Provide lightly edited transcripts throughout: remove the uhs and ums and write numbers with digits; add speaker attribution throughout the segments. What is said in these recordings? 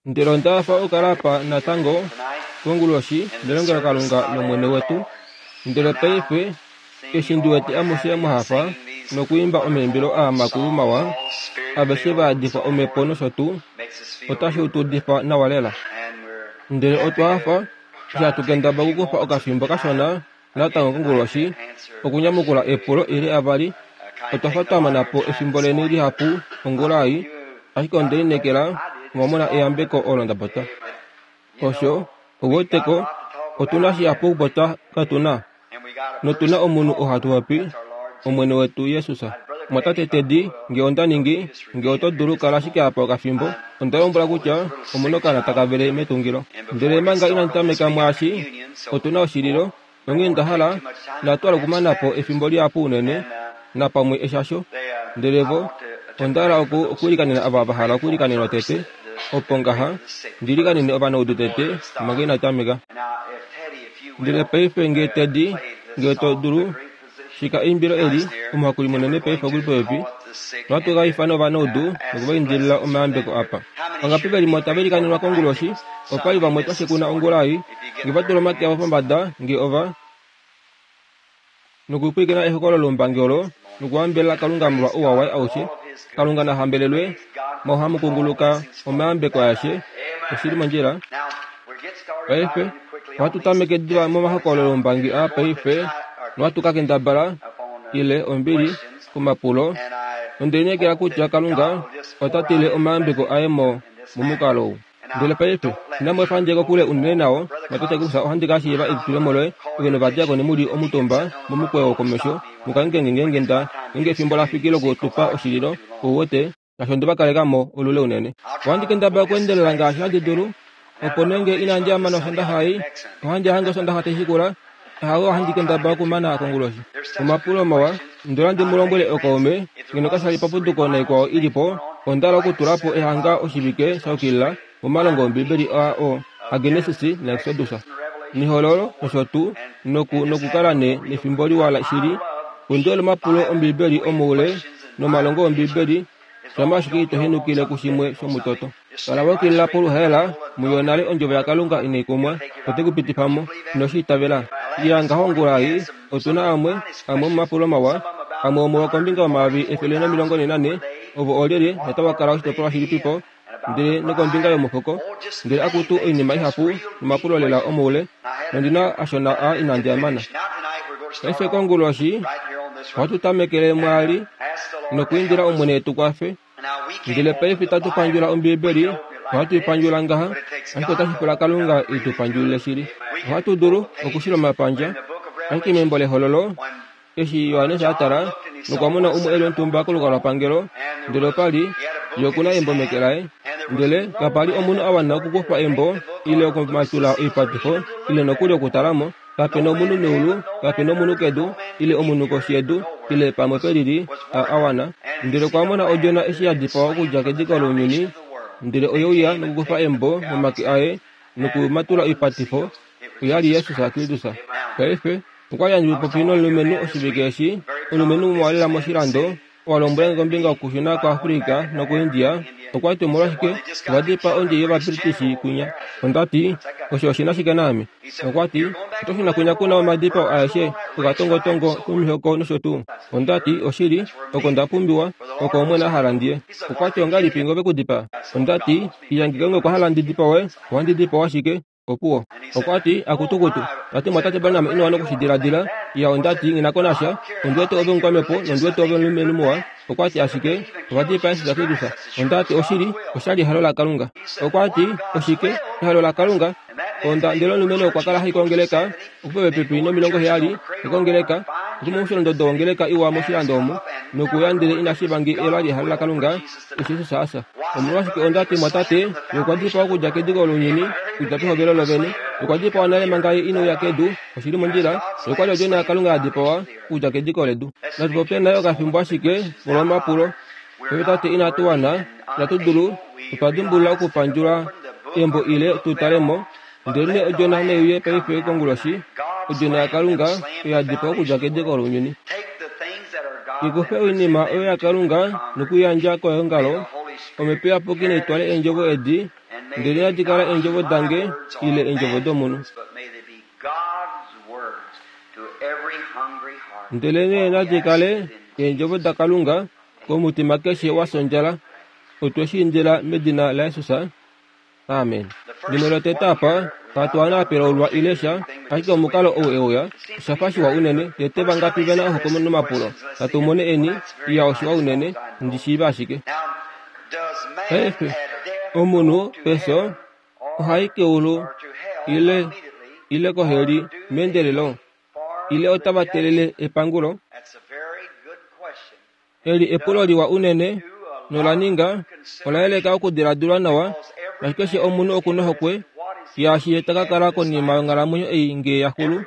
Speaker 1: Ndele onda hafa okukala apa natango konguloshi melongelokalunga lOmwene wetu. Ndele paife, eshi ndi wete amushe mwa hafa nokwiimba omaimbilo aa makulu mawa, aveshe va yadifwa Omhepo nosho tuu, otashi tu udifa nawa lela. Ndele otwa hafa eshi hatu kendabala okukufa okafimbo kashona natango konguloshi okunyamukula epulo ile avali. Otwa fa twa mana po efimbo leni lihapu ongula ei, ashike onde lineekela omwa mona eyambeko olo nda popya. Osho, ou wete ko, otu na shihapu okupopya katu na. Notu na omunhu oo hatu popi, Omwene wetu Jesus. Mumwatate Teddy, nge onda ningi, nge oto dulu kala ashike apa okafimbo, onda lombwela kutya omu na okaana taka vele metungilo. Ndele manga inandi tameka mwaashi, otu na oshililo, nonghee nda hala, inatu hala okumana po efimbo lihapu unene, napamwe eshasho. Ndele vo, onda hala oku, okuilikanena ava va hala okuilikanenwa tete, opo ngaha, ndi ilikanene ovanaudu tete manga ina tameka. Ndele paife nge Teddy, nge oto dulu, shika eimbilo eli, Omuhakuli munene paife oku li popepi, nohatu ka ifana ovanaudu noku va indilila omayambeko apa. Vangapi ve li mo tava ilikanenwa konguloshi? Opa li vamwe twa shekuna ongula ei, nge va tula omake avo pombada, nge ova. Nokupwilikina ehokololo loumbangi olo, nokuhambelela Kalunga molwa ouwa waye aushe. Kalunga na hambelelwe, mo hamu kunguluka omayambeko aeshe. Oshi li mondjila. Paife, ohatu tameke diva momahokololo oumbangi aa paife, nohatu ka kendabala, ile, ombili, komapulo. Nonde lineekela kutya Kalunga ota tile omayambeko aye mo, momukalo ou. Ndele paife, inamu efa ndje kokule unene nao, mwatate kutya ohandi ka shiiva elitulemo loye, ove novadiakoni mu li omutumba momukweyo wokomesho, mu kangheke nge ngeenge nda, ngeenge efimbo la fiki loku tu pa oshililo, ou wete, shaashi onde va kaleka mo olule unene. Ohandi kendabala okuendelela ngaashi handi dulu, opo nee nge inandi amana Osondaxa ei, ohandi hange Osondaxa tai shikula, Ahawe ohandi kendabala okumana konguloshi. Omapulo mawa, Onda hala ndi mu lombwele ookaume, ngeno kasha li papuduko naikwao i li po, onda hala okutula po ehanga oshivike sha yukilila momalongo Ombibeli aa oo aGenesis naExodus, nEhololo nosho tuu, noku, nokukala ne, nefimbo liwa shili. Ondi hole omapulo Ombibeli omoule nomalongo Ombibeli, shamha ashike ito henukile kushimwe shomutoto. Kala wa yukilila poluhaela, muyo nale Ondjovo yaKalunga inai kumwa, ote ku pitifa mo. Ino shi itavela? Iya ngaho ongula ei, otu na amwe, amwe omomapulo mawa, amwe omuo kombinga yomayovi 144, ovo oolyelye notava kala oshitopolwa shilipipo, ndele nokombinga yomufuko, ndele akutu oinima ihapu nomapulo lela omoule, nondi na ashona aa inandi a mana. Paife konguloshi, ohatu tamekele mwaali, nokwiindila Omwene e tu kwafe. Ndele paife itatu pandjula Ombiibeli, ohatu i pandjula ngaha, ashike otashi pula Kalunga e tu pandjulile shili. Ohatu dulu okushila omapandja, ashike membo lEhololo, eshi Johannes a tala, nokwa mona umwe e li omutumba kolukalwapangelo, ndele opa li yo oku na embo meke laye. Ndele kapa li omunhu a wana okukufa embo, ile okumatula oipatifo, ile nokuli okutala mo. Kape na omunhu meulu, kape na omunhu kedu, ile omunhu koshi yedu, ile pamwe pe lili, a, a wana. Ndele okwa mona Odjona eshi ya dipawa okudja kediko lounyuni, ndele oye uya nokukufa embo momake aye nokumatula oipatifo, oya li Jesus Kristus. Paife, okwa li handi popi nomulumenhu oshivike eshi, omulumenhu muwa lela moshilando, Owa lombwela nge kombinga yokushuna kuAfrica nokuIndia. Okwa ti, Omolwashike ova dipaa ondjei yOvabritish kwinya? Onda ti, Osho oshi na shike naame? Okwa ti, Oto shuna kwinya ku na omadipao aeshe, okatongotongo komihoko nosho tuu. Onda ti, Oshili, oko nda pumbiwa, oko Omwene a hala ndi ye. Okwa ti, Ongahelipi ngove ku dipaa? Onda ti, Iya, ngeenge okwa hala ndi dipawe, ohandi dipawa ashike. Opuwo. Okwa ti, Akutukutu. Ta ti, Mwatate Branham, ino wana oku shi diladila. Iya, onda ti, Nghi na ko nasha. Ondi wete ove omukwamhepo, nondi wete ove omulumenhu muwa. Okwa ti, Ashike, ova dipaa Jesus Kristus. Onda ti, Oshili, osha li ehalo laKalunga. Okwa ti, Oshike? Ehalo laKalunga? Onda, ndele omulumenhu okwa kala ha i kongeleka, okupepepi nomilongoheyali, okongeleka, okudja momusholondodo wongeleka iwa moshilando omu, nokuya ndele ina shiiva nge ela li ehalo laKalunga. Eshi osho sha fya. Omolwashike onda ti, Mwatate, ye okwa dipawa okudja kediko lounyuni, okudja pehovelo lovene. Okwa dipawa nale manga ye ine uya kedu, oshi li mondjila. Ye okwa li Odjona yaKalunga ya dipawa, okudja kediko ledu. Natu popye naye okafimbo ashike, molwomapulo. Paife tate inatu wana, inatu dulu, otwa dimbulula okupandjula embo ile tu tale mo. Ndelenee Odjona nai uye paife konguloshi, Odjona yaKalunga, oyo ya dipawa okudja kediko lounyuni. I kufe oinima oyo yaKalunga noku i yandja keongalo, Omhepo Iyapuki nai twale eendjovo edi Ndele nadi kala eendjovo dange ile eendjovo domunhu. Ndelenee nadi kale eendjovo daKalunga komutima keshe wa sondjala. Otwe shi indila medina laJesus. Amen. Limwe lotete apa, katu ana apelaulwa ile sha, ashike omukalo ou e uya, osha fa shiwa unene. Tete vangapi ve na ohokwe nomapulo? Natu mone eni. Iya, oshiwa unene, ndi shiive ashike. Paife, omunhu pefyo ohai keulu ile, ile koheli meendelelo, ile otava teelele epangulo? Eli epulo liwa unene, nola ninga, ola yeleka okudiladilwa nawa, shaashi keshe omunhu oku nohokwe yaashi ye ta ka kala konima yonghalamwenyo ei nge ya xulu.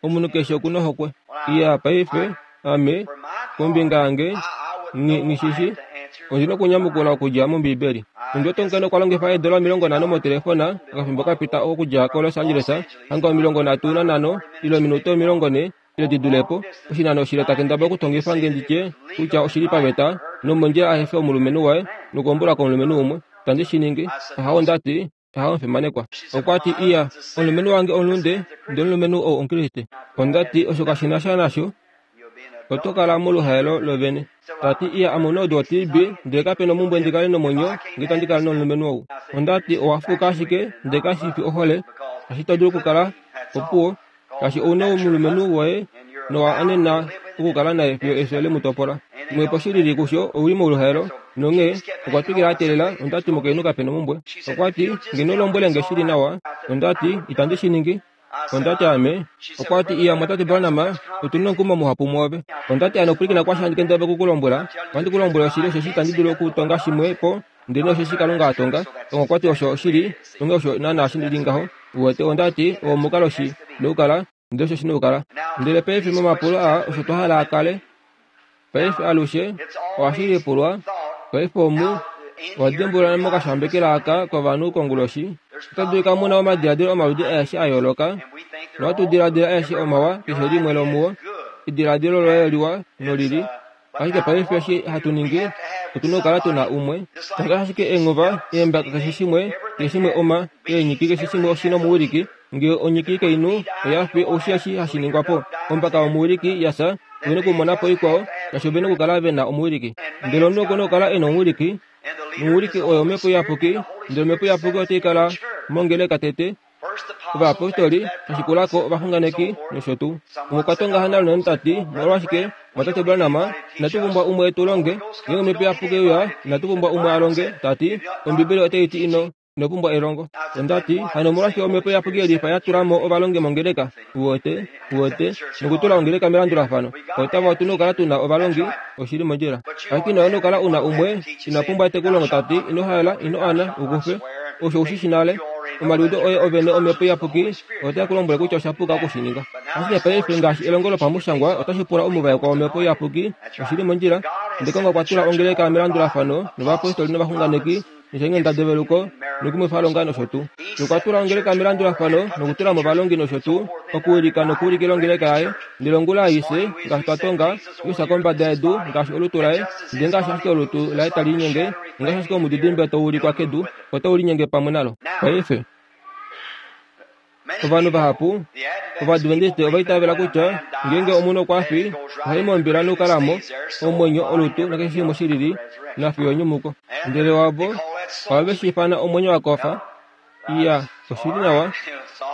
Speaker 1: Omunhu keshe oku nohokwe. Iya, paife, ame, kombinga yange, nghi, nghi shi shi. Ondi nokunyamukula okudja mOmbiibeli. Ondi wete omukainhu okwa longifa eedola 50 motelefona okafimbo ka pita okudja koLos Angeles, hanga 35 ile ominute 40 ile di dule po, oshinano oshile ta kendabala okutongifa nge ndi tye kutya oshi li paveta nomondjila a efe omulumenhu waye nokuhombula komulumenhu umwe. Itandi shi ningi. Ahawo, nda ti. Ahawo, omufimanekwa. Okwa ti, Iya, omulumenhu wange omulunde, ndele omulumenhu ou Omukriste. Onda ti, Osho kashi na sha nasho. Oto kala moluhaelo lovene. Ta ti, Iya, ame omunaudu woTB, ndele kape na omumbwe ndi kale nomwenyo nge itandi kala nomulumenhu ou. Onda ti, Owa fuuka ashike, ndele kashi fi ohole, shaashi ito dulu okukala opuwo. Shaashi ou na omulumenhu woye nowa anena okukala naye fiyo efyo le mu topola. Mwepo shi lili kusho ou li mouluhaelo, nonghee okwa twikila a teelela. Onda ti, Mukainhu kape na omumbwe. Okwa ti, Ngeno lombwele nge shi li nawa. Onda ti, Itandi shi ningi. Onda ti, Ame. Okwa ti, Iya, Mwatate Branham, otu na omukumo muhapu mwoove. Onda ti, Ano pwilikina kwaasho handi kendabala oku ku lombwela. Ohandi ku lombwele oshili osheshi itandi dulu okutonga shimwe po Ndele osheshi Kalunga a tonga, okwa ti osho oshili, onghee osho naanaa shi li ngaho. Uwete, onda ti, oo omukalo shi nokukala, ndele osho shi nokukala. Ndele paife momapulo aa osho twa hala a kale. Paife alushe ohashi lipulwa, paife omu, owa dimbulula mokashambekela aka kovanhu konguloshi, ota dulika mu na omadiladilo omaludi aeshe a yooloka, nohatu diladila aeshe omawa, keshe limwe lomuo, ediladilo loye liwa nolili, Ashike paife eshi hatu ningi, otu na okukala tu na umwe. Ngaashi ashike eenghova, eembaka keshe shimwe, keshe shimwe oma, eenyiki keshe shimwe oshi na omuwiliki. Nge onyiki kainhu oya fi, oushi eshi hashi ningwa po? Ombaka yomuwiliki ya fya, ove na okumona po ikwao, shaashi ove na okukala ve na omuwiliki. Ndele omunhu oku na okukala e na omuwiliki, nomuwiliki oye Omhepo Iyapuki, ndele Omhepo Iyapuki otai kala mongeleka tete, Ovayapostoli, sha shikula ko ovaxunganeki nosho tuu. Umwe okwa tonga hano Arnon ta ti, Omolwashike, mumwatate Branham, inatu pumbwa umwe e tu longe? Ngeenge Omhepo Iyapuki e uya, inatu pumbwa umwe a longe. Ta ti, Ombibeli otai ti ino, ino pumbwa elongo. Onda ti, Hano omolwashike Omhepo Iyapuki ye lifa ya tula mo ovalongi mongeleka? Uwete? Uwete? Nokutula ongeleka melandulafano. Otava otu na okukala tu na ovalongi, oshi li mondjila. Ashike ino wana okukala u na umwe ina pumbwa etekulongo ta ti, Ino haela, ino ana, u kufe. Osho u shi shi nale. Omaliudo oye ovene Omhepo Iyapuki otae ku lombwele kutya osha puka oku shi ninga. Ashike paife, ngaashi elongo lopamushangwa, otashi pula omuvaekwa wOmhepo Iyapuki, oshi li mondjila. Ndele Kalunga okwa tula ongeleka melandulafano, novayapostoli novaxunganeki, nosheenghendda develuko, nokumwifalonga nosho tuu. Nokwa tula ongeleka melandulafano, nokutula mo ovalongi nosho tuu, okuwilika nokuulikila ongeleka yaye. Ndele ongula aishe, ngaashi twa tonga, Jesus kombada yedu, ngaashi olutu laye, ndele ngaashi ashike olutu laye tali linyenge, ngaashi ashike omudidimbe tau ulikwa kedu, otau linyenge pamwe nalo. Paife, ovanhu vahapu Ovadventiste ova itavela kutya ngeenge omunhu okwa fi, ohai mombila nokukala mo omwenyo, olutu nakeshe shimwe shi lili nafiyo enyumuko. Ndele wavo ohave shi ifana omwenyo wa kofa. Iya, oshi li nawa.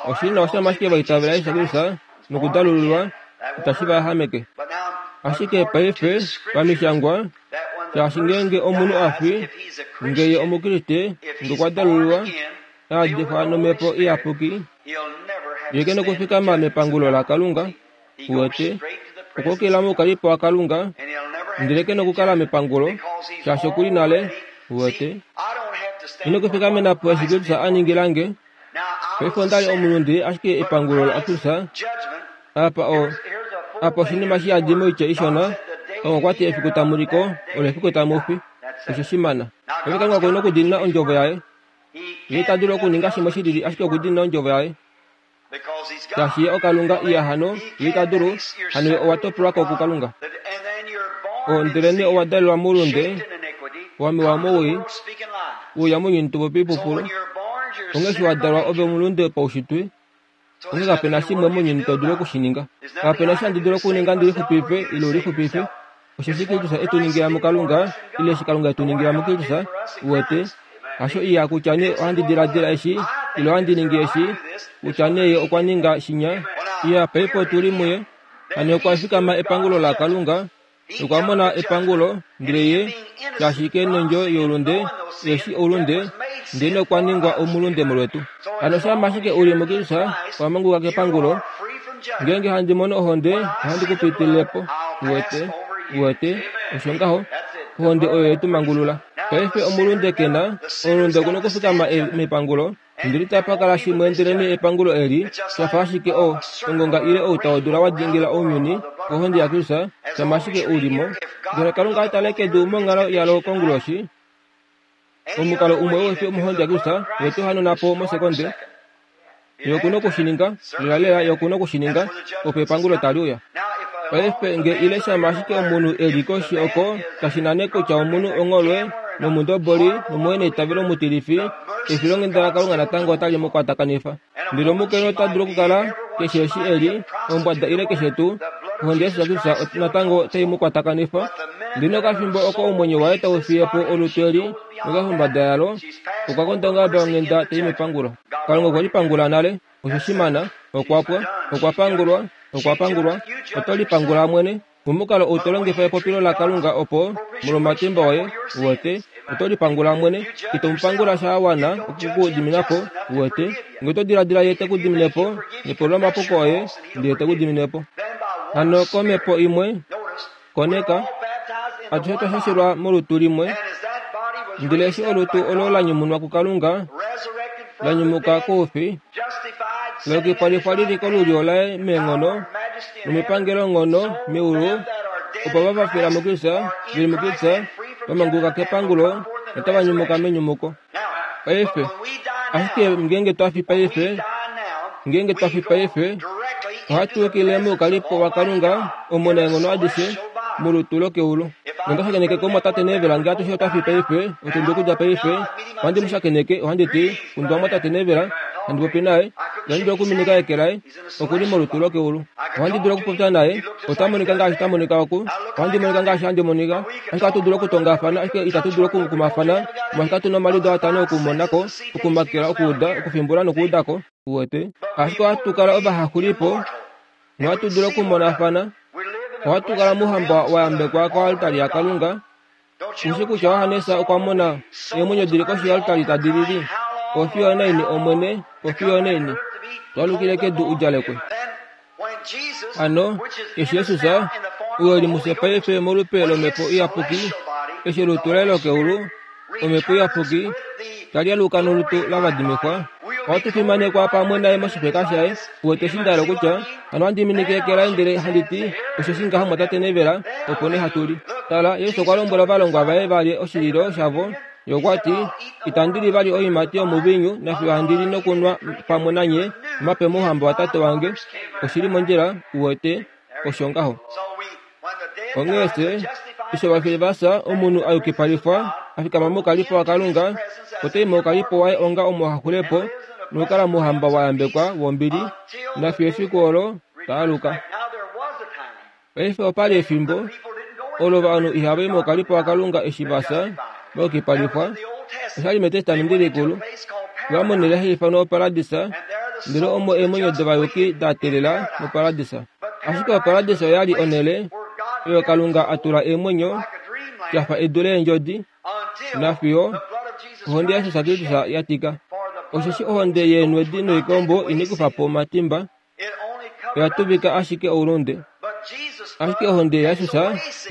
Speaker 1: Oshi li nawa shama ashike va itavela Jesus Kristus nokudalululwa, itashi va yahameke. Ashike paife, pamishangwa, shaashi ngeenge omunhu a fi, nge ye Omukriste, nge okwa dalululwa, a yadifwa nomhepo iyapuki, ye ke nokufikama mepangulo laKalunga, uwete, okwa ukilila moukalipo waKalunga, ndele ke nokukala mepangulo, shaashi oku li nale, uwete. Ino kufikamena po eshi Kristus a ningila nge. Paife onda li omulunde, ashike epangulo laKristus apa o apa oshinima shi yadi moitya ishona. Kalunga okwa ti efiku tamu li ko, olo efiku tamu fi. Osho shimana. Paife Kalunga oku na okudiinina ondjovo yaye. Ye ita dulu okuninga shimwe shi lili ashike okudiinina ondjovo yaye. Shaashi ye oKalunga, iya hano, ye ita dulu, hano ye owa topolwa ko kuKalunga. O, ndelenee owa dalelwa moulunde, wa mewa mowii, uya mounyuni to popi oipupulu. Onghee eshi wa dalwa ove omulunde paushitwe, onghee kape na shimwe mounyuni to dulu oku shi ninga. Kape na eshi handi dulu okuninga ndi lixupife ile u lixupife. Osheshi Kristus e tu ningila muKalunga, ile eshi Kalunga e tu ningila muKristus, uwete. Hasho iya kutya nee ohandi diladila eshi, ile ohandi ningi eshi, kutya nee Ye okwa ninga shinya. Iya, paife otu li muye. Hano okwa fikama epangulo laKalunga, nokwa mona epangulo, ndele ye, shaashi ke nondjo youlunde, eshi oulunde, ndele nokwa ningwa omulunde molwetu. Hano shama ashike u li muKristus, owa manguluka kepangulo. Ngeenge handi mono ohonde, ohandi ku pitilile po. Uwete? Uwete? Osho ngaho. Ohonde oyo ye tu mangulula. Paife omulunde ke na, omulunde oku na okufikama mepangulo. Ndele itapa kala shimwe ndelenee epangulo eli, sha fa ashike o, ongonga ile outa wodula wa dingila ounyuni kohonde yaKristus, shama ashike u li mo. Ndele Kalunga a tale kedu monghalo yalo konguloshi, omukalo umwe uhe fi omohonde yaKristus, Ye te u hanauna po mosekonde. Ye oku na oku shi ninga, lelalela Ye oku na oku shi ninga, opo epangulo tali uya. Paife nge ile shama ashike omunhu e li koshi oko, kashi na nee kutya omunhu ongholwe, nomundoboli, nomuheneitavelo mutilifi, efilonghenda laKalunga natango otali mu kwatakanifa. Ndele omukainhu ota dulu okukala, keshe eshi e li, ombwada ile keshe tuu, ohonde yaJesus Kristus natango otai mu kwatakanifa. Ndele nokafimbo oko omwenyo waye tau fiye po olutu eli, nokafumbada yalo, okwa konda ongaba yonghenda tai mepangulo. Kalunga okwe lipangula nale. Osho shimana, okwa pwa, okwa pangulwa, okwa pangulwa. Oto lipangula mwene momukalo ou to longifa epopilo laKalunga opo, molwomatimba oye, uwete, oto lipangula mwene. Ito mu pangula sha wana oku ku dimina po, uwete. Nge oto diladila ye te ku dimine po, nepolwomapuko oye, ndele te ku dimine po. Hano komhepo imwe, Koneka, atushe otwa shashelwa molutu limwe, ndele eshi olutu olo la nyumunwa kuKalunga, la nyumuka koufi, la yukipalifwa li li kolulyo laye meenghono nomipangelonghono meulu, opo ava va fila muKristus, ve li muKristus, va manguluka kepangulo notava nyumuka menyumuko. Paife, ashike ngeenge twa fi paife, ngeenge twa fi paife, ohatu yukile moukalipo waKalunga omunaenghono adishe molutu lokeulu. Nonda shakeneke komwatate Neville nge atushe otwa fi paife, otundi okudja paife, ohandi mu shakeneke, ohandi ti, Kundwa mwatate Neville, handi popi naye, ihandi dulu okuminika eke laye, oku li molutu lokeulu. Ohandi dulu okupopya naye, ota monika ngaashi ta monika oku, ohandi monika ngaashi handi monika. Ashike ohatu dulu okutongafana, ashike itatu dulu okukumafana, molwaashi katu na omaliudo atano okumona ko, okumakela, okuuda, okufimbula nokuuda ko. Uwete? Ashike ohatu kala ovahaxulipo, nohatu dulu okumonafana. Ohatu kala mouhamba wa yambekwa koaltari yaKalunga. Ushi kutya Johannes okwa mona eemwenyo di li koshi yoaltari tadi lili, Ofiyo onaini, Omwene, ofiyo onaini, to alukile kedu u djalekwe? Hano, eshi Jesus, ou e li mufye paife molupe lOmhepo Iyapuki, eshi olutu laye lokeulu, Omhepo Iyapuki, tali aluka nolutu lavadimikwa, ohatu fimanekwa pamwe naye moshifeka shaye. Uwete eshi nda hala okutya? Hano ohandi minike eke laye ndele handi ti, Osheshi ngaha mwatate Neville, opo nee hatu li. Tala, Jesus okwa lombwela ovalongwa vaye va lye oshililo shavo. Ye okwa ti, Itandi li vali oiimati yomuviinyu nafiyo handi li nokunwa pamwe nanye omape mouhamba waTate wange. Oshi li mondjila, uwete, osho ngaho. Onghee fye, eshi ovafili va fya, omunhu a yukipalifwa, a fikama moukalipo waKalunga, ota i moukalipo waye onga omuhaxulepo nokukala mouhamba wa yambekwa wombili, nafiyo efiku olo ta aluka. Paife opa li efimbo olo ovanhu ihava i moukalipo waKalunga eshi va fya, va yukipalifwa. Osha li mEtestamenti Likulu. Va monele hashi ifanwa oparadisa, ndele omo eemwenyo dovayuki da teelela moparadisa. Ashike oparadisa oya li onhele oyo Kalunga a tula eemwenyo, ya fa edu leendjodi, nafiyo ohonde yaJesus Kristus ya tika. Osheshi ohonde yeenwedi noikombo inai kufa po omatimba, oya tuvika ashike oulunde. Ashike ohonde yaJesus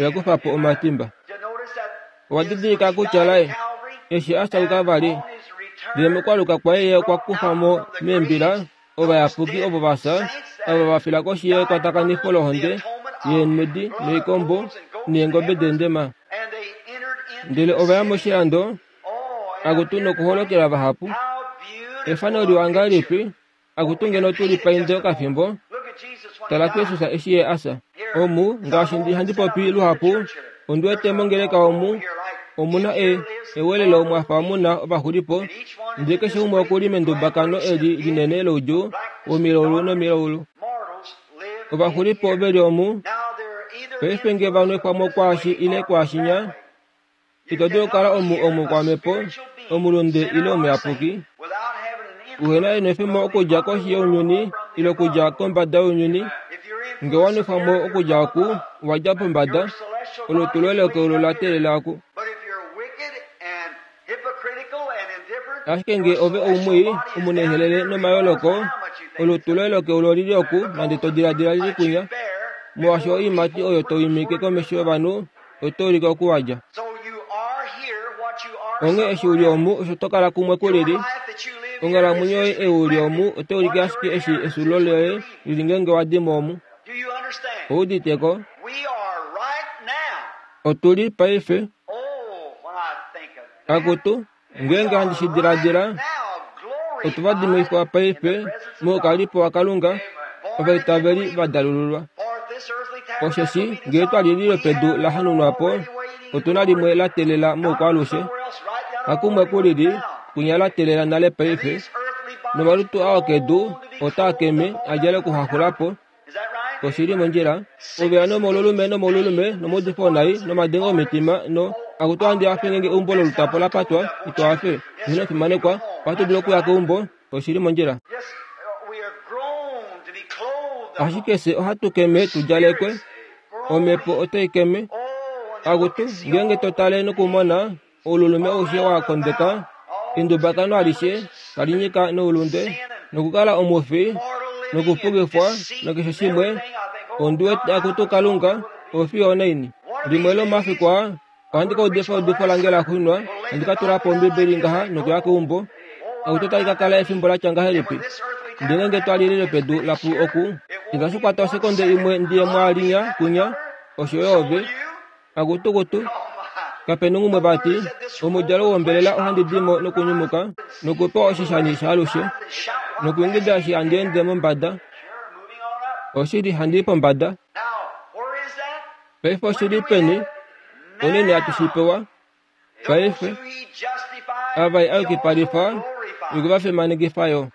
Speaker 1: oya kufa po omatimba. Owa didilika kutya laye eshi a fya vali, ndele mokwaluka kwaye ye okwa kufa mo meembila ovayapuki ovo va fya, ava va fila koshi yekwatakanifo lohonde yeenwedi noikombo neengobe deendema. Ndele ova ya moshilando, akutu nokuholokela vahapu. Efano liwa ngahelipi Akutu ngeno tu li painde okafimbo, tala kuJesus eshi ye a fya. Omu, ngaashi ndi handi popi luhapu, ondi wete mongeleka omu, Omu na e, ewelelo mwa fa mu na ovaxulipo, ndele keshe umwe oku li mendumbakano eli linene loudjuu womilaulu nomilaulu. Ovaxulipo ove li omu, paife nge va nwefwa mo kwaashi ile kwaashinya, ito dulu okukala omu omukwamhepo, omulunde ile omuyapuki, uhe na enwefemo okudja koshi younyuni ile okudja kombada younyuni. Nge wa nwefwa mo okudja oku, wa dja pombada, olutu loye lokeulu la teelela oku. Ashike nge ove oumwii, omuneenhelele nomayooloko, olutu loye lokeulu oli li oku, nande to diladila li li kwinya, molwaashi oiimati oyo to imike komesho yovanhu oto ulike oku wa dja. Onghee eshi u li omu, osho to kala kumwe ku lili. Onghalamwenyo yoye ei u li omu otai ulike ashike eshi exulo loye lili ngeenge wa di mo omu. Ou udite ko? Otu li paife. Akutu, ngeenge handi shi diladila, otu va dimwifwa paife moukalipo waKalunga, ovaitaveli va dalululwa. Osheshi ngee twa li lilo pedu la hanunwa po, otu na limwe la teelela moukwaalushe. Hakumwe ku lili, kwinya la teelela nale paife. Nomalutu ao kedu otaa keme a djale okuhaxula po. Oshi li mondjila. Ove ya nomoululume nomoululume nomaudifo onai nomadengo omitima no akutu handi hafe ngeenge eumbo lolutapo la patwa ito hafe. Ino fimanekwa, ohatu dulu okuya keumbo. Oshi li mondjila. Ashike fye ohatu keme tu djalekwe. Omhepo otai keme. Akutu, ngeenge to tale nokumona oululume aushe wa kondeka, endubakano alishe tali nyika noulunde, nokukala omufi, nokupukifwa, nakeshe shimwe, ondi wete akutu Kalunga, ofiyo onaini. Limwe lomafiku aa, ohandi ka udifa eudifo lange la xunwa, handi ka tula po Ombibeli ngaha nokuya keumbo. Akutu otali ka kala efimbo la tya ngahelipi? Ndele ngeenge twa lilile pedu la pu oku, itashi kwata osekonde imwe ndi ye mwaalinya kwinya, osho yo ove. Akutukutu, kape nongumwe vati, omudjalo wombelela ohandi di mo nokunyumuka, nokupewa oshishani shaalushe, nokuingida eshi handi ende mombada. Oshili handi i pombada. Paife oshi li peni? Onini hatu shi pewa? Paife, ava ye a yukipalifa, okwe va fimanekifa yo.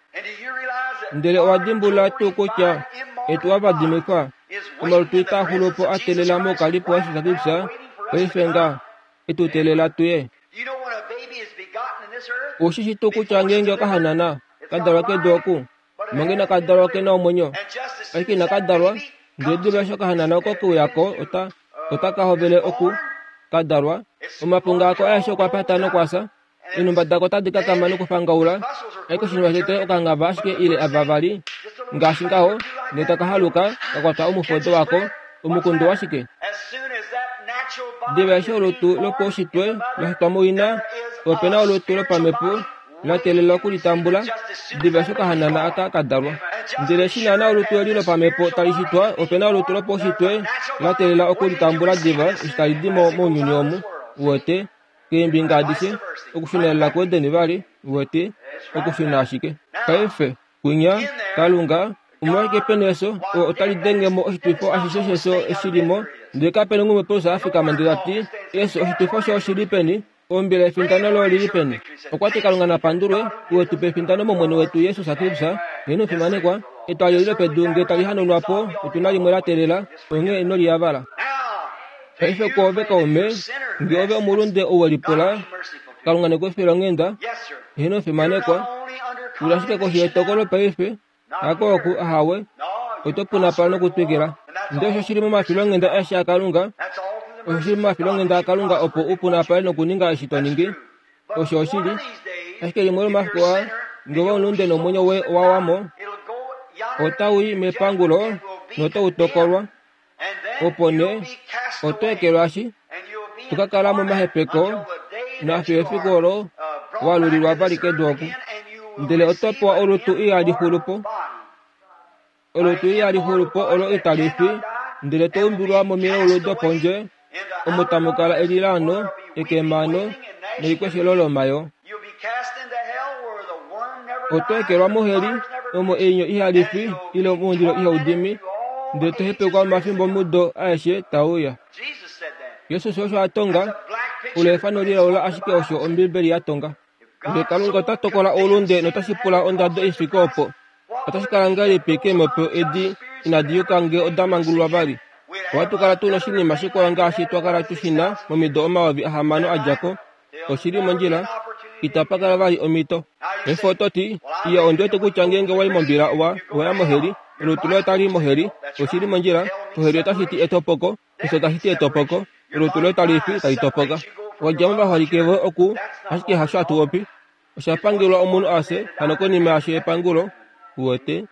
Speaker 1: Ndele owa dimbulula tuu kutya etu wa vadimikwa, omalutu itaa xulu po a teelela moukalipo waJesus Kristus, paife nga, e tu teelela tu ye. Ou shi shi tuu kutya ngeenge okahanana ka dalwa kedu oku, manga inaka dalwa oke na omwenyo, ashike inaka dalwa, ndele diva eshi okahanana oko ke uya ko, ota, otaka hovele oku ka dalwa. Omapunga ako aeshe okwa pata nokwa fya. Eenhumba dako otadi kakama nokufangaula, ashike oshinima shotete okangava ashike ile ava vali ngaashi ngaho, ndele taka haluka ka kwatwa omufodo wako. Omukundu washike? Diva eshi olutu lopaushitwe la shitwa moina, ope na olutu lopamhepo la teelela oku li tambula diva eshi okahanana aka ka dalwa. Ndele eshi naana olutu eli lopamhepo tali shitwa, ope na olutu lopaushitwe la teelela oku li tambula diva eshi tali di mo mounyuni omu. Uwete? Keembinga adishe, okushunelela kuEden vali, uwete, okushuna ashike. Paife, kwinya, Kalunga, omolwashike pe na efyo, oo otali denge mo oshitwifo ashishe shefyo eshi li mo, ndele kape na umwe Petrus a fikama ndele ta ti, Efyo, oshitwifo shoye oshi li peni? Ombila yefindano lo oli li peni? Okwa ti, Kalunga na pandulwe, ou e tu pa efindano mOmwene wetu Jesus Kristus. Ngeno fimanekwa, etwali eli lopedu nge tali hanaunwa po, otu na limwe la teelela, onghee ino li yavala. Paife kwoove kaume, nge ove omulunde ou we lipula, Kalunga ne ku file onghenda. Heeno fimanekwa, u li ashike koshi yetokolo paife, hako oku, ahawe, oto punapala nokutwikila. Ndele osho shi li momafilonghenda aeshe aKalunga, osho shi li momafilonghenda aKalunga opo u punapale nokuninga eshi to ningi. Osho oshili. Ashike limwe lomafiku aa, nge ove omulunde nomwenyo woye owa wa mo, otau i mepangulo notau tokolwa. Opo nee, oto ekelwashi, to ka kala momahepeko nafiyo efiku olo wa lulilwa vali kedu oku. Ndele oto pewa olutu ihali xulu po, olutu ihali xulu po olo itali fi, ndele to umbilwa momilaulu dopondje, omo tamu kala elilaano, ekemano nelikweshelo lomayoo. Oto ekelwa moheli, omo einyo ihali fi ile omundilo ihau dimi, ndele to hepekwa omafimbo mudo aeshe taa uya. Jesus osho a tonga. Olo efano lilaula ashike osho Ombiibeli ya tonga. Nge Kalunga ota tokola oulunde notashi pula ondado i fike opo, otashi kala ngahelipi keemhepo edi inadi yuka nge oda mangululwa vali? Ohatu kala tu noshinima shikwao ngaashi twa kala tu shi na momido 6000 a dja ko. Oshi li mondjila. Itapa kala vali omhito. Paife oto ti, Iya, ondi wete kutya ngeenge wa i mombila, wa, owa ya moheli. Olutu loye otali i moheli. Oshi li mondjila. Oheli otashi ti etopoko. Efyo tashi ti etopoko. Olutu loye tali fi, tali topoka. Wa dja movaholike voye oku, ashike hasho hatu popi. Osha pangelwa omunhu a fye, hano konima yasho epangulo. Uwete?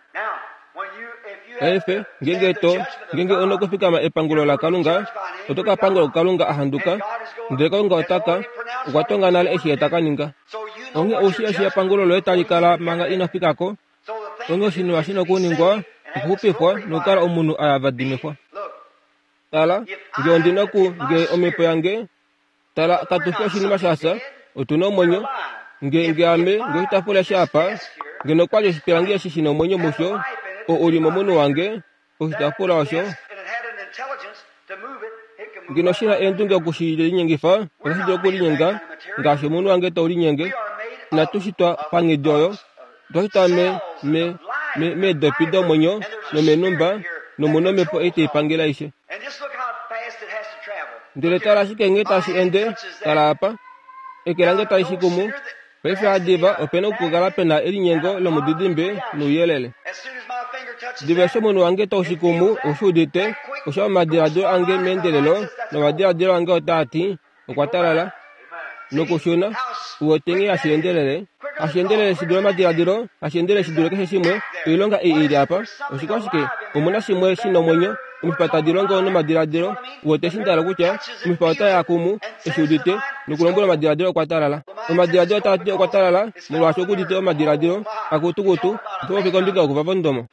Speaker 1: Paife, ngeenge to, ngeenge u nokufikama epangulo laKalunga, oto ka pangulwa kuKalunga a handuka, ndele Kalunga ota ka, okwa tonga nale eshi Ye ta ka ninga. Onghee ou shii eshi epangulo loye tali kala manga ino fika ko. Onghee oshinima shi nokuningwa, okuxupifwa nokukala omunhu a yavadimifwa. Tala, nge ondi noku, nge omhepo yange, Tala, katu fi oshinima sha fya, otu na omwenyo. Nge, nge ame, nge oshitaafula eshi apa, ngeno okwa li oshipilangi eshi shi na omwenyo musho, oo u li momunhu wange, oshitaafula osho, ngeno shi na eendunge oku shi linyengifa, otashi dulu okulinyenga ngaashi omunhu wange tau linyenge. Inatu shitwa panghedi oyo. Otwa shitwa me, me, me, meedopi domwenyo nomenhumba, nomu nomhepo ei tai pangele aishe. Ndele tala ashike nghee tashi ende, tala apa. Eke lange tali shi kumu. Paife hadiva ope na okukala pe na elinyengo lomudidimbe nouyelele. Diva eshi omunhu wange tau shi kumu, ou shi udite, osha omadiladilo ange meendelelo, nomadiladilo ange otaa ti, Okwa talala nokushuna. U wete nghee hashi endelele? Hashi endelele shi dule omadiladilo, hashi endelele shi dule keshe shimwe. Oilonga ei i li apa, oshikwashike? Omu na shimwe shi nomwenyo. Omifipa tadi longo nomadiladilo. U wete eshi nda hala okutya? Omifipa otai a kumu, eshi udite, nokulombwela omadiladilo okwa talala. Omadiladilo otaa ti okwa talala, molwaashi oku udite omadiladilo akutukutu, oto popi kombinga yokuva vondomo.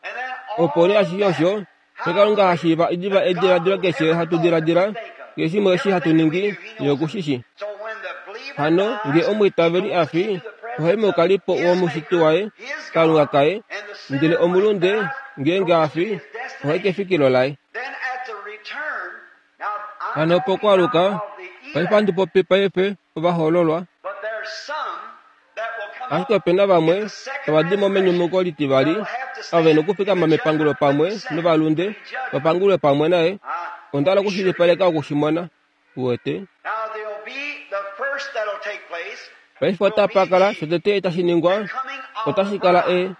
Speaker 1: Opo nee ashishe osho Xe Kalunga ha shiiva diva ediladilo keshe hatu diladila, keshe shimwe eshi hatu ningi, Ye oku shi shii. Hano, nge omwiitaveli a fi, ohai moukalipo wOmushiti waye, Kalunga kaye, ndele omulunde, ngeenge a fi, ohai kefikilo laye. Hano pokwaluka, paife handi popi paife ovahoololwa. Ashike ope na vamwe tava di mo menyumuko litivali, ava ve na okufikama mepangulo pamwe novalunde, va pangulwe pamwe naye. Onda hala okushilipaleka oku shi mona. Uwete? Paife otapa kala, shotete tashi ningwa, otashi kala e,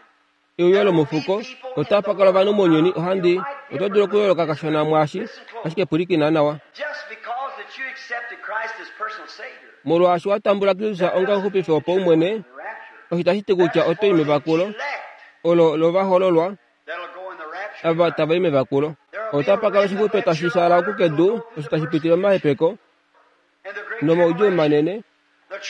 Speaker 1: euyo lomufuko. Otapa kala ovanhu mounyuni, ohandi, oto dulu okuyooloka kashona mwaashi, ashike pwilikina nawa. Molwaashi wa tambula Kristus onga omuxupifi wopaumwene, osho itashi ti kutya oto i mevakulo olo lovahololwa ava tava i mevakulo. Otapa kala oshixupe tashi shaala oku kedu osho tashi pitile momahepeko nomaudjuu manene.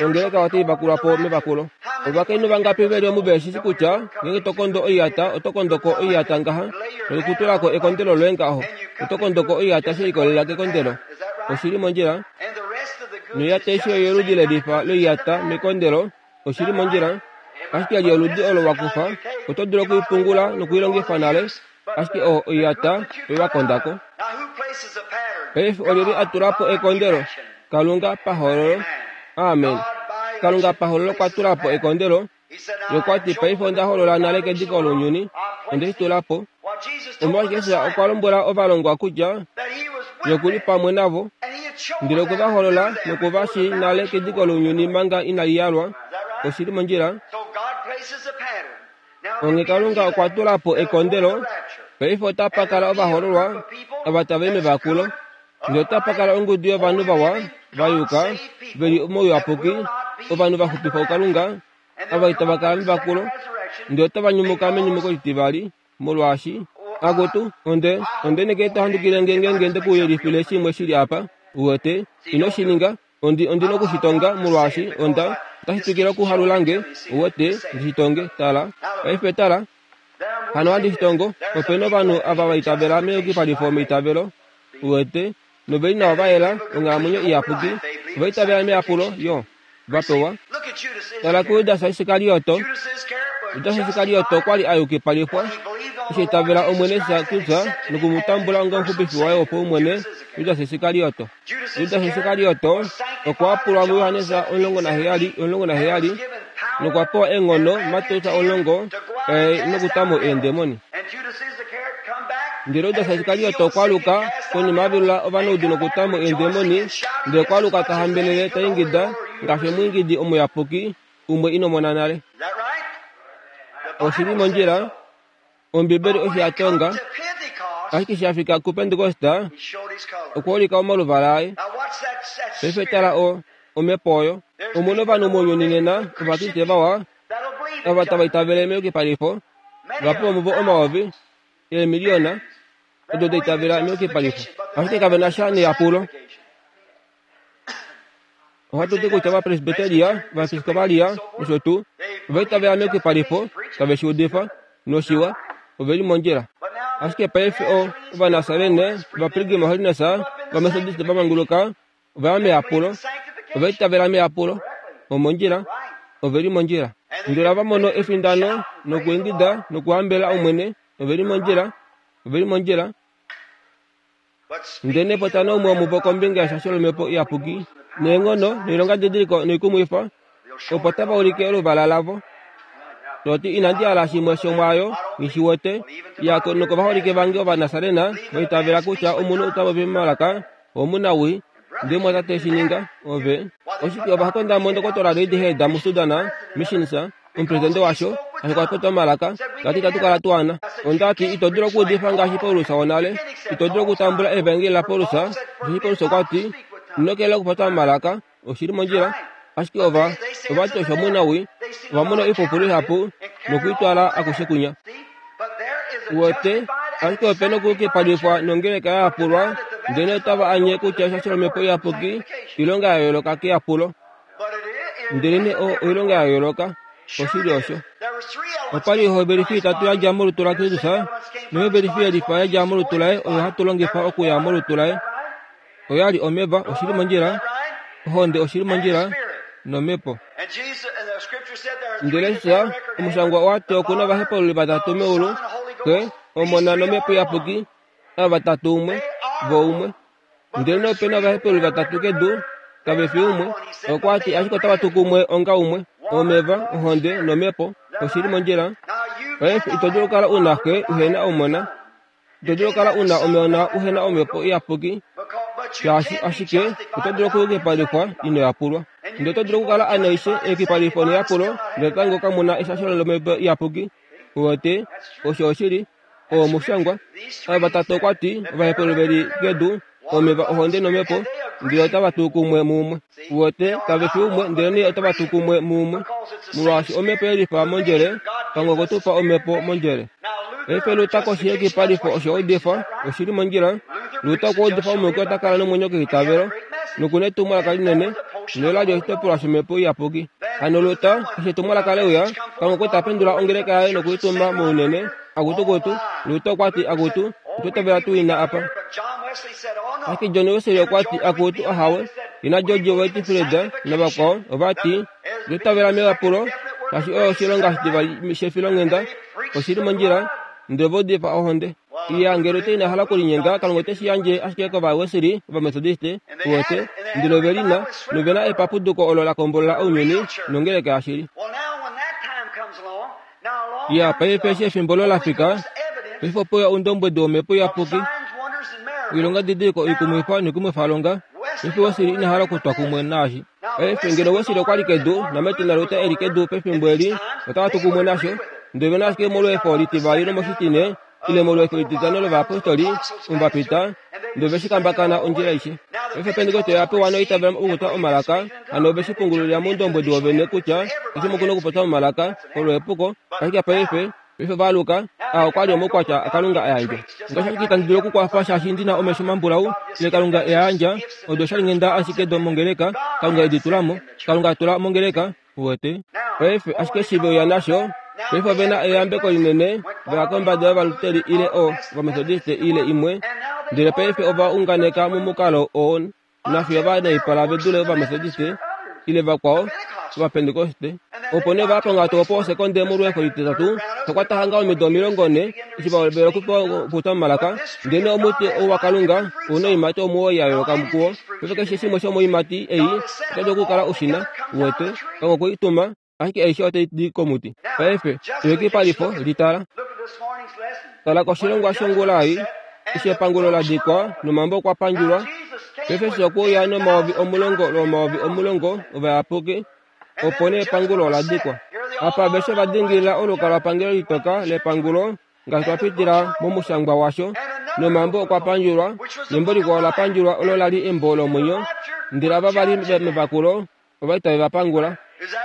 Speaker 1: Ongeleka otai vakulwa po mevakulo. Ovakainhu vangapi ve li omu ve shi kutya ngeenge to kondo oiyata oto kondo ko oiyata ngaha nokutula ko ekondelo loye ngaho? Oto kondo ko oiyata she likolelela kekondelo. Oshi li mondjila? Noiyata aishe oyoludi le lifa loiyata mekondelo. Oshi li mondjila? Ashike li oludi olo wa kufa, oto dulu oku i pungula noku i longifa nale, ashike o, oiyata oyo wa konda ko. Paife olyelye a tula po ekondelo? Kalunga pahololo. Amen. Kalunga pahololo okwa tula po ekondelo. Ye okwa ti, Paife onda holola nale kediko lounyuni. Onde shi tula po. Omolwashike Jesus okwa lombwela ovalongwa kutya Ye oku li pamwe navo, ndele okwe va holola noku va shii nale kediko lounyuni manga inali yalwa? Oshi li mondjila. Onghee Kalunga okwa tula po ekondelo. Paife otapa kala ovahololwa ava tava i mevakulo. Ndele otapa kala ongudu yovanhu vawa, va yuka, ve li mouyapuki, ovanhu va xupifwa kuKalunga, ava itava kala mevakulo, ndele otava nyumuka menyumuko litivali, molwaashi, akutu, onde, onde neke to handukile nge ngeenge nde ku yelifile shimwe shi li apa. Uwete, ino shi ninga. Ondi, ondi noku shi tonga, molwaashi onda, otashi twikile okuhalula nge, uwete, ndi shi tonge. Tala. Paife tala. Hano ohandi shi tongo, ope na ovanhu ava va itavela meyukipalifo meitavelo, uwete, nove li nawa va yela, onghalamwenyo iyapuki, ova itavela meyapulo, yo, va pewa. Tala kuJudas Iskarioto. Judas Iskarioto okwa li a yukipalifwa, eshi a itavela Omwene Jesus Kristus noku mu tambula onga Omuxupifi waye wopaumwene. Judas Iskarioto. Judas Iskarioto okwa yapulwa muJohannes 17, 17 nokwa pewa eenghono Mateus 10 nokutamo eendemoni. Ndele Judas Iskarioto okwa aluka konima a velula ovanaudu nokutamo eendemoni, ndele okwa aluka ta hambelele ta ingida ngaashi omwiingidi omuyapuki umwe ino mona nale. Oshi li mondjila, Ombibeli osho ya tonga, ashike eshi a fika kuPentekosta, okwa ulika omaluvala aye. Paife tala o, omhepo oyo. Omu na ovanhu mounyuni nena, Ovakriste vawa, ava tava itavele meyukipalifo, vahapu vomuvo omayovi, eemiliyona, odo da itavela meyukipalifo. Ashike kave na sha neyapulo. Ohatu ti kutya Ovapresbiteria, Ovaepiskopalia nosho tuu, ova itavela meyukipalifo, tave shi udifa, noshiwa, ove li mondjila. Ashike paife o, Ovanasarene, Ovapilgrim Holiness, Ovamethodist va manguluka, ova ya meyapulo. Ova itavela meyapulo. Omondjila. Ove li mondjila. Ndele ova mono efindano nokuingida nokuhambela Omwene. Ove li mondjila. Ove li mondjila. Ndele potano umwe womuvo kombinga yeshasho lOmhepo Iyapuki neenghono noilongadidiliko noikumwifa, opo tava ulike oluvala lavo. Toti inandi hala shimwe shomwaayo nghi shi wete, ya nokovaholike vange Ovanasarena va itavela kutya omunhu ota popi momalaka omunawii, ndele mwatate shi ninga, ove. Oshike ova konda mo Ndokotola Reidhead muSudan Missions, omupresidente washo, ashike okwa popya omalaka, ta ti itatu kala tu ana. Onda ti, Ito dulu okuudifa ngaashi Paulus wonale. Ito dulu okutambula evangeli laPaulus, osheshi Paulus okwa ti, Ino kelela okupopya omalaka. Oshi li mondjila. Ashike ova, ova ti osho omunawii. Ova mona oipupulu ihapu noku i twala akushe kwinya. Uwete, ashike ope nokuyukipalifwa nongeleka ya yapulwa, ndele otava anye kutya eshasho lOmhepo Iyapuki oilonga ya yooloka keyapulo. Ndelenee o oilonga ya yooloka, oshili osho. Opa li ohovelifi itatu ya dja molutu laKristus, nohovelifi yelifa ya dja molutu laye oyo hatu longifa okuya molutu laye. Oya li omeva, oshili mondjila, ohonde, oshili mondjila, nomhepo. Ndele Jesus, omushangwa owa ti oku na ovahepaululi vatatu meulu, Xe, Omona nOmhepo Iyapuki, ava vatatu umwe, vo umwe. Ndele ope na ovahepeli vatatu kedu, kave fi umwe. Okwa ti ashike otava tu kumwe onga umwe, omeva, ohonde nomhepo. Oshi li mondjila. Paife ito dulu okukala u na xe uhe na omona. Ito dulu okukala u na omona uhe na omhepo iyapuki, shaashi ashike oto dulu okuyukipalifwa ino yapulwa. Ndele oto dulu okukala a naishe eyukipalifo neyapulo, ndele natango kamu na eshasho lomhepo iyapuki. Uwete, osho oshili. Oo omushangwa. Ava vatatu okwa ti, ovahepelo ve li kedu, omeva, ohonde nomhepo, ndele otava tu kumwe muumwe. Uwete, kave fi umwe, ndelenee otava tu kumwe muumwe. Molwaashi omhepo ye lifa mondjele, Kalunga okwe tu pa omhepo mondjele. Paife Luta koshi yekipalifo osho udifa, oshi li mondjila. Luta okwa udifa omuyuki ota kala nomwenyo keitavelo, noku na etumwalaka linene, nola li oshitopolwa shomhepo iyapuki. Hano Luta, eshi etumwalaka le uya, Kalunga okwe ta pendula ongeleka yaye noku i tuma mounene. Akutu kutu, Luta okwa ti, Akutu, otwa itavela tuu ina apa. Ashike John Wesley okwa ti, Akutu, ahawe. Ina George Whitefield navakwao ova ti, Otwa itavela meyapulo, shaashi oyo oshilonga oshitivali shefilonghenda. Oshi li mondjila, ndele ova udifa ohonde. Iya, ngele Luta ina hala okulinyenga, Kalunga ote shi yandje ashike kOvawesili, Ovametodiste, uwete, ndele ove li na, nove na epapuduko olo la kombolola ounyuni nongeleka yashili. Iya, paife eshi efimbo olo la fika, paife ope uya oundombwedi wOmhepo Iyapuki, oilongadidiliko oikumwifa noikumwifalonga. Paife Wesley ina hala okutwa kumwe naashi. Paife ngeno Wesley okwa li kedu, naMartin naLuther e li kedu pefimbo eli, otava tu kumwe nasho. Ndele ove na ashike molweefo litivali lomoshitine, ile molweefo lititano lovayapostoli, omu va pita, ndele ove shi kambakana ondjila aishe. Paife Pentekoste oya pewa noitavela okupopya omalaka, hano ove shi pungululila moundombwedi wovene kutya keshe umwe oku na okupopya omalaka, olo epuko, ashike paife, paife ova aluka, aa okwa li omaukwatya aKalunga a yandjwa. Ngaashi ashike itandi dulu okukwafa shaashi ndi na omesho mambulau, ile Kalunga e a yandja, odo oshalinghenda ashike domongeleka, Kalunga e di tula mo, Kalunga a tula mongeleka, Uwete? Paife, ashike eshi ve uya nasho, paife ove na eyambeko linene, va ya kombada yOvaluteri ile o, Ovametodiste ile imwe, ndele paife ova unganeka momukalo oo nafiyo va naipala ve dule Ovametodiste ile vakwao, Ovapentekoste. Opo nee va panga opo osekonde molweefo lititatu, sha kwata hanga omido 40 eshi va hovela okupewa okupopya momalaka. Ndele omuti ou waKalunga ou na oiimati 9 ya yooloka kuo. Paife keshe shimwe shomoiimati ei oto dulu okukala u shi na, uwete, Kalunga okwe i tuma, ashike aishe otai di komuti. Paife, eyukipalifo, li tala. Tala koshilongwa shongula ei, eshi epangulo la dikwa nomambo okwa pandjulwa. Paife eshi okwe uya nomayovi omulongo lwomayovi omulongo ovayapuki, opo nee epangulo ola dikwa. Apa aveshe va dingilila olukalwapangelo litoka lepangulo, ngaashi twa pitila momushangwa washo, nomambo okwa pandjulwa, nembo likwao ola pandjulwa olo la li embo lomwenyo, ndele ava va li mevakulo ova li tave va pangula.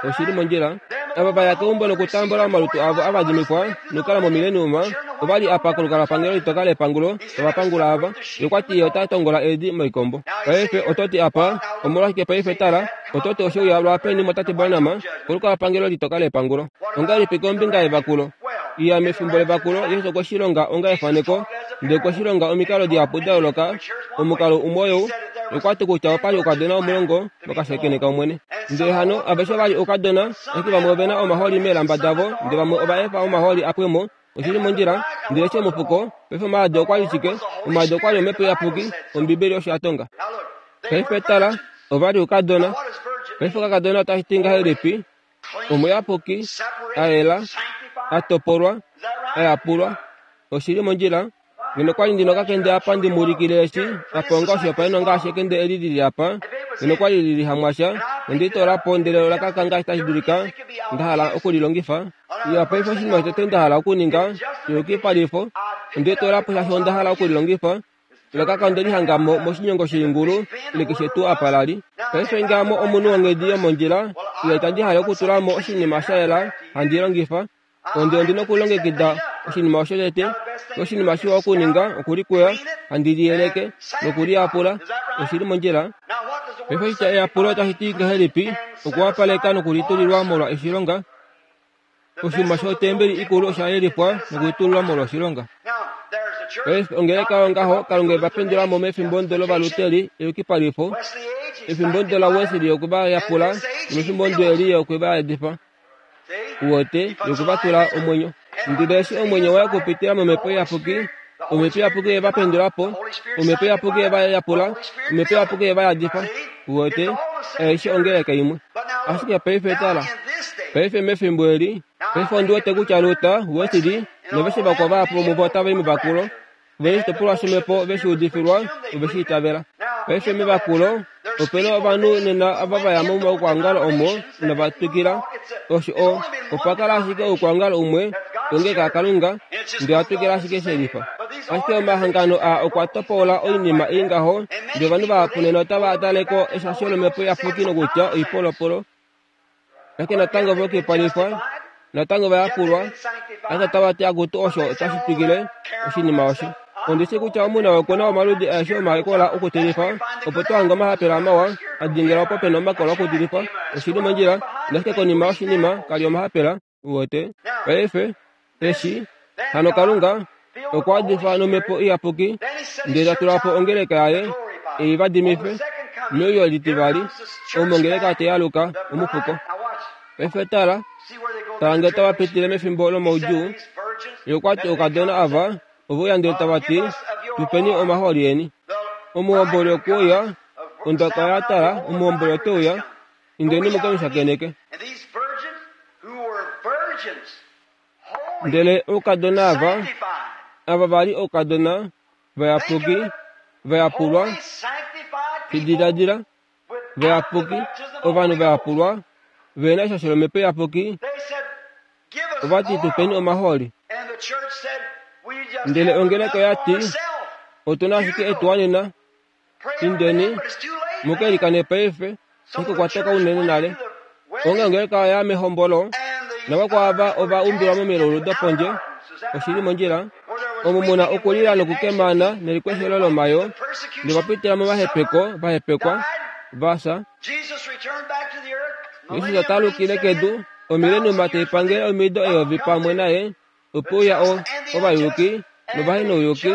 Speaker 1: Oshi li mondjila. Ava va ya keumbo nokutambula omalutu avo a vadimifwa nokukala momileniuma, ova li apa kolukalwapangelo litoka lepangulo tava pangula ava. Ye okwa ti Ye ota tongola eedi moikombo. Paife, oto ti apa, Omolwashike paife tala, oto ti oshe uya lwaapeni moTate Branham, kolukalwapangelo litoka lepangulo. Ongahelipi kombinga yevakulo? Iya, mefimbo levakulo, Jesus okwe shi longa onga efaneko, ndele okwe shi longa omikalo dihapu da yooloka. Omukalo umwe oyou, okwa ti kutya opa li oukadona omulongo vokashakeneka Omwene. Ndele hano aveshe ova li oukadona, ashike vamwe ove na omahooli meelamba davo, ndele vamwe ova efa omahooli a pwe mo. Oshi li mondjila. Ndele eshi omufuko, paife omaadi okwa li shike? Omaadi okwa li Omhepo Iyapuki, Ombibeli osho ya tonga. Paife tala, ova li oukadona. Paife okakadona otashi ti ngahelipi? Omuyapuki, a yela, a topolwa, a yapulwa. Oshi li mondjila. Ngeno kwa li ndi na okakende apa ndi mu ulikile eshi, apa onga oshihopaenenwa ngaashi ekende eli li li apa, ngeno kwa li li li hamwasha, ondi li toola po ndele ola kaka ngaashi tashi dulika, nda hala oku li longifa. Iya, paife oshinima shotete nda hala okuninga, eyukipalifo, onde li toola po shaashi onda hala oku li longifa. Ola kaka onde li hanga mo, moshinyongo shoingulu, ile keshe tuu apa la li. Paife nge ame omunhu wonghedi yomondjila, iya itandi hale okutula mo oshinima sha yela handi longifa, Onde ondi na okulongekida oshinima osho tete. Oshinima shiwa okuninga okulikuya, handi liyeleke nokuliyapula. Oshi li mondjila. Paife oshitya eyapulo otashi ti ngahelipi? Okuwapaleka nokulitulilwa molwa oshilonga. Oshinima shotembeli ikulu osha yelifwa nokulitulilwa molwa oshilonga. Paife ongeleka yongaho Kalunga e va pendula mo mefimbo ndo lOvaluteri, eyukipalifo, efimbo ndo laWesley okwe va yapula, nomefimbo ndo eli ye okwe va yadifa. Uwete, yoku va tula omwenyo. Ndele eshi omwenyo waye okupitila momhepo iyapuki, omhepo iyapuki ye va pendula po, omhepo iyapuki ye va yapula, omhepo iyapuki ye va yadifa. Uwete, aishe ongeleka imwe. Ashike paife tala, paife mefimbo eli, paife ondi wete kutya Luther, Wesley, noveshe vakwao vahapu vomuvo otava i mevakulo, Ve li oshitopolwa shomhepo ve shi udifilwa ove shi itavela. Paife mevakulo, ope na ovanhu nena ava va ya momaukwaongalo omo inava twikila. Osho o, opa kala ashike oukwaongalo umwe, ongeleka yaKalunga, ndele owa twikila ashike she lifa. Ashike omahangano aa okwa topola oinima ei ngaho, ndele ovanhu vahapu nena otava tale ko eshasho lOmhepo Iyapuki nokutya oipolopolo. Ashike natango ove okipalifwa, natango va yapulwa, ashike otava ti akutu osho otashi twikile oshinima osho. Ondi shi kutya omu na oku na omaludi aeshe omakola okutilifa, opo to hange omahapela mawa a dingila opo pe na omakola okutilifa. Oshi li mondjila, nashike konima yoshinima ka li omahapela, uwete. Paife, eshi, hano Kalunga okwa difa nomhepo iyapuki ndele ta tula po ongeleka yaye ei va dimife meuyo litivali omo ongeleka te aluka omufuko. Paife tala, tala nge tava pitile mefimbo lomaudjuu. Ye okwa ti oukadona ava ove uya ndele tava ti, Tu peni omahooli eni. Omuhomboli okwe uya, ondaka oya tala, omuhomboli ote uya, indeni mu ke mu shakeneke. Ndele oukadona ava, ava va li oukadona vayapuki, va yapulwa, shi diladila, vayapuki, ovanhu va yapulwa, ve na eshasho lOmhepo Iyapuki, ova ti, Tu peni omahooli. Ndele ongeleka oya ti, Otu na ashike etuwanena. Indeni, mu ke likane paife, ashike okwa toka unene nale. Onghee ongeleka oya ya mehombolo, navakwao ava ova umbilwa momilaulu dopondje, oshi li mondjila, omo mu na okulila nokukemana nelikweshelo lomayoo, ndele va pitila momahepeko, va hepekwa, va fya. Jesus ota alukile kedu, omilenuma tai pangele omido eyovi pamwe naye, Ope uya o, ovayuki novahenouyuki,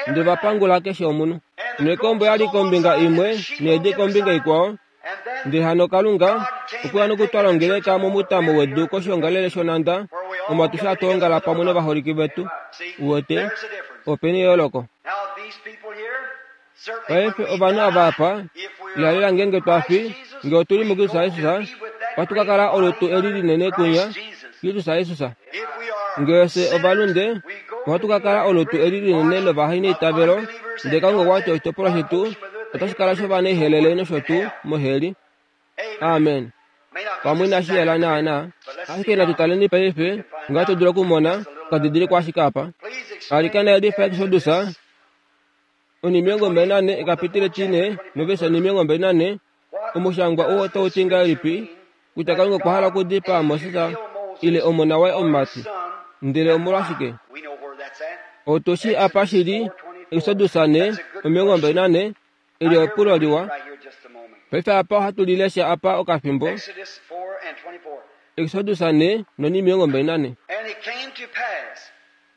Speaker 1: ndele va pangula keshe omunhu. Nekombo ya li kombinga imwe needi kombinga ikwao. Ndele hano Kalunga okwe ya nokutwala ongeleka momutamo wedu koshiongalele shonhanda, omo atushe hatu ongala pamwe novaholike vetu. Uwete, ope na eyooloko. Paife ovanhu ava apa, lihalela ngeenge twa fi, nge otu li muKristus Jesus, ohatu ka kala olutu eli linene kunya, Kristus Jesus. Nge fye ovalunde, ohatu ka kala olutu eli linene lovahaineitavelo, ndele Kalunga okwa ti oshitopolwa shetu otashi kala shovanaihelele nosho tuu moheli. Amen. Pamwe inashi yela naanaa, ashike natu taleni paife ngaashi to dulu okumona okadidilikwa ashike apa. Alikana yelifa Exodus 24 ekapitile 4 novesi 24 Omushangwa oo otau ti ngahelipi kutya Kalunga okwa hala okudipaa Moses ile omona waye omumati? Ndele omolwashike? Otu shii apa shi li Exodus 4:24, eli epulo liwa. Paife apa ohatu li lesha apa okafimbo. Exodus 4:24.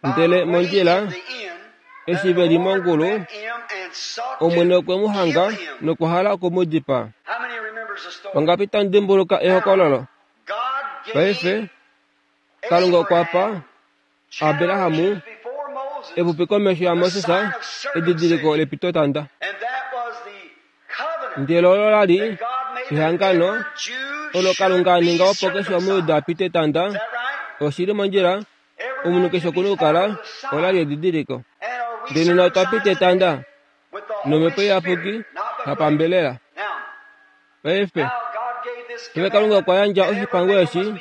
Speaker 1: Ndele mondjila, eshi ve li mongulu, Omwene okwe mu hanga nokwa hala oku mu dipaa. Vangapi tamu dimbuluka ehokololo? Paife, Kalunga okwa pa Abraham epupi komesho yaMoses edidiliko lepitotanda. Ndele olo la li ehangano olo Kalunga a ninga opo keshe Omujuda a pite etanda. Oshi li mondjila Omunhu keshe oku na okukala ola li edidiliko. Ndele nena otwa pita etanda nomhepo iyapuki hapambelela. Paife, paife Kalunga okwa yandja oshipango eshi,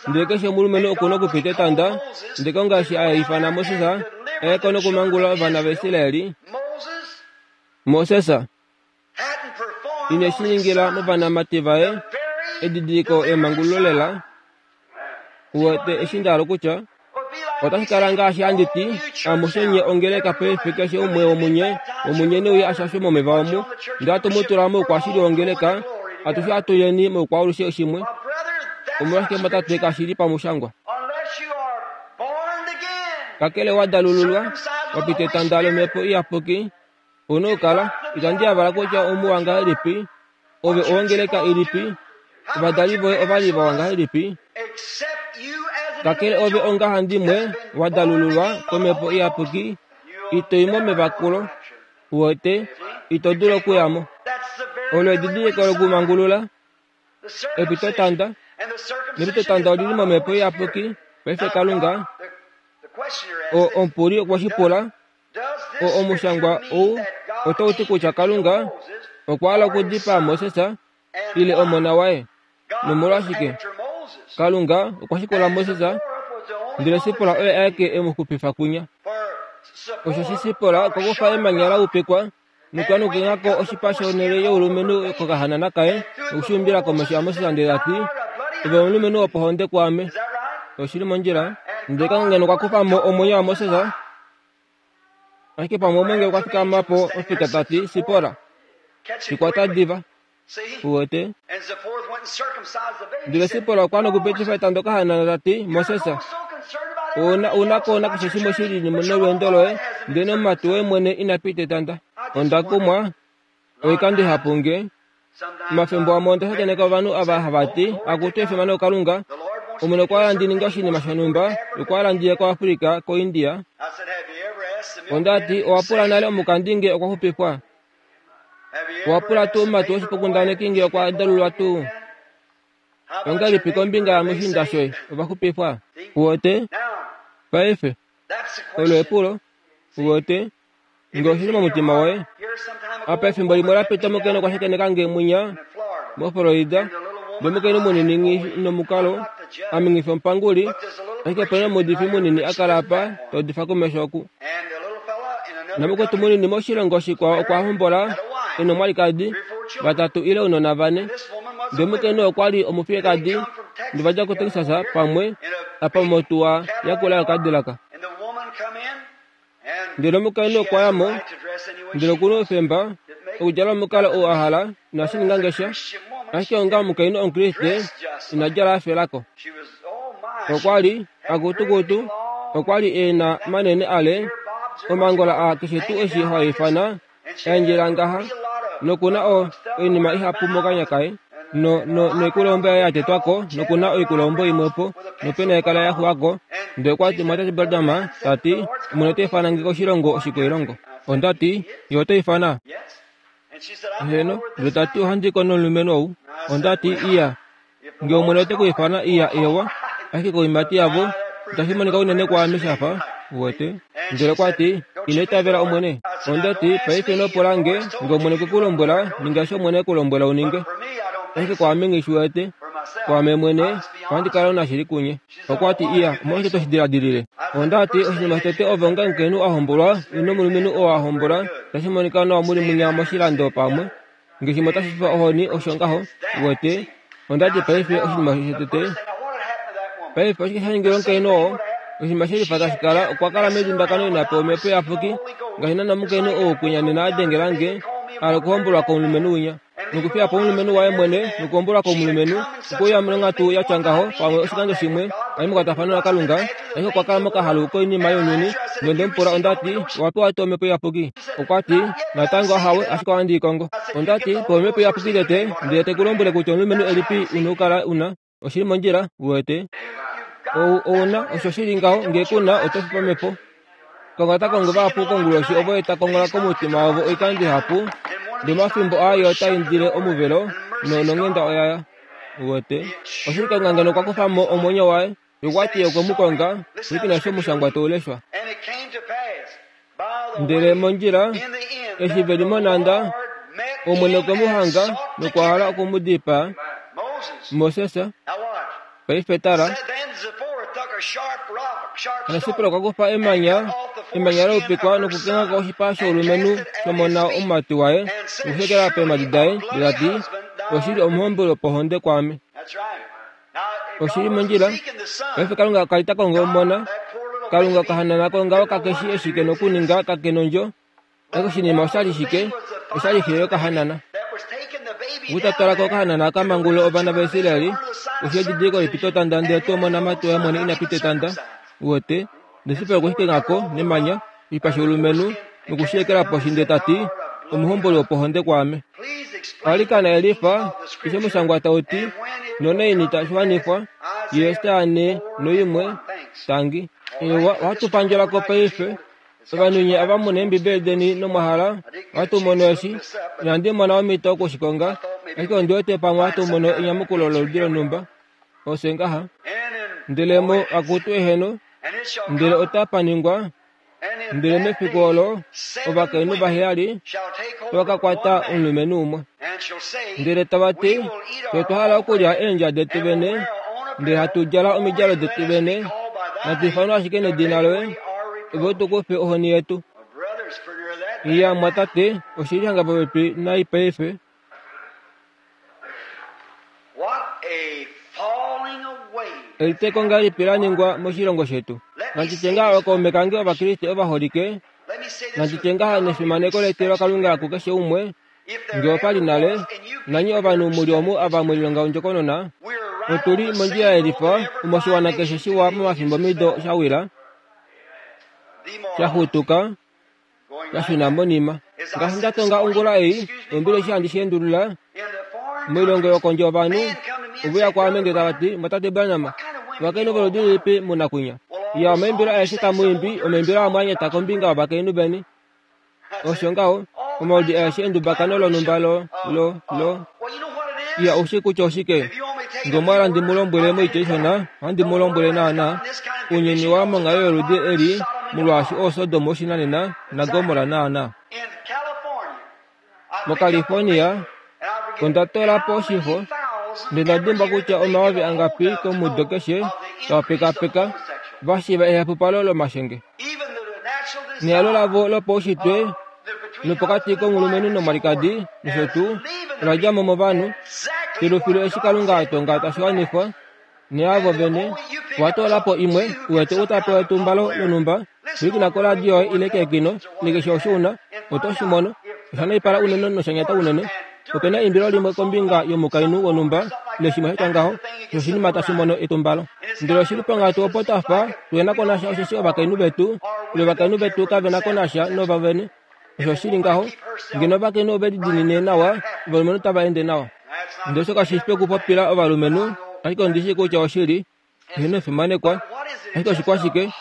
Speaker 1: ndele keshe omulumenhu oku na okupita etanda, ndele Kalunga eshi a ifana Moses a ye ko nokumangulula ovana vaIsraeli, Moses ine shi ningila movanamati vaye edidiliko emangululo lela. Uwete eshi nda hala okutya? Otashi kala ngaashi handi ti, amushe nye ongeleka paife keshe umwe womunye, womunye ne uye a shashwe momeva omu, ndele hatu mu tula moukwashili wongeleka, atushe hatu yeni moukwaalushe shimwe. Omolwashike mwatate kashi li pamushangwa? Kakele wa dalululwa, wa pita etanda lOmhepo Iyapuki, Ou na okukala, itandi yavala kutya omuwa ngahelipi, ove owongeleka ilipi, ovadali voye ova li vawa ngahelipi, kakele ove ongahandimwe wa dalululwa komhepo iyapuki, ito i momevakulo, uwete, ito dulu okuya mo. Olo edidiliko lokumangulula, epitotanda, nepitotanda oli li momhepo iyapuki. Paife Kalunga, o, omupuli okwe shi pula, O Omushangwa ou otau ti kutya Kalunga okwa hala okudipaa Moses ile omona waye. Nomolwashike? Kalunga okwa shikula Moses, ndele Sipora oye aeke e mu xupifa kunya. Osheshi Sipora okwa kufa emanya la upikwa nokwa ko oshipa shonhele youlumenhu kokahanana kaye noku shi umbila komesho yaMoses ndele ta ti, Ove omulumenhu wopohonde kwaame. Oshi li mondjila. Ndele Kalunga ngeno okwa kufa mo omwenyo waMoses, Ashike pamwe omwengeli okwa fikama po ofika ta ti, Sipora, shi kwata diva. Uwete? Ndele Sipora okwa nokupitifa etando kahanana ta ti, Moses, ouna ouna ko nakeshe shimwe shi li nolweendo loye, ndele nomumati woye mwene ina pita etanda. Onda kumwa oikando ihapu nge Omafimbo amwe onda shakeneka ovanhu ava hava ti, Akutu efimano kuKalunga, Omwene okwa hala ndi ninge oshinima shonhumba, okwa hala ndi ye koAfrica, koIndia. Onda ti, Owa pula nale omukandi nge okwa xupifwa? Owa pula tuu omumati woshifokundaneki nge okwa dalulwa tuu? Ongahelipi kombinga yamushiinda shoye, ova xupifwa? Uwete? Paife, olo epulo. Uwete? Nge oshi li momutima woye. Apa efimbo limwe la pita omukainhu okwa shakeneka nge mwinya moFlorida, nomukainhu munini nghi nomukalo, ame nghi fi omupanguli, ashike ope na omuudifi munini a kala apa ta udifa komesho oku. Namukwetu munini moshilongo shikwao okwa hombola e nomwalikadi, vatatu ile ounona vane. Ndele omukainhu okwa li omufiyekadi, ndele va dja kuTexas pamwe apa motuwa yakula yoKadilac. Ndele omukainhu okwa ya mo, ndele oku na oufemba okudjala omukalo ou a hala, inashi ninga nge sha. Ashike onga omukainhu Omukriste, ina djala a fela ko. Okwa li, akutukutu, okwa li e na manene ale, omangola a keshe tuu eshi hwa ifana, a endjelela ngaha, noku na o, oinima ihapu mokanya kaye. No, no, noikulombo yaye ya tetwa ko, noku na oikulombo imwe po, nopena yekala ya xuwa ko. Ndele okwa ti, Mwatate Branham, ta ti, Omwene ota ifana nge koshilongo oshikwailongo. Onda ti, Ye ota ifana? Heeno. Ndele ta ti, Ohandi ko nomulumenhu ou. Onda ti, Iya. Nge Omwene ote ku ifana, iya, ewa. Ashike koimati yavo, itashi monika unene kwaame sha fa, uwete. Ndele okwa ti, Ino itavela Omwene? Onda ti, Paife ino pula nge, nge Omwene okwe ku lombwela, ninga eshi Omwene e ku lombwela u ninge. Ashike kwaame nghi shi wete. Kwaame mwene, ohandi kala omunashili kunye. Okwa ti, Iya, omolwashike to shi diladilile? Onda ti, Oshinima shotete ove onga omukainhu a hombolwa, ile omulumenhu oo a hombola, itashi monika nawa mu li munya moshilando pamwe. Nge shimwe otashi fifa ohoni, osho ngaho. Uwete? Onda ti, Paife, oshinima shotete. Paife, oshike sha ningilwa omukainhu oo? Oshinima she lifa tashi kala, okwa kala medundakano ina pewa Omhepo Iyapuki, ngaashi naana omukainhu ou kwinya nena a dengela nge, a hala okuhombolwa komulumenhu winya. Nokufiya po omulumenhu waye mwene, nokuhombolwa komulumenhu, okwe uya monghatu ya tya ngaho, pamwe oshikando shimwe, a li mekwatafano naKalunga, ashike okwa kala mokahalu koinima younyuni. Nonde mu pula, onda ti, Owa pewa tuu Omhepo Iyapuki? Okwa ti, Natango ahawe, ashike ohandi i kongo. Onda ti, Pewa Omhepo Iyapuki tete, ndele te ku lombwele kutya omulumenhu elipi u na okukala u na. Oshi li mondjila, uwete. Ou, ou na, osho shi li ngaho, nge ku na, oto fi pamhepo. Konga ta kongo vahapu konguloshi ovo ye ta kongola komutima wavo oikando ihapu, ndele omafimbo aa ye ota indile omuvelo, no, nonghenda oya ya. Uwete. Oshili Kalunga ngeno okwa kufa mo omwenyo waye, ye okwa ti ye okwe mu konga, pwilikina eshi omushangwa tau leshwa. Ndele mondjila, eshi ve li monhanda, Omwene okwe mu hanga nokwa hala oku mu dipaa. Moses, paife tala. Hano Sipora okwa kufa emanya, emanya la upikwa nokukengha ko oshipa shoulumenhu shomona omumati waye, nokushekela peemhadi daye, ndele ta ti, Oshili omuhomboli wopohonde kwaame. Oshi li mondjila. Paife Kalunga ka li ta kongo omona. Kalunga okahanana kongaho kake shi eshi ke nokuninga, kake nondjo. Ashike oshinima osha li shike? Osha li xe yokahanana. Ou ta twala ko okahanana ka mangulule ovana vaIsrael, osho edidiliko lepitotanda ndele tuu omonamati waye mwene ina pita etanda. Uwete? Ndele okwe shi kenga ko nemanya, oshipa shoulumenhu, noku shi ekela poshi ndele ta ti, Omuhomboli wopohonde kwaame. Alikana yelifa eshi omushangwa tau ti, nonaini tashi wanifwa, Jesaja 41, Tangi. Ewa, ohatu pandjela ko paife. Ovanhu nye ava mu na Eembibeli deni nomwa hala, ohatu mono eshi. Inandi mona omhito oku shi konga, ashike ondi wete pamwe ohatu mono enyamukulo loludi lonhumba. Ofye ngaha. Ndele mo, akutu eheno, ndele otapa ningwa, Ndele mefiku olo ovakainhu vaheyali tava ka kwata omulumenhu umwe, ndele tava ti, Fye otwa hala okulya eendja detu vene, ndele hatu djala omidjalo detu vene, natu ifanwe ashike nedina loye, ove u tu kufe ohoni yetu. Iya, mwatate, oshi li hanga popepi nai paife. Eliteeko ngahelipi la ningwa moshilongo shetu? Nandi tye ngaha ookaume kange Ovakriste ovaholike, nandi tye ngaha nefimaneko letu laKalunga kukeshe umwe, nge opa li nale, nanye ovanhu mu li omu ava mwe lilonga ondjokonona, otu li mondjila yelifa omo oshiwana keshe shiwa momafimbomido sha wila, sha xutuka, ya shuna monima. Ngaashi nda tonga ongula ei, ombili eshi handi shi endulula, moilongo yokondje ovanhu ove uya kwaame ndele tava ti, Mwatate Branham, ovakainhu voludi lilipi mu na kwinya? Ya, omaimbilo aeshe tamu imbi, omaimbilo amwe a nyata kombinga yovakainhu veni. Osho ngaho, omaudi aeshe endubakano lonhumba lo, lo, lo. Ya, ou shii kutya oshike? Nge omwa hala ndi mu lombwele moitya ishona, ohandi mu lombwele naanaa. Ounyuni wa monghalo yoludi eli, molwaashi oo Sodom woshinanena naGomorra naanaa. MoCalifornia, onda toola po oshifo, ndele nda dimbwa kutya omayovi angapi komudo keshe tava pekapeka va shiiva ehapupalo lomashenge. Nehalo lavo lopaushitwe nopokati komulumenhu nomwalikadi nosho tuu ola dja mo movanhu filufilu eshi Kalunga a tonga tashi wanifwa. Neavo vene, owa toola po imwe, u wete u ta pewa etumbalo lonhumba, pwilikina koradio yoye ile keekino, ile keshe osho u na, oto shi mono. Osha naipala unene nosha nyata unene. Ope na eimbilo limwe kombinga yomukainhu wonhumba, ile shimwe sha tya ngaho, osho oshinima tashi mono etumbalo. Ndele oshi li ponghatu opo twa fa tuhe na ko nasha osheshi ovakainhu vetu, ile ovakainhu vetu kave na ko nasha novavene. Osho shi li ngaho, ngeno ovakainhu ove lidiinine nawa, ovalumenhu otava ende nawa. Ndele osho kashi fi okupopila ovalumenhu, ashike ondi shii kutya oshili, eheno efimanekwa. Ashike oshikwashike?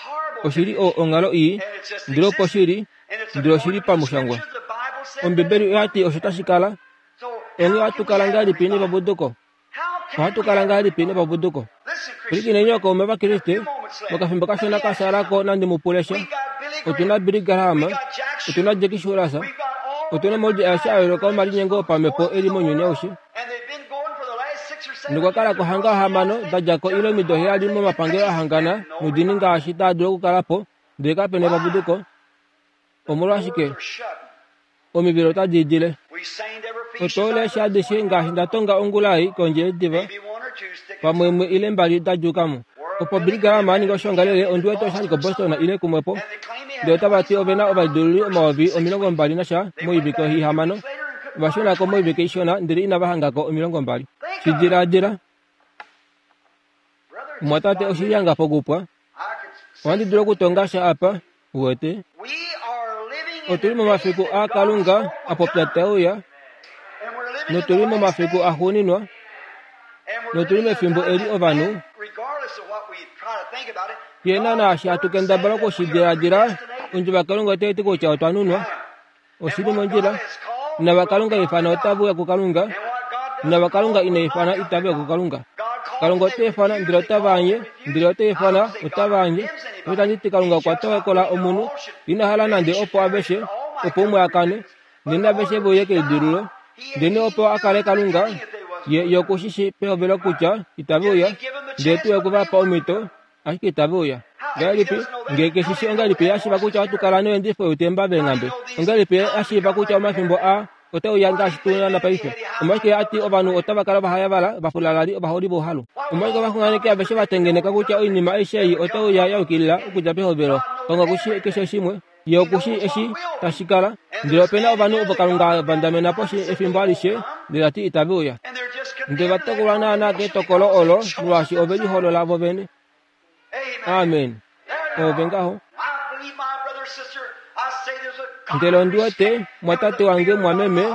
Speaker 1: Oshi li o, onghalo ii, ndele opo shi li, ndele oshi li pamushangwa. Ombibeli oya ti osho tashi kala. Onghee ohatu kala ngahelipi nepapuduko? Ohatu kala ngahelipi nepapuduko? Pwilikineni ookaume vaKriste, mokafimbo kashona ka shala ko nandi mu pule sha. Otu na Billy Graham, otu na Jackie Shuras, otu na omaudi aeshe a yooloka omalinyengo opamhepo e li mounyuni aushe. Nokwa kala ko hanga hamano da dja ko ile omido heyali momapangelo a hangana noudini ngaashi taa dulu okukala po, ndele kape na epapuduko. Omolwashike? Omivelo otadi idile. Otwa eshi adishe ngaashi nda tonga ongula ei kondje yediva, pamwe imwe ile mbali da djuuka mo. Opo Billy Graham a ninga oshoongalele, ondi wete osha li koBoston ile kumwe po, ndele otava ti ove na ovalidululi 20,000 nasha moivike ihamano. Ova shuna ko moivike ishona ndele inava hanga ko 20. Shi diladila. Omumwatate, oshi li hanga pokupwa. Ohandi dulu okutonga sha apa, uwete. Otu li momafiku a Kalunga a popya tae uya, notu li momafiku axuuninwa, notu li mefimbo eli ovanhu ye na naashi hatu kendabala oku shi diladila, ondjovo yaKalunga otai ti kutya otwa nunwa. Oshi li mondjila. Nava Kalunga ifana otave uya kuKalunga, nava Kalunga ina ifana itave uya kuKalunga. Kalunga ota ifana ndele otava anye, ndele ota ifana otava anye. Otandi ti Kalunga okwa tokola omunhu, ina hala nande opo aveshe, opo umwe a kane, ndele aveshe ve uye keidululo. Ndele opo a kale Kalunga, ye, ye oku shi shii pehovelo kutya itave uya, ndele tuu oku va pa omhito, ashike itave uya. Ngahelipi? Nge ke shi shii ongahelipi a shiiva kutya ohatu kala noendifo youtemba veenghambe? Ongahelipi a shiiva kutya omafimbo aa otae uya ngaashi tu na paife? Omolwashike a ti ovanhu otava kala ovahayavala, ovafulalali, ovaholi vouhalu? Omolwashike ovaxunganeki aveshe va tengeneka kutya oinima aishe ei otai uya ya yukilila okudja pehovelo? Kalunga oku shii keshe shimwe. Ye oku shii eshi tashi kala. Ndele ope na ovanhu ovo Kalunga a vandamena poshi efimbo alishe, ndele ta ti itave uya. Ndele va tokolwa naanaa ketokolo olo, molwaashi ove liholola vo vene. Amen. Ove ngaho. Ndele ondi wete, mwatate wange, mwameme,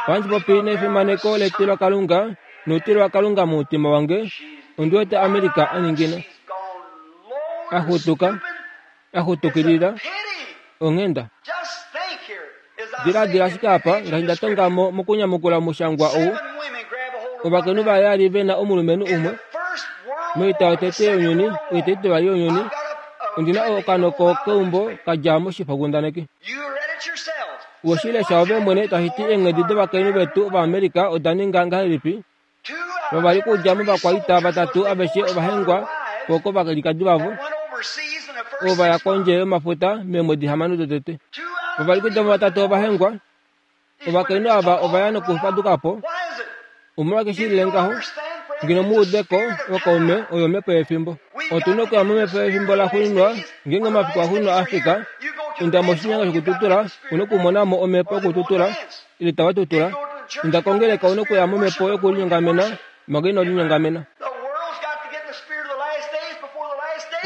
Speaker 1: ohandi popi nefimaneko letilo Kalunga, noutilo waKalunga momutima wange, ondi wete America a ningina. A xutuka. A xutukilila onghenda. Diladila ashike apa, ngaashi nda tonga mo mokunyamukula omushangwa ou, ovakainhu vaheyali ve na omulumenhu umwe. Moita yotete younyuni, oita itivali younyuni, ondi na okanoko keumbo ka dja moshifokundaneki. We shi lesha ove mwene tashi ti eenghedi dovakainhu vetu Ovaamerica oda ninga ngahelipi? Vavali okudja movakwaita vatatu aveshe ova hengwa po kovalikadi vavo, ovo va ya kondje yomafuta meemwedi hamano dotete. Vavali okudja muvatatu ova hengwa. Ovakainhu ava ova ya nokufaduka po. Omolwashike shi lile ngaho? Ngeno mu ude ko, ookaume, oyo omhepo yefimbo. Otu na okuya momhepo yefimbo laxuuninwa, ngeenge omafiku axuuninwa a fika. Inda moshinyanga shokututula, u na okumona mo omhepo yokututula. Ile tava tutula. Inda kongeleka u na okuya momhepo yokulinyongamena manga ino linyongamena.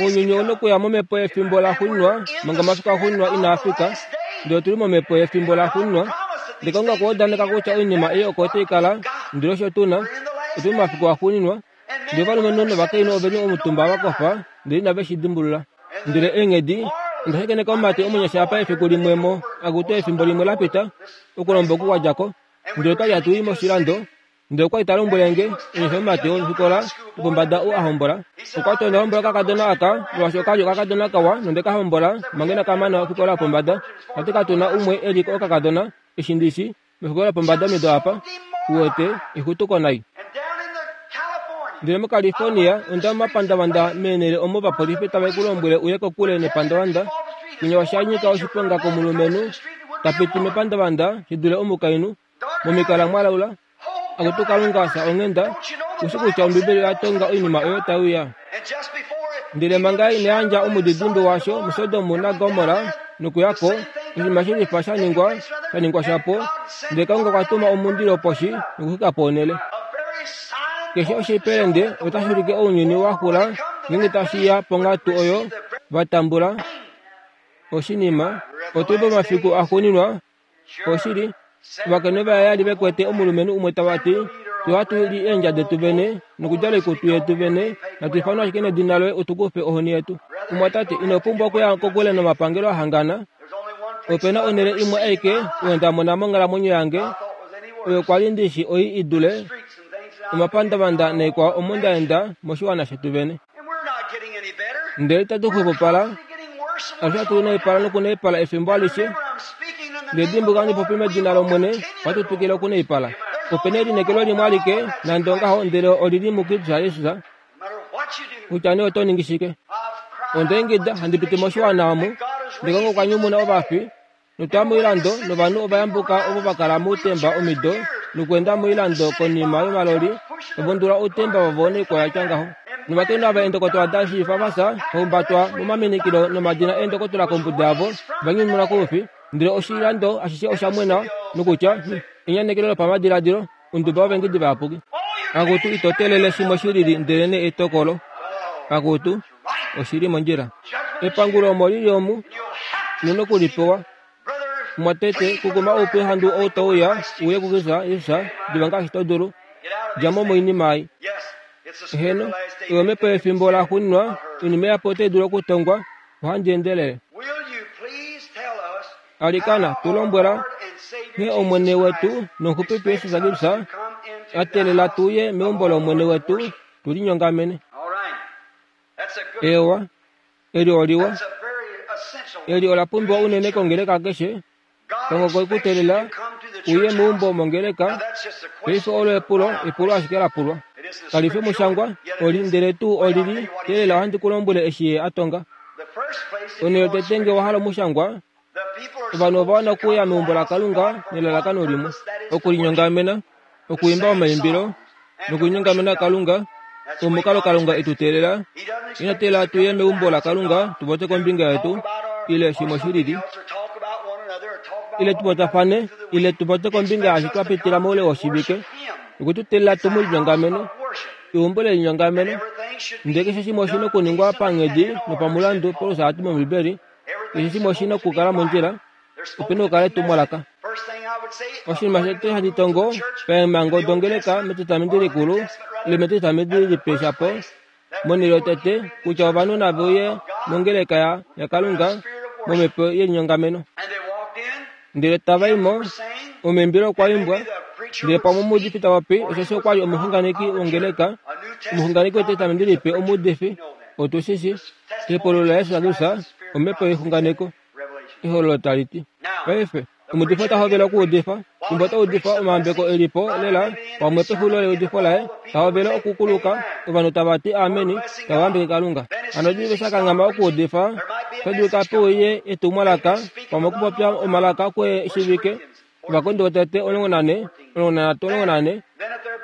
Speaker 1: Ounyuni ou na okuya momhepo yefimbo laxuuninwa manga omafiku axuuninwa inaa fika. Ndele otu li momhepo yefimbo laxuuninwa. Ndele Kalunga okwa udaneka kutya oinima ei oko tai kala, ndele osho tu na. Otu li momafiku axuuninwa. Ndele ovalumenhu novakainhu ove li omutumba va kofa, ndele inave shi dimbulula. Ndele eenghedi, onda shakeneka omumati omunyasha apa efiku limwe mo, akutu efimbo limwe la pita, okulomba oku kwa dja ko. Ndele otwa li hatu i moshilando, ndele okwa li ta lombwele nge, omunyasha omumati wofikola yopombada ou a hombola. Okwa ti, Onda hombola okakadona aka, molwaashi oka li okakadona kawa, nonde ka hombola manga inaka mana ofikola yopombada. Ta ti katu na umwe e li okakadona, eshi ndi shi, mefikola lopombada omido apa, uwete, exutuko nai. Ndele moCalifornia, onda momapandavanda meenhele omo ovapolifi tave ku lombwele uye kokule nepandavanda, kwinya osha nyika oshiponga komulumenhu ta piti mepandavanda shi dule omukainhu, momikala mwa laula. Akutu Kalunga, fya onghenda, u shi kutya Ombibeli oya tonga oinima oyo tai uya. Ndele manga ina yandja omudidimbe washo muSodom naGomorra nokuya ko, oshinima she lifa sha ningwa, sha ningwa shapo, ndele Kalunga okwa tuma omundilo poshi nokuxwika po onhele. Keshe oshipelende otashi ulike ounyuni wa xula ngeenge tashi ya ponghatu oyo va tambula oshinima. Otu li pomafiku axuuninwa. Oshili, ovakainhu vaheyali ve kwete omulumenhu umwe tava ti, Fye ohatu li eendja detu vene nokudjala oikutu yetu vene, natu ifanwe ashike nedina loye u tu kufe ohoni yetu. Mumwatate, ino pumbwa okuya kokule nomapangelo a hangana. Ope na onhele imwe aike oyo nda mona monghalamwenyo yange, oyo kwa li ndi shi oi i dule omapandavanda naikwao omo nda enda moshiwana shetu vene. Ndele itatu xwepopala, alushe hatu naipala nokunaipala efimbo alishe. Ndele dimbuluka handi popi medina lOmwene, ohatu twikile okunaipala. Ope na elineekelo limwe alike, nande ongaho, ndele oli li muKristus Jesus, kutya nee oto ningi shike. Onda ingida handi piti moshiwana omu, ndele Kalunga okwa nyumuna ovafi, notwa ya moilando novanhu ova yambuka ovo va kala moutemba omido nokuenda moilando konima yomaloli va undula outemba vavo noikwao ya tya ngaho. Novakainhu ava eendokotola da shiifa va fya, va humbatwa momaminikilo nomadina eendokotola kombuda yavo, va nyumunwa koufi. Ndele oshilando ashishe osha mwena nokutya, Enyanekelo lopamadiladilo, onduba yovaengedi vayapuki. Akutu, ito teelele shimwe shi lili ndelenee etokolo. Akutu, oshi li mondjila. Epangulo omo li li omu, u noku li pewa. Mumwatate, kukuma oupyuhandu ou tau uya, uye kuKristus Jesus, diva ngaashi to dulu. Dja mo moinima ei. Eheno, oyo omhepo yefimbo laxuuninwa, oinima ihapu otai dulu okutongwa. Ohandi endelele. Alikana, tu lombwela nghee Omwene wetu nOmuxupifi Jesus Kristus a teelela tu uye meumbo lOmwene wetu tu linyongamene. Eewa, eli oliwa. Eli ola pumbiwa unene kongeleka keshe. Kongo okwe ku teelela uye meumbo mongeleka. Paife olo epulo, epulo ashike la pulwa. Kali fi omushangwa, oli, ndele tuu oli li, teelela ohandi ku lombwele eshi ye a tonga. Onhele yotete nge wa hala omushangwa, ovanhu ova wana okuuya meumbo laKalunga nelalakano limwe, okulinyongamena, okuimba omaimbilo nokulinyongamena Kalunga. Omukalo Kalunga e tu teelela, ina teelela tu ye meumbo laKalunga tu popye kombinga yetu ile shimwe shi lili, ile tu popyafane ile tu popye kombinga yaashi twa pitila moule woshivike. Okwe tu teelela tu mu linyongamene. Eumbo lelinyongameno. Ndele keshe shimwe oshi na okuningwa panghedi nopamulandu. Paulus a ti mOmbibeli, Keshe shimwe oshi na okukala mondjila, ope na okukala etumwalaka. Oshinima shotete handi tongo paemhango dongeleka mEtestamenti Likulu ile mEtestamenti Lipe shapo, monhele yotete, kutya ovanhu nave uye mongeleka yaKalunga momhepo yelinyongameno. Ndele tava i mo, omaimbilo okwa imbwa, ndele pamwe omuudifi ta popi, osheshi okwa li omuxunganeki wongeleka, omuxunganeki wEtestamenti Lipe, omuudifi, otu shi shii, kepolo laJesus Kristus, omhepo yexunganeko, ehololo tali ti. Paife, omuudifi ota hovele okuudifa, fimbo ota udifa omayambeko e li po lela, pamwe pexulilo leudifo laye, ta hovele okukuluka, ovanhu tava ti ameni, tava yambeke Kalunga. Hano diva eshi a kanghama okuudifa, ota dulika pe uye etumwalaka, pamwe okupopya omalaka kwe shivike, Ovakorinto votete 14, 13, 14,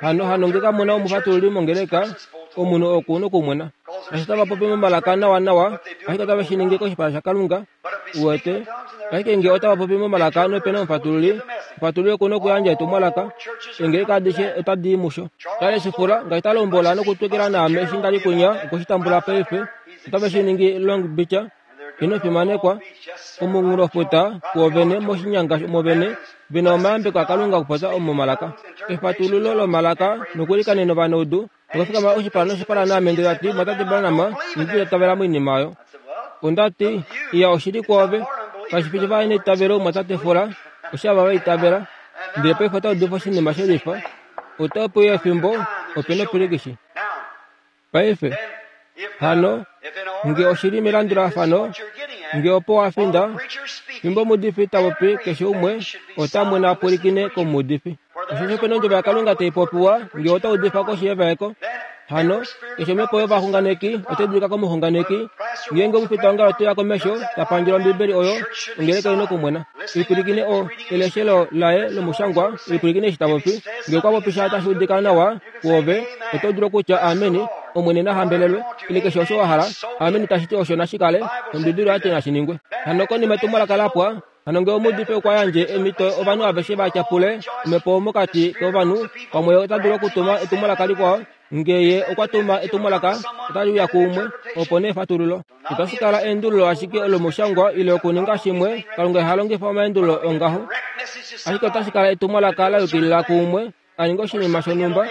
Speaker 1: Hano hano nge kamu na omufatululi mongeleka, omunhu oku nokumwena. Naashi otava popi momalaka nawanawa, ashike otave shi ningi koshipala shaKalunga. Uwete? Ashike nge otava popi momalaka nope na omufatululi, omufatululi oku nokuyandja etumwalaka. Eengeleka adishe otadi i musho. Charles Fula, ngaashi ta lombola nokutwikila naame eshi nda li kwinya, okwe shi tambula paife. Otave shi ningi Long Beach. Ino fimanekwa komunghulofuta kuovene moshinyanga omo vene ve na omayambeko aKalunga okupopya omomalaka. Efatululo lomalaka nokuilikanena ovanaudu nokufikama oshipala noshipala naame ndele ta ti, Mwatate Branham, inandi itavela moinima oyo. Onda ti, Iya, oshili kwoove. Kashi fi shava neitavelo, Mwatate Fuller, oshaava va itavela. Ndele paife ota udifa oshinima shelifa. Otape uya efimbo, ope nopilikishi. Paife, hano, nge oshi li melandulafano, nge opo wa finda, fimbo omuudifi ta popi, keshe umwe ota mwena a pwilikine komuudifi. Osheshi ope na ondjovo yaKalunga tai popiwa, nge ota udifa koshi yevaeko. Hano, keshe omhepo yovaxunganeki otai dulika komuxunganeki. Ngeenge omufitaongalo te uya komesho, ta pandjele Ombibeli oyo, ongeleka oi na okumwena. Ipwilikine o, eleshelo laye lomushangwa, ipwilikine eshi ta popi. Nge okwa popi sha tashi udika nawa, Kuove, oto dulu okutya Ameni, Omwene na hambelelwe, ile keshe osho wa hala. Ameni tashi ti osho nashi kale, Ombibeli oya ti nashi ningwe. Hano konima etumwalaka la pwa, hano ngee omuudifi okwa yandje emhito ovanhu aveshe va tyapule omhepo mokati kovanhu, pamwe ota dulu okutuma etumwalaka likwao. Nge ye okwa tuma etumwalaka, otali uya kuumwe, opo nee efatululo. Itashi kala eendululo ashike lomushangwa ile okuninga shimwe. Kalunga iha longifa omaendululo ongaho. Ashike otashi kala etumwalaka la yukilila kuumwe a ninga oshinima shonhumba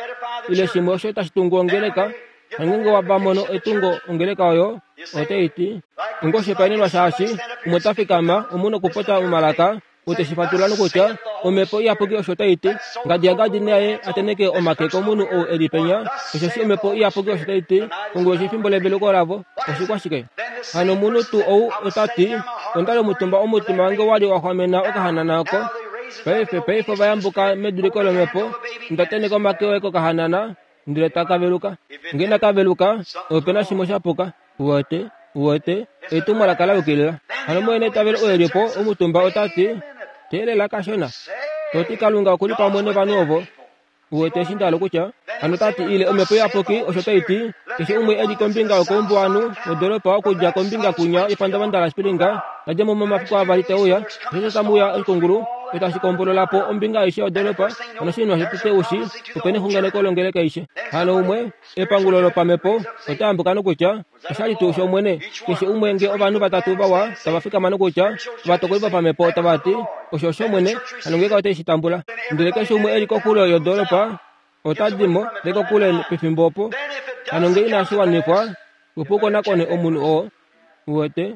Speaker 1: ile shimwe osho tashi tungu ongeleka. Nongeenge wa mono etungo ongeleka oyo, otai ti, Onga oshihopaenenwa shaashi, umwe ta fikama, omu nokupopya momalaka, ou te shi fatulula nokutya, Omhepo Iyapuki osho tai ti. Ngadi yaGadi naye a tenheke omake komunhu ou e li penya, osheshi Omhepo Iyapuki osho tai ti, konguloshi efimbo leveluko lavo. Oshikwashike? Hano omunhu tuu ou ota ti, Onda li omutumba omutima wange wa li wa xwamena okahanana oko. Paife, paife ova yambuka meduliko lomhepo, nda tenheka omake oye kokahanana, ndele taka veluka. Nge inaka veluka, ope na shimwe sha puka. Uwete, uwete, etumwalaka la yukilila. Hano mwene eitavelo oye li po omutumba ota ti, Teelela kashona. To ti Kalunga oku li pamwe novanhu ovo. Uwete eshi nda hala okutya? Hano ta ti ile Omhepo Iyapuki osho tai ti, keshe umwe e li kombinga yokoumbuwanhu wodolopa okudja kombinga kunya yepandavanda laSpring, na dje mo momafiku avali te uya, osheshi otamu uya oshikungulu, osho tashi kombolola po ombinga aishe yodolopa, hano oshinima shotete u shi, ope nexunganeko longeleka aishe. Hano umwe, epangulo lopamhepo, ota yambuka nokutya, Osha li tuu shOmwene? Keshe umwe nge ovanhu vatatu vawa tava fikama nokutya, ovatokoli vopamhepo tava ti, Osho oshOmwene, hano ngeenge ote shi tambula. Ndele keshe umwe e li koxulo yodoolopa ota di mo, ndele kokule pefimbo opo. Hano nge inashi wanifwa, opo u konakone omunhu oo. Uwete?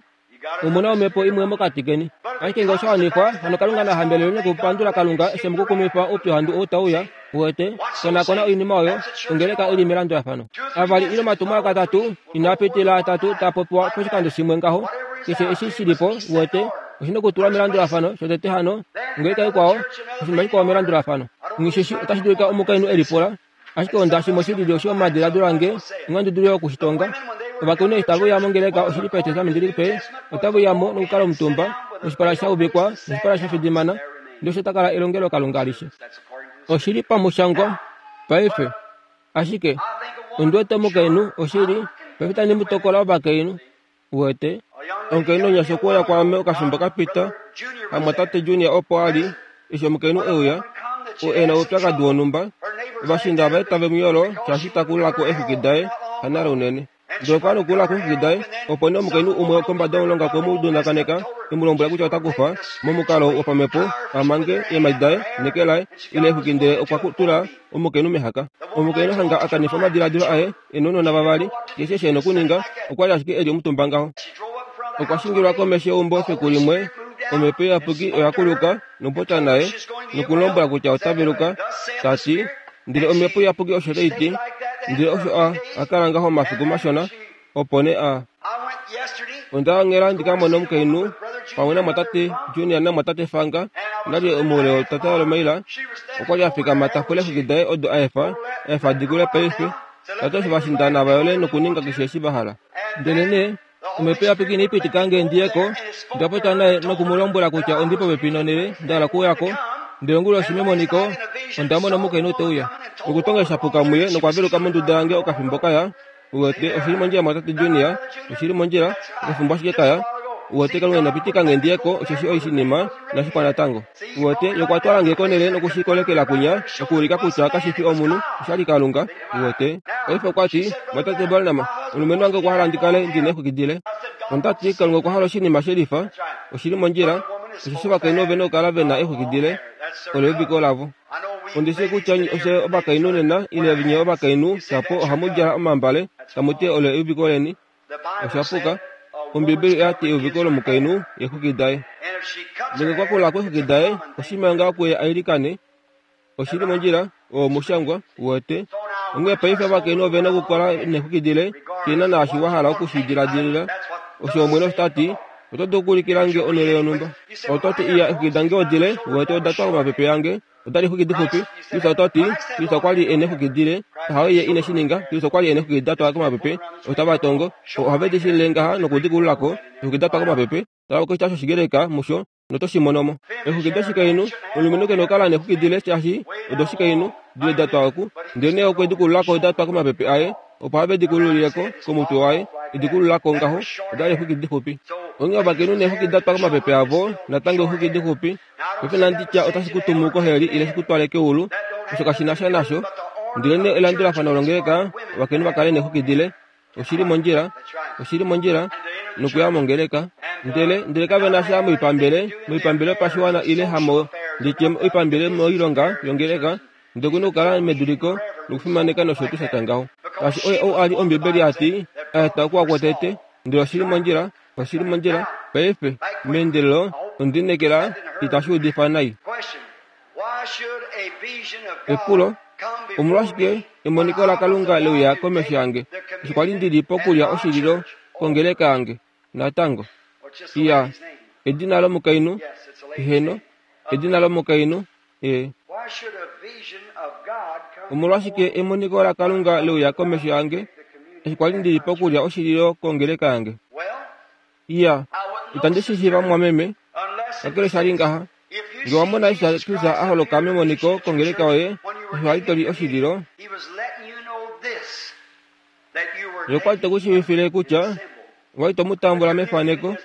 Speaker 1: Omu na omhepo imwe mokati keni. Ashike nge osha wanifwa, hano Kalunga na hambelelwe nokupandula Kalunga eshi e mu kukumifa oupyuhandu ou tau uya. Uwete? Konakona oinima oyo, ongeleka i li melandulafano. Avali ile omatumwalaka atatu inaa pitilila atatu taa popiwa poshikando shimwe ngaho. Keshe eshi shi li po, uwete, oshi na okutulwa melandulafano, shotete hano, ongeleka ikwao, oshinima shikwao melandulafano. Nghi shi shi, otashi dulika omukainhu e lipula, Ashike onda shimwe shi lili osho omadiladilo ange inandi dulu oku shi tonga. Ovakainhu eshi tave uya mongeleka oshili paEtestamenti Lipe, otave uya mo nokukala omutumba, noshipala sha uvikwa, noshipala sha fidimana, ndele osho ta kala elongelokalunga alishe. Oshi li pamushangwa paife. Ashike, ondi wete omukainhu, oshili, paife itandi mu tokola ovakainhu. Uwete, omukainhu omunyasha okwe uya kwaame okafimbo ka pita, hamwatate Junior opo a li, eshi omukainhu e uya, oo e na oupyakadi wonhumba. Ovashiinda vaye tave mu yolo shaashi ta kulula ko eexwiki daye, hanale unene. Ndele okwa ya nokukulula ko eexwiki daye, opo nee omukainhu umwe kombada yomulonga okwe mu dunakaneka, e mu lombwela kutya ota kufa, momukalo wopamhepo, a mange eemhadi daye neke laye, ile eexwiki ndele okwa tula omukainhu mehaka. Omukainhu hanga a kanifa omadiladilo aye, e nounona vavali, keshe eshi e na okuninga, okwa li ashike e li omutumba ngaho. Okwa shingilwa komesho yeumbo efiku limwe, omhepo iyapuki oya kuluka nokupopya naye noku mu lombwela kutya ota veluka, ta ti, Ndele omhepo iyapuki osho tai ti. Ndele osho a, a kala ngaho omafiku mashona, opo nee a. Onda ongela ndi ka mone omukainhu pamwe namwatate Junior namwatate Fanga, nali omoule wetata lomaila. Okwa li a fikama ta pula eexwiki daye odo a efa, a efa di kule paife. Ta ti osho va shindana va yole nokuninga keshe eshi va hala. Ndelenee Omhepo Iyapuki inai pitika nge ndi ye ko. Onda popya naye noku mu lombwela kutya ondi popepi nonhele nda hala okuuya ko. Ndele onguloshi memoniko, onda mona omukainhu te uya. Okutonga sha puka muye nokwa veluka monduda yange okafimbo ka ya. Uwete, oshi li mondjila mwatate Junior, oshi li mondjila, okafimbo ashike ka ya. Uwete, Kalunga ina pitika nge ndi ye ko, osheshi oshinima inashi pwa natango. Uwete, Ye okwa twala nge konhele noku shi kolekela kwinya, okuulika kutya kashi fi omunhu, osha li Kalunga. Uwete? Paife okwa ti, Mwatate Branham, omulumenhu wange okwa hala ndi kale ndi na eexwiki dile. Onda ti, Kalunga okwa hala oshinima she lifa. Oshi li mondjila, osheshi ovakainhu ove na okukala ve na eexwiki dile. Olo euviko lavo. Ondi shii kutya ofye ovakainhu nena, ile nye ovakainhu, shapo ohamu djala omambale, tamu ti olo euviko leni. Osha puka. Ombibeli oya ti euviko lomukainhu eexwiki daye. Ndele okwa kula kweexwiki daye, oshima ngaho kuye a ilikane. Oshi li mondjila, oo omushangwa, uwete. Onghee paife ovakainhu ove na okukala neexwiki dile, shi na naashi wa hala oku shi diladilila. Osho Omwene osho ta ti, Oto dulu okuulikila nge onhele yonhumba? Oto ti, Iya, eexwiki dange odile, uwete, oda twa komapepe ange. Oda li eexwiki dixupi. Kristus ota ti, Kristus okwa li e na eexwiki dile. Hawe ye ine shi ninga. Kristus okwa li e na eexwiki da twa komapepe. Otava tongo. Ohave di shilile ngaha noku di kulula ko, eexwiki da twa komapepe. Tala oshitya shOshigreka musho, noto shi mono mo. Eexwiki doshikainhu, omulumenhu ke na okukala neexwiki dile shaashi odoshikainhu, dile da twa oku. Ndelenee okwe di kulula ko da twa komapepe aye, opo have di kululile ko komutwe waye, e di kulula ko ngaho, oda li eexwiki dixupi. Onghee ovakainhu neexwiki da twa komapepe avo, natango eexwiki dixupi. Paife inandi tya otashi ku tumu koheli ile shi ku twale keulu, osho kashi na sha nasho. Ndelenee elandulafano longeleka, ovakainhu va kale neexwiki dile, Oshi li mondjila, oshi li mondjila nokuya mongeleka. Ndele, ndele kave na sha moipambele, moipambele yopashiwana ile hamo Ndi tye oipambele moilonga yongeleka, ndele oku na okukala meduliko nokufimaneka nosho tuu sha tya ngaho. Shaashi oye ou a li Ombibeli ya ti, a eta okuwa kwotete, ndele oshi li mondjila, oshi li mondjila. Paife, meendelelo, ondi lineekela itashi udifa nai. Epulo, Omolwashike emoniko laKalunga le uya komesho yange eshi kwa li ndi li pokulya oshililo kongeleka yange? Natango. Iya, edina lomukainhu? Eheno, edina lomukainhu. E. Omolwashike emoniko laKalunga le uya komesho yange eshi kwa li ndi li pokulya oshililo kongeleka yange? Iya, itandi shi shiiva mumwameme, kakele sha li ngaha. Nge wa mona eshi Jesus a holoka memoniko kongeleka yoye eshi wa li to li oshililo, Ye okwa li te ku shiivifile kutya owa li to mu tambula mefaneko.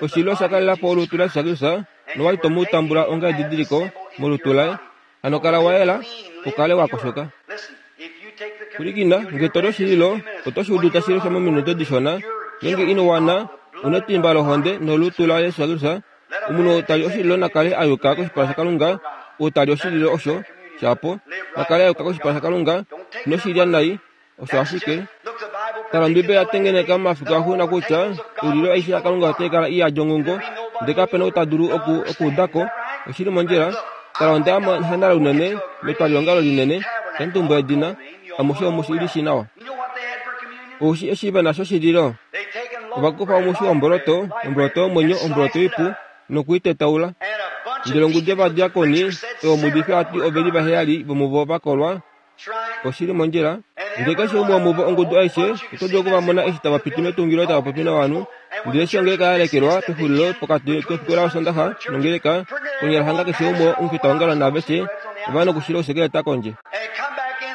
Speaker 1: Oshililo osha kalela po olutu laJesus Kristus nowa li to mu tambula onga edidiliko molutu laye. Hano kala wa yela, u kale wa koshoka. Pwilikina, nge to li oshililo, oto shi udu tashi leshwa mominute dishona. Ngeenge ino wana, u netimba lohonde nolutu laJesus Kristus. Omunhu ou ta li oshililo na kale a yuka koshipala shaKalunga, ou ta li oshililo osho, shapo, na kale a yuka koshipala shaKalunga, ino shi lya nai, Osho ashike, tala Ombiibeli ya tengeneka momafiku axuuninwa kutya oililo aishe yaKalunga otai kala i yadi onghongo, ndele kape na ou ta dulu oku okuuda ko. Oshi li mondjila. Tala onda ya monhanala unene, metwaliongalo linene, itandi tumbula edina, amushe omu shi li shii nawa. Ou shi eshi ve na shoshililo? Ova kufa omushi womboloto, omboloto yomwenyo, omboloto ipu, noku i tetaula. Ndele ongudu yovadiakoni, oyo omuudifi a ti ove li vaheyali vomuvo va kolwa, Oshi li mondjila. Ndele keshe umwe womuvo ongudu aishe, oto dulu oku va mona eshi tava piti metungilo tava popi novanhu. Ndele eshi ongeleka ya lekelwa pexulilo pokati kefiku laOsondaxa nongeleka, konyala hanga keshe umwe omufitaongalo naaveshe ova nokushila ousekeleta kondje.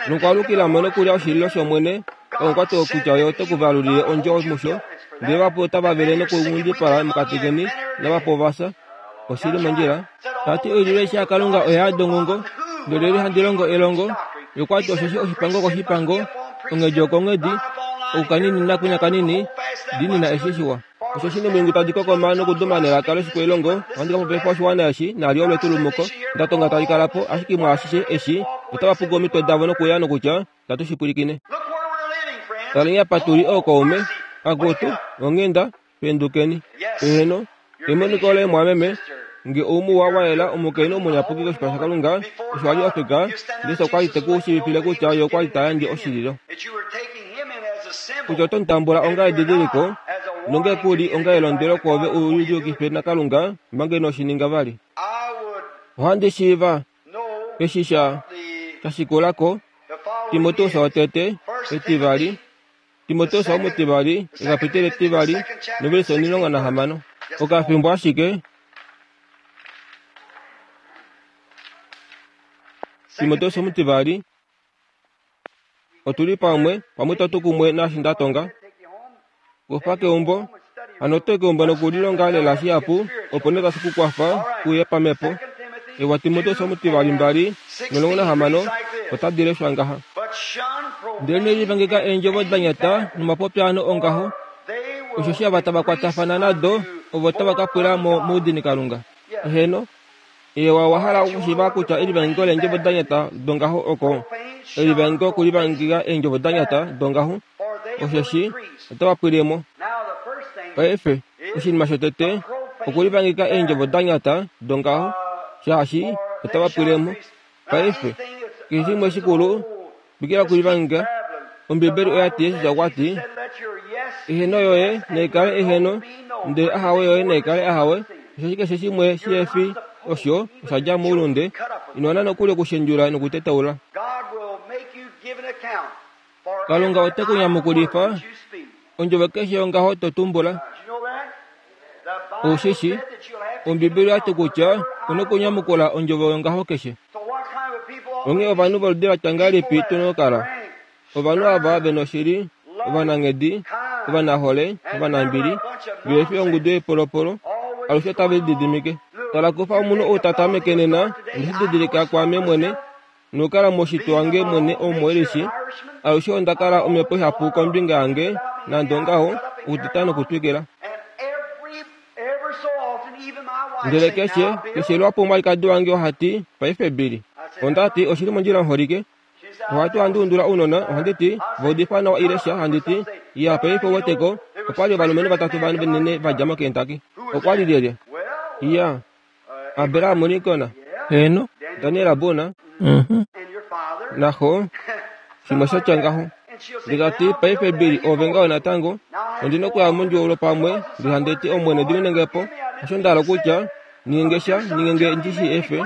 Speaker 1: Nokwaalukila mo nokulya oshililo shOmwene, omukwati oo kutya Ye ote ku valulile ondjo musho. Ndele vahapu otava vele nokunghundipala mokati keni, navahapu ova fya. Oshi li mondjila. Ta ti oililo aishe yaKalunga oya yada onghongo, ndele lyelye handi longo elongo, ye okwa ti osheshi oshipango okoshipango, onghedi okonghedi, oku kanini nakwinya kanini, diinina eshi shiwa. Osheshi nomilungu tadi kokoma nokuduma nelaka loshikwailongo, ohandi ka popifa oshiwana eshi, nali olo etulumuko, nda tonga tali kala po, ashike mwaashishe eshi, otava puku omitwe davo nokuya nokutya, Tatu shi pwilikine. Taleni apa tu li ookaume, akutu, onghenda, Pendukeni. Eheno, emoniko loye mwameme, nge oumuwa wa yela omukainhu omunyapuki koshipala shaKalunga, osho a li ofika, Jesus okwa li te ku shiivifile kutya ye okwa li ta yandje oshililo. Kutya oto mu tambula onga edidiliko, nonge ku li onga elondwelo kwoove u liyukife naKalunga manga ino shi ninga vali. Ohandi shiiva eshi sha sha shikula ko, Timoteus wotete, etivali, Timoteus omutivali, ekapiteli etivali novelise 16. Okafimbo ashike, Timoteus omutivali, otu li pamwe, pamwe itatu kumwe naashi nda tonga. Kufa keumbo, hano oto i keumbo nokulilonga lela shihapu, opo nee tashi ku kwafa uye pamhepo. Ewa Timoteus omutivali 2:16 otadi leshwa ngaha. Ndelenee livangeka eendjovo da nyata nomapopyaano ongaho, osheshi ava tava kwatafana nado ovo tava ka pwila mo moudinikalunga. Heeno, ewa owa hala okushiiva kutya elivangeko leendjovo da nyata dongaho oko elivangeko okulivangeka eendjovo da nyata dongaho, osheshi otava pwile mo. Paife, oshinima shotete okulivangeka eendjovo da nyata dongaho, shaashi otava pwile mo. Paife, keshe shimwe shikulu, twikila okulivangeka. Ombibeli oya ti, Jesus okwa ti, Eheno yoye nai kale eheno, ndele ahawe yoye nai kale ahawe, osheshi keshe shimwe shihe fi osho osha dja moulunde. Ino wana nokuli okushendjula nokutetaula. Kalunga ote ku nyamukulifa ondjovo keshe yongaho to tumbula. Ou shi shi, Ombibeli oya ti kutya u na okunyamukula ondjovo yongaho keshe. Onghee ovanhu voludi la tya ngahelipi tu na okukala? Ovanhu ava ve noshili, ovananghedi, ovanahole, ovanambili, vehe fi ongudu yoipolopolo, alushe otave lididimike. Tala kufa omunhu ou ta tameke nena, onde shi didilika kwaame mwene, nokukala moshitwe wange mwene omuwelishi, alushe onda kala omhepo ihapu kombinga yange, nande ongaho, okuteta nokutwikila. Ndele keshe, keshe lwapo omwalikadi wange oha ti, Paife Billy. Onda ti, Oshi li mondjila muholike. Ohatu handi undula ounona, ohandi ti, Va udifa nawa ile sha, handi ti, Iya, paife ou weteko, opa li ovalumenhu vatatu vanene va dja moKentucky. Okwa li lyelye? Iya, Abraham Lincoln. Heeno, Daniel Boone. Uh-huh. Naxo, shimwe sha tya ngaho. Ndele ta ti, Paife Billy, oove ngaho natango. Ondi nokuya mondjuwo pamwe, ndele handi ti, Omwene, dimine nge po. Osho nda hala okutya, ninge nge sha, ninge nge ndi shi efe.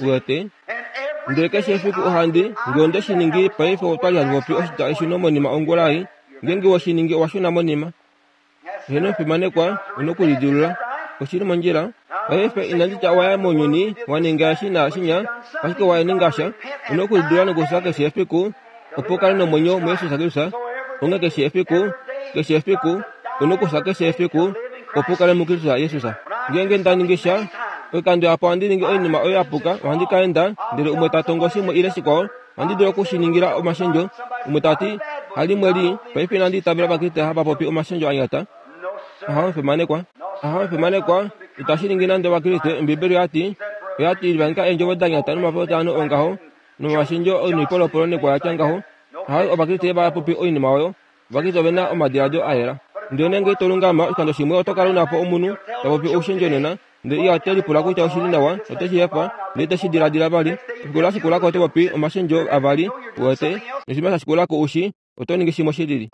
Speaker 1: Uwete? Ndele keshe efiku ohandi, nge onde shi ningi, paife otwa li hatu popi oshitya eshuno monima ongula ei. Ngeenge we shi ningi, owa shuna monima. Heeno, omufimanekwa, u nokulidilula. Oshi li mondjila. Paife, inandi tya owa ya mounyuni, wa ninga eshi naashinya, ashike wa ninga sha. U nokulidilula nokufya keshe efiku, opo u kale nomwenyo muJesus Kristus. Onghee keshe efiku, keshe efiku, u nokufya keshe efiku, opo u kale muKristus Jesus. Ngeenge nda ningi sha, oikando yapo ohandi ningi oinima oyo ya puka, ohandi ka enda, ndele umwe ta tongo shimwe ile shikwao, ohandi dulu oku shi ningila omashendjo. Umwe ta ti, Halimwe lii, paife inandi itavela Ovakriste hava popi omashendjo a nyata. Aha, omufimanekwa. Aha, omufimanekwa, itashi ningi nande Ovakriste. Ombibeli oya ti, oya ti, Livanika eendjovo da nyata nomapopyaano ongaho, nomolwashendjo noipolopolo nekwa ya tya ngaho. Hayo Ovakriste va popi oinima oyo. Ovakriste ove na omadiladilo a yela. Ndele ngeenge to lungama oshikando shimwe oto kala u na po omunhu ta popi oushendjo nena, ndele iha te lipula kutya oshi li nawa, ote shi efa, ndele te shi diladila vali. Efiku la shikula ko oto popi omashendjo avali, uwete, noshinima sha shikula ko u shi oto ningi shimwe shi lili.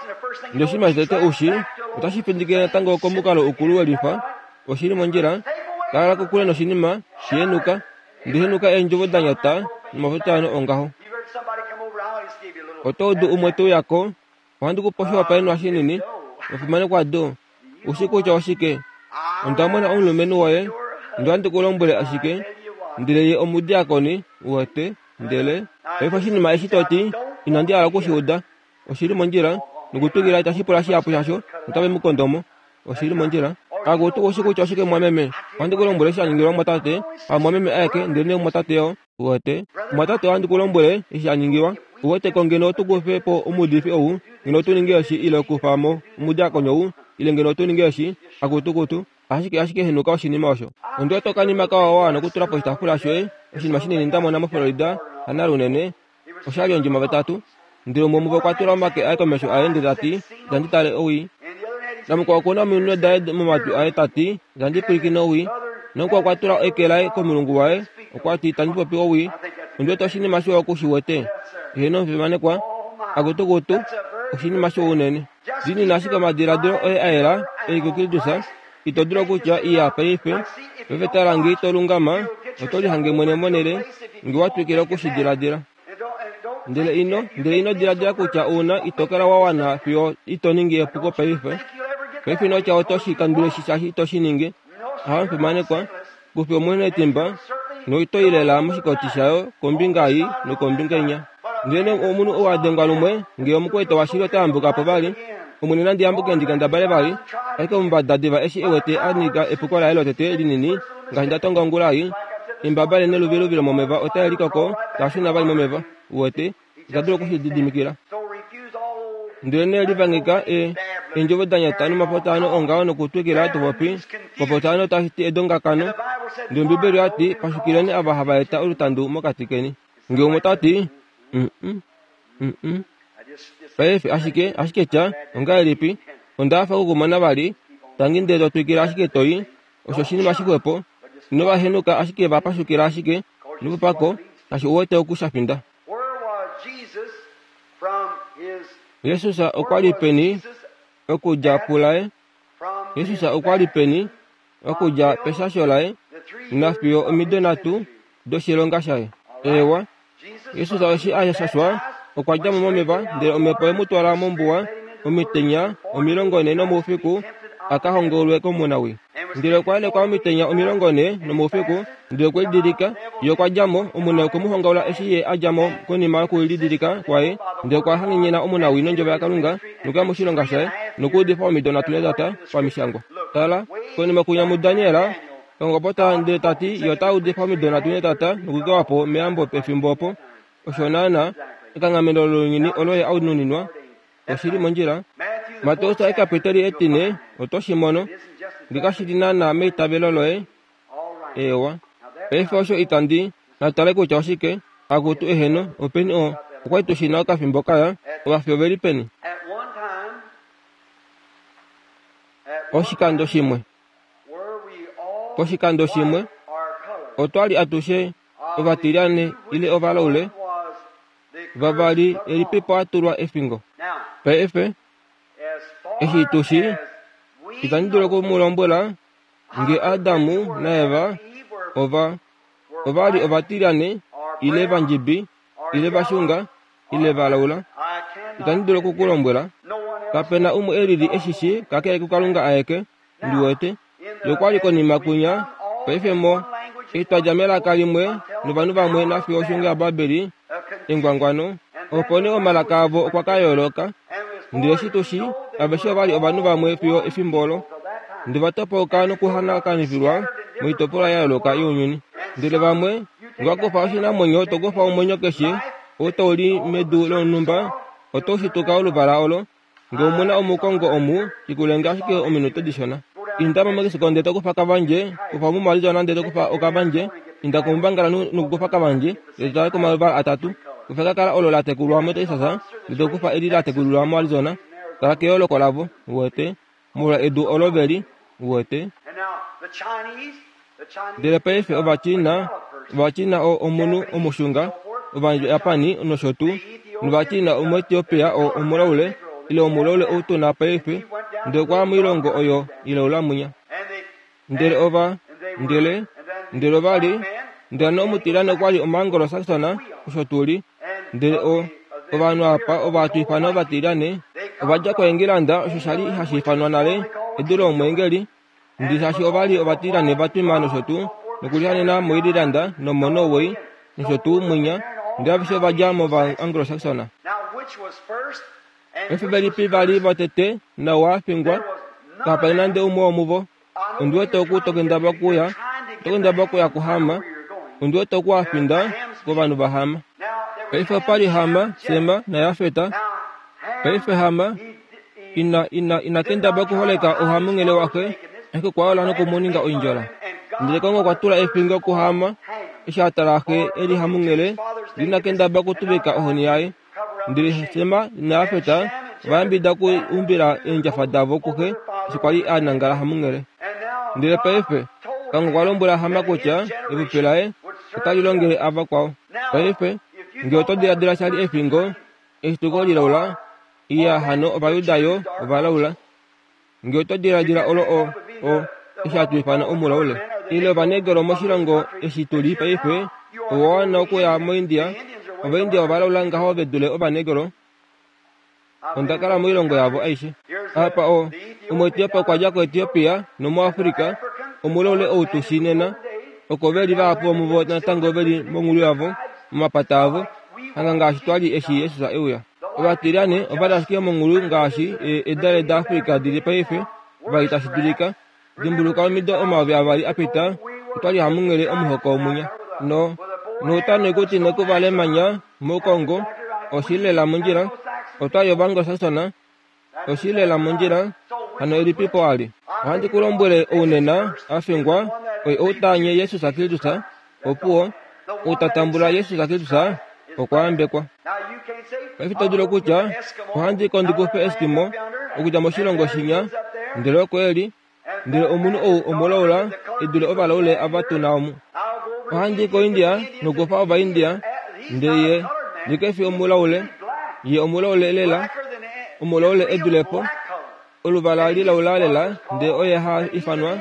Speaker 1: Ndele oshinima shotete u shi, otashi findikile natango komukalo ukulu welifa. Oshi li mondjila. Kala kokule noshinima, shi henuka. Ndi henuka eendjovo da nyata nomafutaano ongaho. Oto udu umwe te uya ko, ohandi ku pe oshihopaenenwa shinini, omufimanekwa do. U shi kutya oshike? Onda mona omulumenhu woye, ndele ohandi ku lombwele ashike, ndele ye omudiakoni, uwete, ndele. Paife oshinima eshi to ti, inandi hala oku shi uda. Oshi li mondjila, nokutwikila itashi pula shihapu shasho, otave mu kondo mo. Oshi li mondjila. Akutu, u shi kutya oshike mumwameme? Ohandi ku lombwele eshi sha ningilwa mumwatate, hamumwameme aeke, ndelenee mumwatate yo. Uwete? Mumwatate, ohandi ku lombwele eshi sha ningilwa. Uwete ko ngeno otu kufe po omuudifi ou, ngeno otu ninge eshi, ile okufa mo omudiakoni ou, ile ngeno otu ninge eshi, akutu, kutu. Ashike, ashike henuka oshinima osho. Ondi wete okanima kawa wa wana okutula poshitaafula shoye, oshinima shinini nda mona moFlorida, hanale unene. Osha li ondjima vatatu. Ndele umwe womuvo okwa tula omake aye komesho aye ndele ta ti, Itandi tale owii. Namukwao oku na ominwe daye momatwi aye ta ti, Itandi pwilikine owii. Namukwao okwa tula eke laye komulungu waye, okwa ti, Itandi popi owii. Ondi wete oshinima shiwa oku shi wete. Heeno, omufimanekwa. Akutukutu, oshinima shiwa unene. Diinina ashike omadiladilo oye a yela, e li kuKristus. Ito dulu okutya, Iya, paife, paife tala nge ito lungama, oto lihange mwene monhele, nge wa twikila oku shi diladila. Ndele ino, ndele ino diladila kutya u na, ito kala wa wana fiyo ito ningi epuko paife. Paife ino tya oto shi kandule shi shaashi ito shi ningi. Ahawe mufimanekwa, kufi omwene etimba, noito i lela moshikoti shayo kombinga ei nokombinga inya. Ndele omunhu ou a dengwa lumwe, nge omukwaita washili ota yambuka po vali, Omwene nandi yambuke ndi kendabale vali, ashike omumbada diva eshi e wete a nyika epuko laye lotete linini, ngaashi nda tonga ongula ei, embaba le neluviluvi lomomeva otae likoko, taa shuna vali momeva. Uwete, ita dulu oku shi lididimikila. Ndelenee livangeka e, eendjovo da nyata nomapotaano ongaho nokutwikila to popi, omapotaano tashi ti edongakano. Ndele Ombibeli oya ti, Pashukileni ava hava eta olutandu mokati keni. Nge umwe ta ti, Mm-mm, mm-mm. Paife, ashike, ashike tya, ongahelipi? Onda hafa okukumona vali. Tangi ndele to twikile ashike to i. Osho oshinima shixwepo. Ino va henuka, ashike va pashukila ashike. Nokupako, kashi uwete oku sha finda. Jesus okwa li peni okudja pulaye? Jesus okwa li peni okudja peshasho laye nafiyo omido nhatu doshilonga shaye? Eewa, Jesus eshi a shashwa okwa dja mo momeva, ndele omhepo ye mu twala mombuwa omitenya 40 nomoufiku a ka hongaulwe komunawii. Ndele okwa yelekwa omitenya 40 nomoufiku, ndele okwe lidilika. Ye okwa dja mo, omunawii okwe mu hongaula eshi ye a dja mo konima yokulidilika kwaye, ndele okwa hangenyena omunawii nondjovo yaKalunga nokuya moshilonga shaye nokuudifa omido nhatu netata pamishangwa. Tala, konima kunya muDaniel, Kongopota ndele ta ti ye ota udifa omido nhatu netata nokukewa po meyambo pefimbo opo. Osho naanaa, ekanghameno lounyuni olo ye a nuninwa. Oshi li mondjila. Mateus ekapiteli etine, oto shi mono. Nge kashi li naanaa meitavelo loye. Eewa. Paife osho itandi na tale kutya oshike. Akutu eheno, openi o, okwa li tu shi na okafimbo kaya, ovafi ove li peni? Oshikando shimwe. Poshikando shimwe, otwa li atushe ovatilyane ile ovalaule vavali elipipo a tulwa efingo. Paife, eshi tu shi, itandi dulu oku mu lombwela nge Adamu naEva ova ova li ovatilyane ile vandjibi ile vashunga ile valaula. Itandi dulu oku ku lombwela. Kape na umwe e lili e shi shii kakele kuKalunga aeke. Ndi wete. Ye okwa li konima kwinya, paife mo, eshi twa dja melaka limwe novanhu vamwe nafiyo oshungo yaBabeli, engwangwano, opo nee omalaka avo okwa ka yooloka. Ndele eshi tu shii, aveshe ova li ovanhu vamwe fiyo efimbo olo. Ndele va topauka nokuhanakanifilwa moitopolwa ya yooloka younyuni. Ndele vamwe, nge wa kufa oshinamwenyo to kufa omwenyo keshe ou tau li medu lonhumba, oto shituka oluvala olo. Nge omu na omukongo omu, shikulenge ashike ominute dishona. Inda moMexico ndele to kufa kavandje, kufa omuMarizona ndele to kufa okavandje, inda komuBangala nokukufa kavandje, ndele to tale komaluvala atatu. Kufa ekakala olo la tekulwa moTexas, ndele to kufa eli la tekulilwa moArizona. Tala keyooloko lavo, uwete, molwa edu olo ve li, uwete. Ndele paife Ovachina, Ovachina o omunhu omushunga, Ovajapani nosho tuu, nOvachina Omuetiopia o omulaule, ile omulaule ou tu na paife, ndele okwa ya moilongo oyo ilaula mwinya. Ndele ova, ndele, ndele ova li, ndele nomutilane okwa li Omanglo-Saxon, osho tu li. Ndele o, ovanhu apa ova hatu ifana ovatilyane, ova dja koEngilanda, osho sha li hashi ifanwa nale edu lomweengeli, Ndi shaashi ova li ovatilyane va twima nosho tuu, nokulihanena moIreland nomoNorway nosho tuu mwinya, ndele aveshe ova dja mOvaanglo-Saxon. Paife velipi va li votete nawa a fingwa? Kapa li nande umwe womuvo. Ondi wete oku to kendabala okuya, oto kendabala okuya kuHam. Ondi wete oku wa finda kovanhu vaHam. Paife opa li Ham, Sem naJafet. Paife Ham ina, ina, ina kendabala okuholeka ouhamunghele waxe, ashike okwa yola noku mu ninga oindjola. Ndele Kalunga okwa tula efingo kuHam eshi a tala xe e li hamunghele, ndele ina kendabala okutuvika ohoni yaye. Ndele Sem naJafet ova yambidida okuumbila eendjafa davo kuxe eshi kwa li a nangala hamunghele. Ndele paife, Kalunga okwa lombwela Ham kutya epupi laye otali longele avakwao. Paife, nge oto diladila sha li efingo, Eshituko lilaula, iya hano Ovajuda yo ovalaula. Nge oto diladila olo o, o, eshi hatu ifana omulaule, ile Ovanegro moshilongo eshi tu li paife, owa wana okuya moIndia. Ovaindia ovalaula ngaho ve dule Ovanegro. Onda kala moilongo yavo aishe. Apa o, Omuetiopia okwa dja koEtiopia, nomuAfrika, omulaule ou tu shii nena, oko ve li vahapu vomuvo natango ve li mongulu yavo, momapata avo, hanga ngaashi twa li eshi Jesus e uya. Ovatilyane ova li ashike mongulu ngaashi e, edale daAfrika di li paife, va li tashi dulika. Dimbuluka omido 2000 a pita, otwa li hamunghele omuhoko mwinya. No, nouta noikuti nekuva lemanya moKongo, oshi li lela mondjila. Otwa li Ovanglo-Saxon, Oshi lela mondjila, hano elipipo a li. Ohandi ku lombwele ou nena a fingwa, oye ou ta anye Jesus Kristus, opuwo, ou ta tambula Jesus Kristus, okwa yambekwa. Paife to dulu okutya, ohandi ko ndi kufe Eskimo okudja moshilongo shinya, ndele oko e li, ndele omunhu ou omulaula e dule ovalaule ava tu na omu. Ohandi i koIndia nokufa Ovaindia, ndele ye, ye ke fi omulaule, ye omulaule lela, omulaule e dule po, oluvala lilaula lela, ndele oye ha ifanwa,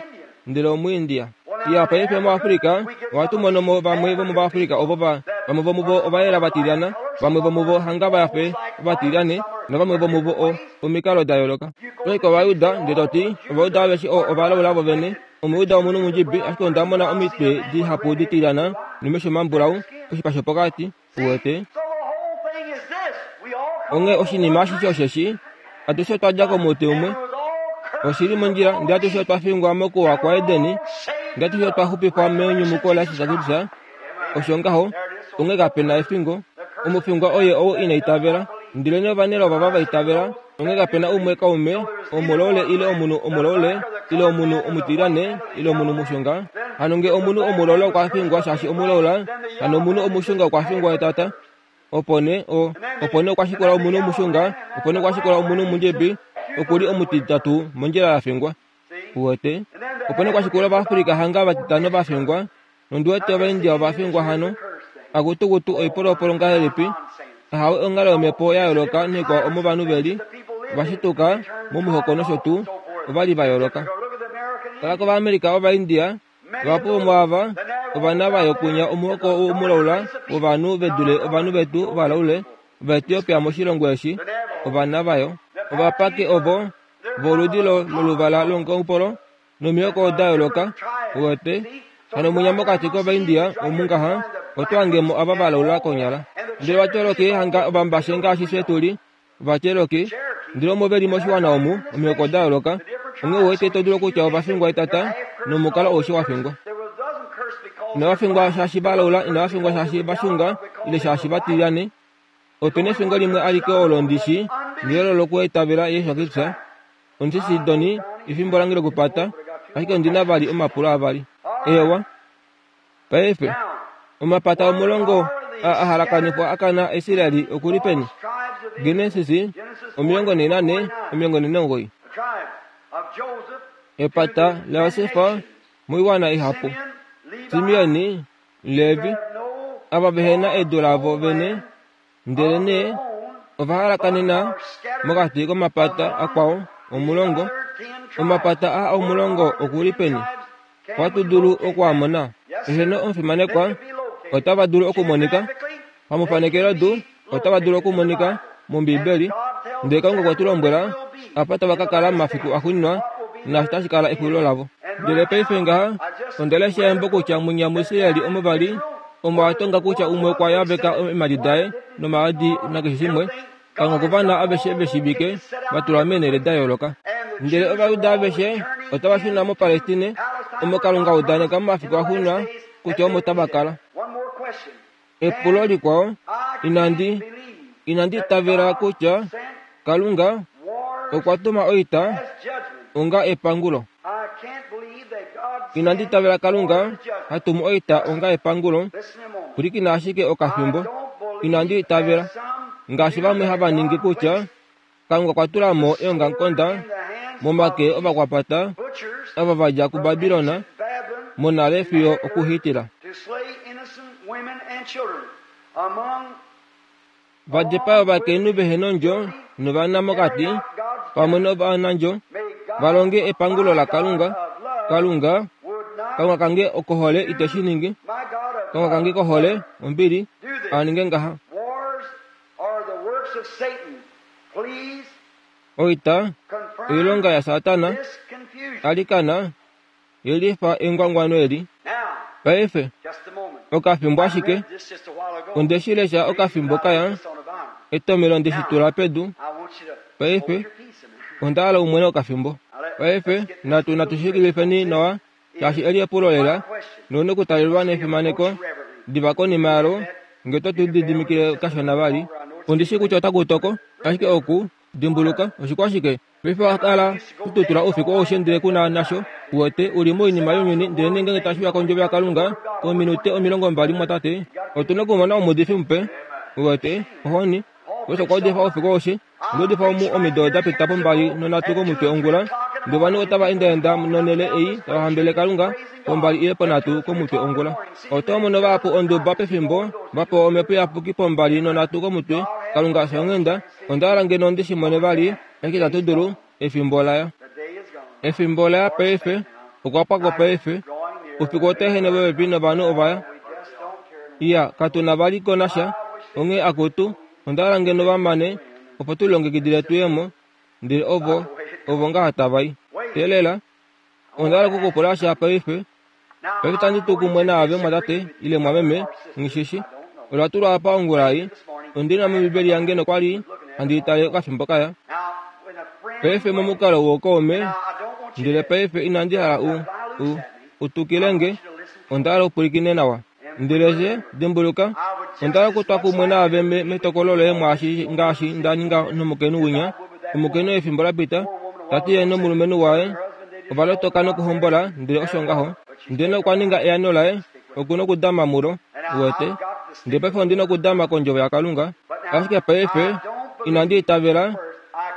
Speaker 1: ndele Omuindia. Iya, paife muAfrika ohatu mono mo vamwe vomOvaafrika ovo va, vamwe vomuvo ovayela vatilyana, vamwe vomuvo hanga va fe ovatilyane, navamwe vomuvo o, omikalo da yooloka. Oye kOvayuda, ndele to ti, Ovayuda aveshe o, ovalaula vovene. Omuyuda omunhu omundjibi, ashike onda mona omitwe dihapu ditilyana nomesho mambulau, oshipa shopokati, uwete. Onghee oshinima ashishe osheshi, atushe otwa dja komuti umwe. Oshi li mondjila, ndele atushe otwa fingwa mokuwa kwaEdeni, ndele atushe otwa xupifwa menyumuko laJesus Kristus. Osho ngaho, onghee kape na efingo. Omufingwa oye ou ina itavela. Ndelenee ovanelao ovava va itavela, onghee kape na umwe kaume omulaule ile omunhu omulaule ile omunhu omutilyane ile omunhu mushunga. Hano nge omunhu omulolo okwa fingwa shaashi omulaula, hano omunhu omushunga okwa fingwa etata. Opo nee o, opo nee okwa shikula omunhu omushunga, opo nee okwa shikula omunhu omundjebi, oku li omutitatu mondjila ya fingwa. Uwete? Opo nee kwa shikula Ovaafrika hanga vatitano va fingwa, nondi wete Ovaindia ova fingwa hano. Akutukutu oipolopolo ngahelipi? Ahawe onghalo yomhepo ya yooloka naikwao omo ovanhu ve li, va shituka momihoko nosho tuu, ova li va yooloka. Tala kOvaamerica Ovaindia, Vahapu vomwaava ovana va yokunya omuhoko womulaula wovanhu ve dule ovanhu vetu ovalaule Ovaetiopia moshilongo eshi, ovana vayo. Ovapake ovo voludi loluvala longoupolo nomihoko da yooloka, uwete. Hano mwinya mokati kOvaindia omu ngaha, oto hange mo ava valaula konyala. Ndele Ovacherokee hanga ovambashe ngaashi fye tu li, Ovacherokee, ndele omo ve li moshiwana omu, omihoko da yooloka, onghee uwete to dulu okutya ova fingwa etata, nomukalo aushe wa fingwa. Inava fingwa shaashi va laula, inava fingwa shaashi va xunga, ile shaashi va tilyane. Ope na efingo limwe alike olo ndi shi, ndele olo lokuitavela Jesus Kristus. Ondi shi Sidoni, efimbo lange lokupata, ashike ondi na vali omapulo avali. Eewa. Paife, omapata omulongo a a halakanifwa a kana Israel oku li peni? Genesis 44, 49. Epata laJosef moiwana ihapu. Simeon, Levi, ava vehe na edu lavo vene, ndelenee ova halakanena mokati komapata akwao omulongo. Omapata aa omulongo oku li peni? Ohatu dulu oku a mona? Eheno omufimanekwa, otava dulu okumonika. Pamufanekelo-du, otava dulu okumonika mOmbiibeli. Ndele Kalunga okwe tu lombwela apa tava ka kala momafiku axuuninwa naashi tashi kala exulilo lavo. Ndele paife ngaha, onda lesha embo kutya mwinya muIsraeli omo va li, omo a tonga kutya umwe okwa yaveka eemhadi daye nomaadi nakeshe shimwe, Kalunga kovana aveshe ve shiivike va tulwa meenhele da yooloka. Ndele Ovajuda aveshe otava shuna moPalestine, omo Kalunga a udaneka momafiku axuuninwa kutya omo tava kala. Epulo likwao, inandi, inandi itavela kutya Kalunga okwa tuma oita onga epangulo. Inandi itavela Kalunga ha tumu oita onga epangulo. Pwilikina ashike okafimbo. Inandi itavela, ngaashi vamwe hava ningi kutya Kalunga okwa tula mo eongamukonda momake ovakwapata ava va dja kuBabilon monale fiyo okuHitler. Va dipaa ovakainhu vehe nondjo novana mokati, pamwe novanandjo, va longe epangulo laKalunga. Kalunga, Kalunga kange okohole ite shi ningi. Kalunga kange kohole, ombili, a ninge ngaha. Oita, oilonga yaSatana, alikana, yelifa engwangwano eli. Paife, okafimbo ashike, onde shi lesha okafimbo kaya, etomelo nde shi tula pedu. Paife, onda hala umwene okafimbo. Paife, natu natu shikilifeni nawa, shaashi eli epulo lela, noune okutalelwa nefimaneko, diva konima yalo, nge to tu lididimikile kashona vali. Ondi shii kutya otaku toko, ashike oku, dimbuluka, oshikwashike? Paife owa kala to tutula oufiku aushe ndele ku na nasho. Uwete, u li moinima younyuni, ndelenee ngeenge tashi uya kOndjovo yaKalunga, ominute 20, mumwatate, otu na okumona omuudifi mupe. Uwete, ohoni. Osho okwa udifa oufiku aushe. Onda udifa omu omido da pita pombali nonhatu komutwe ongula. Ndele ovanhu otava endaenda nonhele ei tava hambelele Kalunga pombali ile ponhatu komutwe ongula. Oto mono vahapu onduba pefimbo va pewa Omhepo Iyapuki pombali nonhatu komutwe. Kalunga fya onghenda. Onda hala ngeno ndi shi mone vali, ashike itatu dulu. Efimbo ola ya. Efimbo ola ya paife. Okwa pwa ko paife. Oufiku otau ehene popepi novanhu ova ya. Iya, katu na vali ko nasha. Onghee akutu, onda hala ngeno va mane, opo tu lilongekidile tu ye mo. Ndele ovo, ovo ngaha tava i. Teelela. Onda hala oku ku pula sha paife. Paife tandi tu kumwe naave mwatate, ile mwameme, nghi shi shi. Ola tulwa apa ongula ei. Ondi na mOmbibeli yange nokwa li handi i tale okafimbo kaya. Paife momukalo wookaume, ndele paife inandi hala u, u, u tukile nge. Onda hala u pwilikine nawa. Ndele she, dimbuluka, onda hala okutwa kumwe naave me, metokolo loye mwaashi ngaashi nda ninga nomukainhu winya, omukainhu efimbo la pita, ta ti ye nomulumenhu waye ova lotoka nokuhombola, ndele osho ngaho. Ndele okwa ninga eano laye, oku nokudama mulo. Uwete? Ndele paife ondi nokudama kOndjovo yaKalunga. Ashike paife, inandi itavela,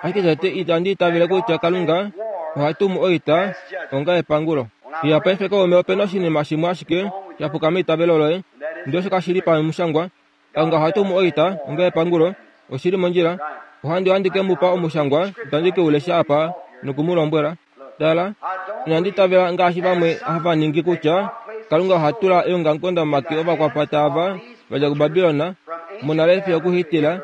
Speaker 1: ashike tete itandi itavele kutya Kalunga oha tumu oita onga epangulo. Iya paife kaume ope na oshinima shimwe ashike sha puka meitavelo loye, ndele osho kashi li pamushangwa. Kalunga oha tumu oita onga epangulo, oshi li mondjila. Ohandi ohandi ke mu pa omushangwa, itandi ke u lesha apa noku mu lombwela. Tala, inandi itavela ngaashi vamwe hava ningi kutya Kalunga oha tula eongamukonda momake ovakwapata ava va dja kuBabilon monale fiyo okuhitila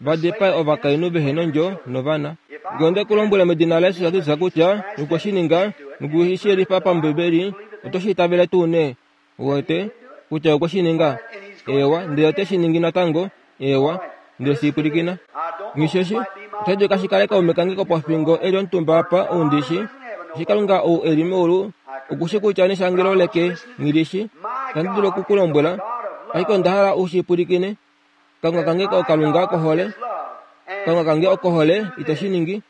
Speaker 1: va dipae ovakainhu vehe nondjo novana. Ngee onde ku lombwele medina laJesus Kristus kutya okwe shi ninga noku shi yelifa paMbibeli, oto shi itavele tuu nee? Uwete kutya okwe shi ninga? Eewa, ndele ote shi ningi natango. Eewa, ndele shi pwilikina. Nghisheshi, otashi dulika shi kale kaume kange kopofingo e li omutumba apa, ou ndi shi, eshi Kalunga ou e li meulu oku shi kutya neshangelo leke nghi li shi. Itandi dulu oku ku lombwela, ashike onda hala u shi pwilikine. Kalunga kange oKalunga kohole. Kalunga kange okohole, ite shi ningi.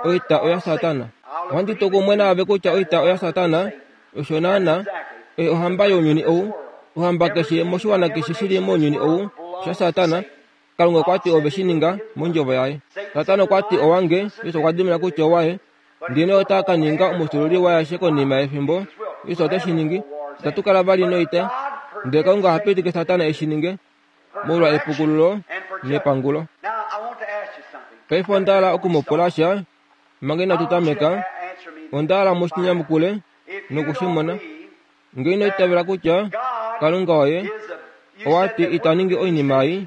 Speaker 1: Oita oya Satana. Ohandi tu kumwe naave kutya oita oya Satana, osho naana, oye ohamba younyuni ou, ohamba keshe moshiwana keshe shi li mounyuni ou, osha Satana. Kalunga okwa ti ove shi ninga mondjovo yaye. Satana okwa ti owange, Jesus okwa dimina kutya owaye. Ndele ota ka ninga omufyuululi waye konima yefimbo. Jesus ote shi ningi. Itatu kala vali noita. Ndele Kalunga oha pitike Satana e shi ninge. molwa epukululo nepangulo. Paife onda hala oku mu pula sha manga inatu tameka. Onda hala mu shi nyamukule noku shi mona. Ngee ino itavela kutya Kalunga oye owa ti ita ningi oinima ei,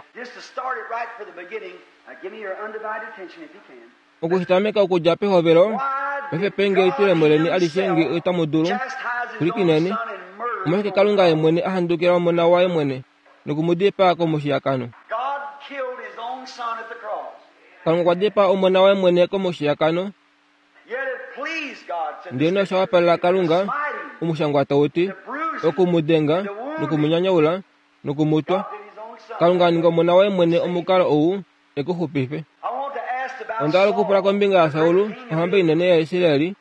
Speaker 1: Oku shi tameka okudja pehovelo, paife penge elitulemo leni alishe nge otamu dulu. Pwilikineni. Omolwashike Kalunga ye mwene a handukila Omona waye mwene noku mu dipaa komushiyakano? Kalunga okwa dipaa Omona waye mwene komushiyakano. Ndele osha wapalela Kalunga, omushangwa tau ti, oku mu denga noku mu nyanyaula noku mu twa. Kalunga a ninga Omona waye mwene omukalo ou e ku xupife. Onda hala okupula kombinga yaSaul, ohamba inene yaIsrael.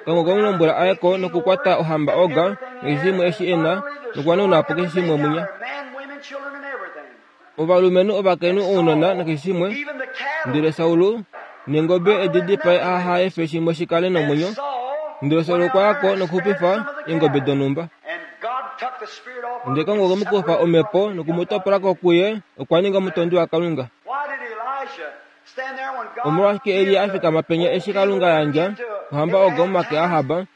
Speaker 1: Kalunga okwe mu lombwela a ye ko nokukwata ohamba Og nakeshe shimwe eshi e na nokuhanauna po keshe shimwe munya. Ovalumenhu, ovakainhu, ounona nakeshe shimwe. Ndele Saul neengobe edi dipae aha efe shimwe shi kale nomwenyo. Ndele Saul okwa ya ko nokuxupifa eengobe donhumba. Ndele Kalunga okwe mu kufa omhepo noku mu topola ko kuye, okwa ninga omutondi waKalunga. Omolwashike Elia a fikama penya eshi Kalunga a yandja ohamba Og momake aAhab,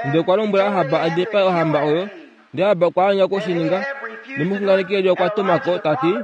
Speaker 1: ndele okwa lombwela Ahab a dipae ohamba oyo, ndele Ahab okwa anya oku shi ninga. Nomuxunganeki Elia okwa tuma ko, ta ti,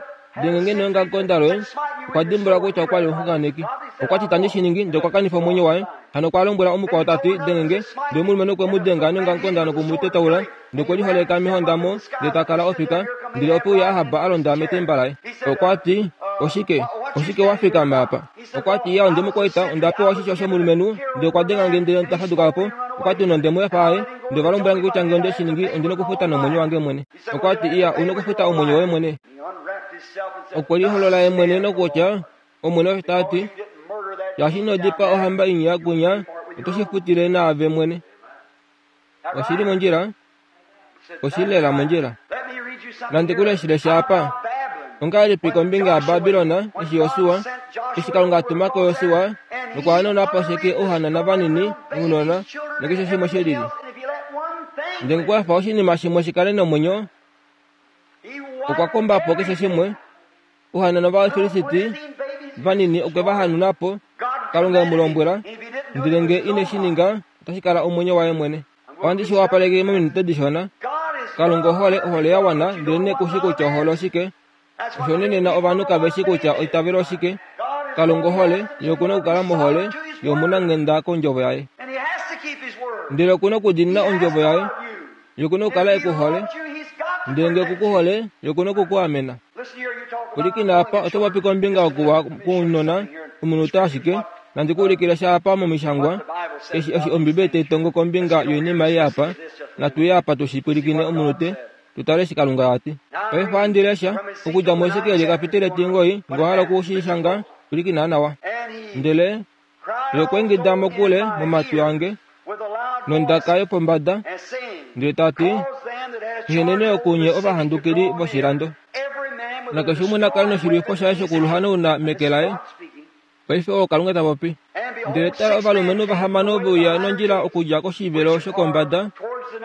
Speaker 1: Denge nge neongamukonda loye. Okwa dimbuluka kutya okwa li omuxunganeki. Okwa ti, Itandi shi ningi, ndele okwa kanifa omwenyo waye. Hano okwa lombwela omukwao ta ti, Denge nge. Ndele omulumenhu okwe mu denga neongamukonda noku mu tetaula, ndele okwe liholeka mehondamo, ndele ta kala ofika. Ndele ope uya Ahab a londa metemba laye. Okwa ti, Oshike? Oshike wa fikama apa? Okwa ti, Iya, onde mu kwaita, onda pewa oshisho shomulumenhu, ndele okwa denga nge ndele nda faduka po. Okwa ti, Nonde mu efa aye, ndele ova lombwela nge kutya nge onde shi ningi, ondi nokufuta nomwenyo wange mwene. Okwa ti, Iya, u nokufuta omwenyo woye mwene. Okwe liholola ye mwene nokutya, Omwene osho ta ti, Shaashi ino dipaa ohamba inya kunya, oto shi futile naave mwene. Oshi li mondjila? Oshi li lela mondjila. Nandi ku leshile sha apa. Ongahelipi kombinga yaBabilon eshi Josua, eshi Kalunga a tuma ko Josua nokwa hanauna po sheke ouhanana vanini, ounona, nakeshe shimwe she lili. Ndele okwa efa oshinima shimwe shi kale nomwenyo, okwa komba po keshe shimwe. Ouhanana vOvafilisti vanini okwe va hanuna po. Kalunga e mu lombwela, ndele nge ine shi ninga, otashi kala omwenyo waye mwene. Ohandi shi wapaleke mominute dishona. Kalunga ohole, ohole ya wana, ndele nee ku shi kutya ohole oshike. Osho nee nena ovanhu kave shi kutya eitavelo oshike. Kalunga ohole, ye oku na okukala mohole, ye omunanghenda kondjovo yaye. Ndele oku na okudiinina ondjovo yaye. Ye oku na okukala e ku hole. Ndele nge oku ku hole, ye oku na oku ku amena. Pwilikina apa, oto popi kombinga yokuwa kwounona, omunute ashike. Nandi ku ulikile sha apa mOmishangwa, eshi, eshi Ombibeli tai tongo kombinga yoinima ei apa. Natu ye apa tu shi pwilikine omunute, tu tale eshi Kalunga a ti. Paife ohandi lesha, okudja muHesekiel ekapiteli etingoi, nge owa hala oku shi shanga, pwilikina nawa. Ndele Ye okwa ingida mokule momatwi ange nondaka yopombada, Ndele ta ti, Eheneni okunye ovahandukili voshilando. Nakeshe umwe na kale noshilwifo shaye shokuluhanauna meke laye. Paife oo Kalunga ta popi. Ndele tala ovalumenhu vahamano ve uya nondjila okudja koshivelo shokombada,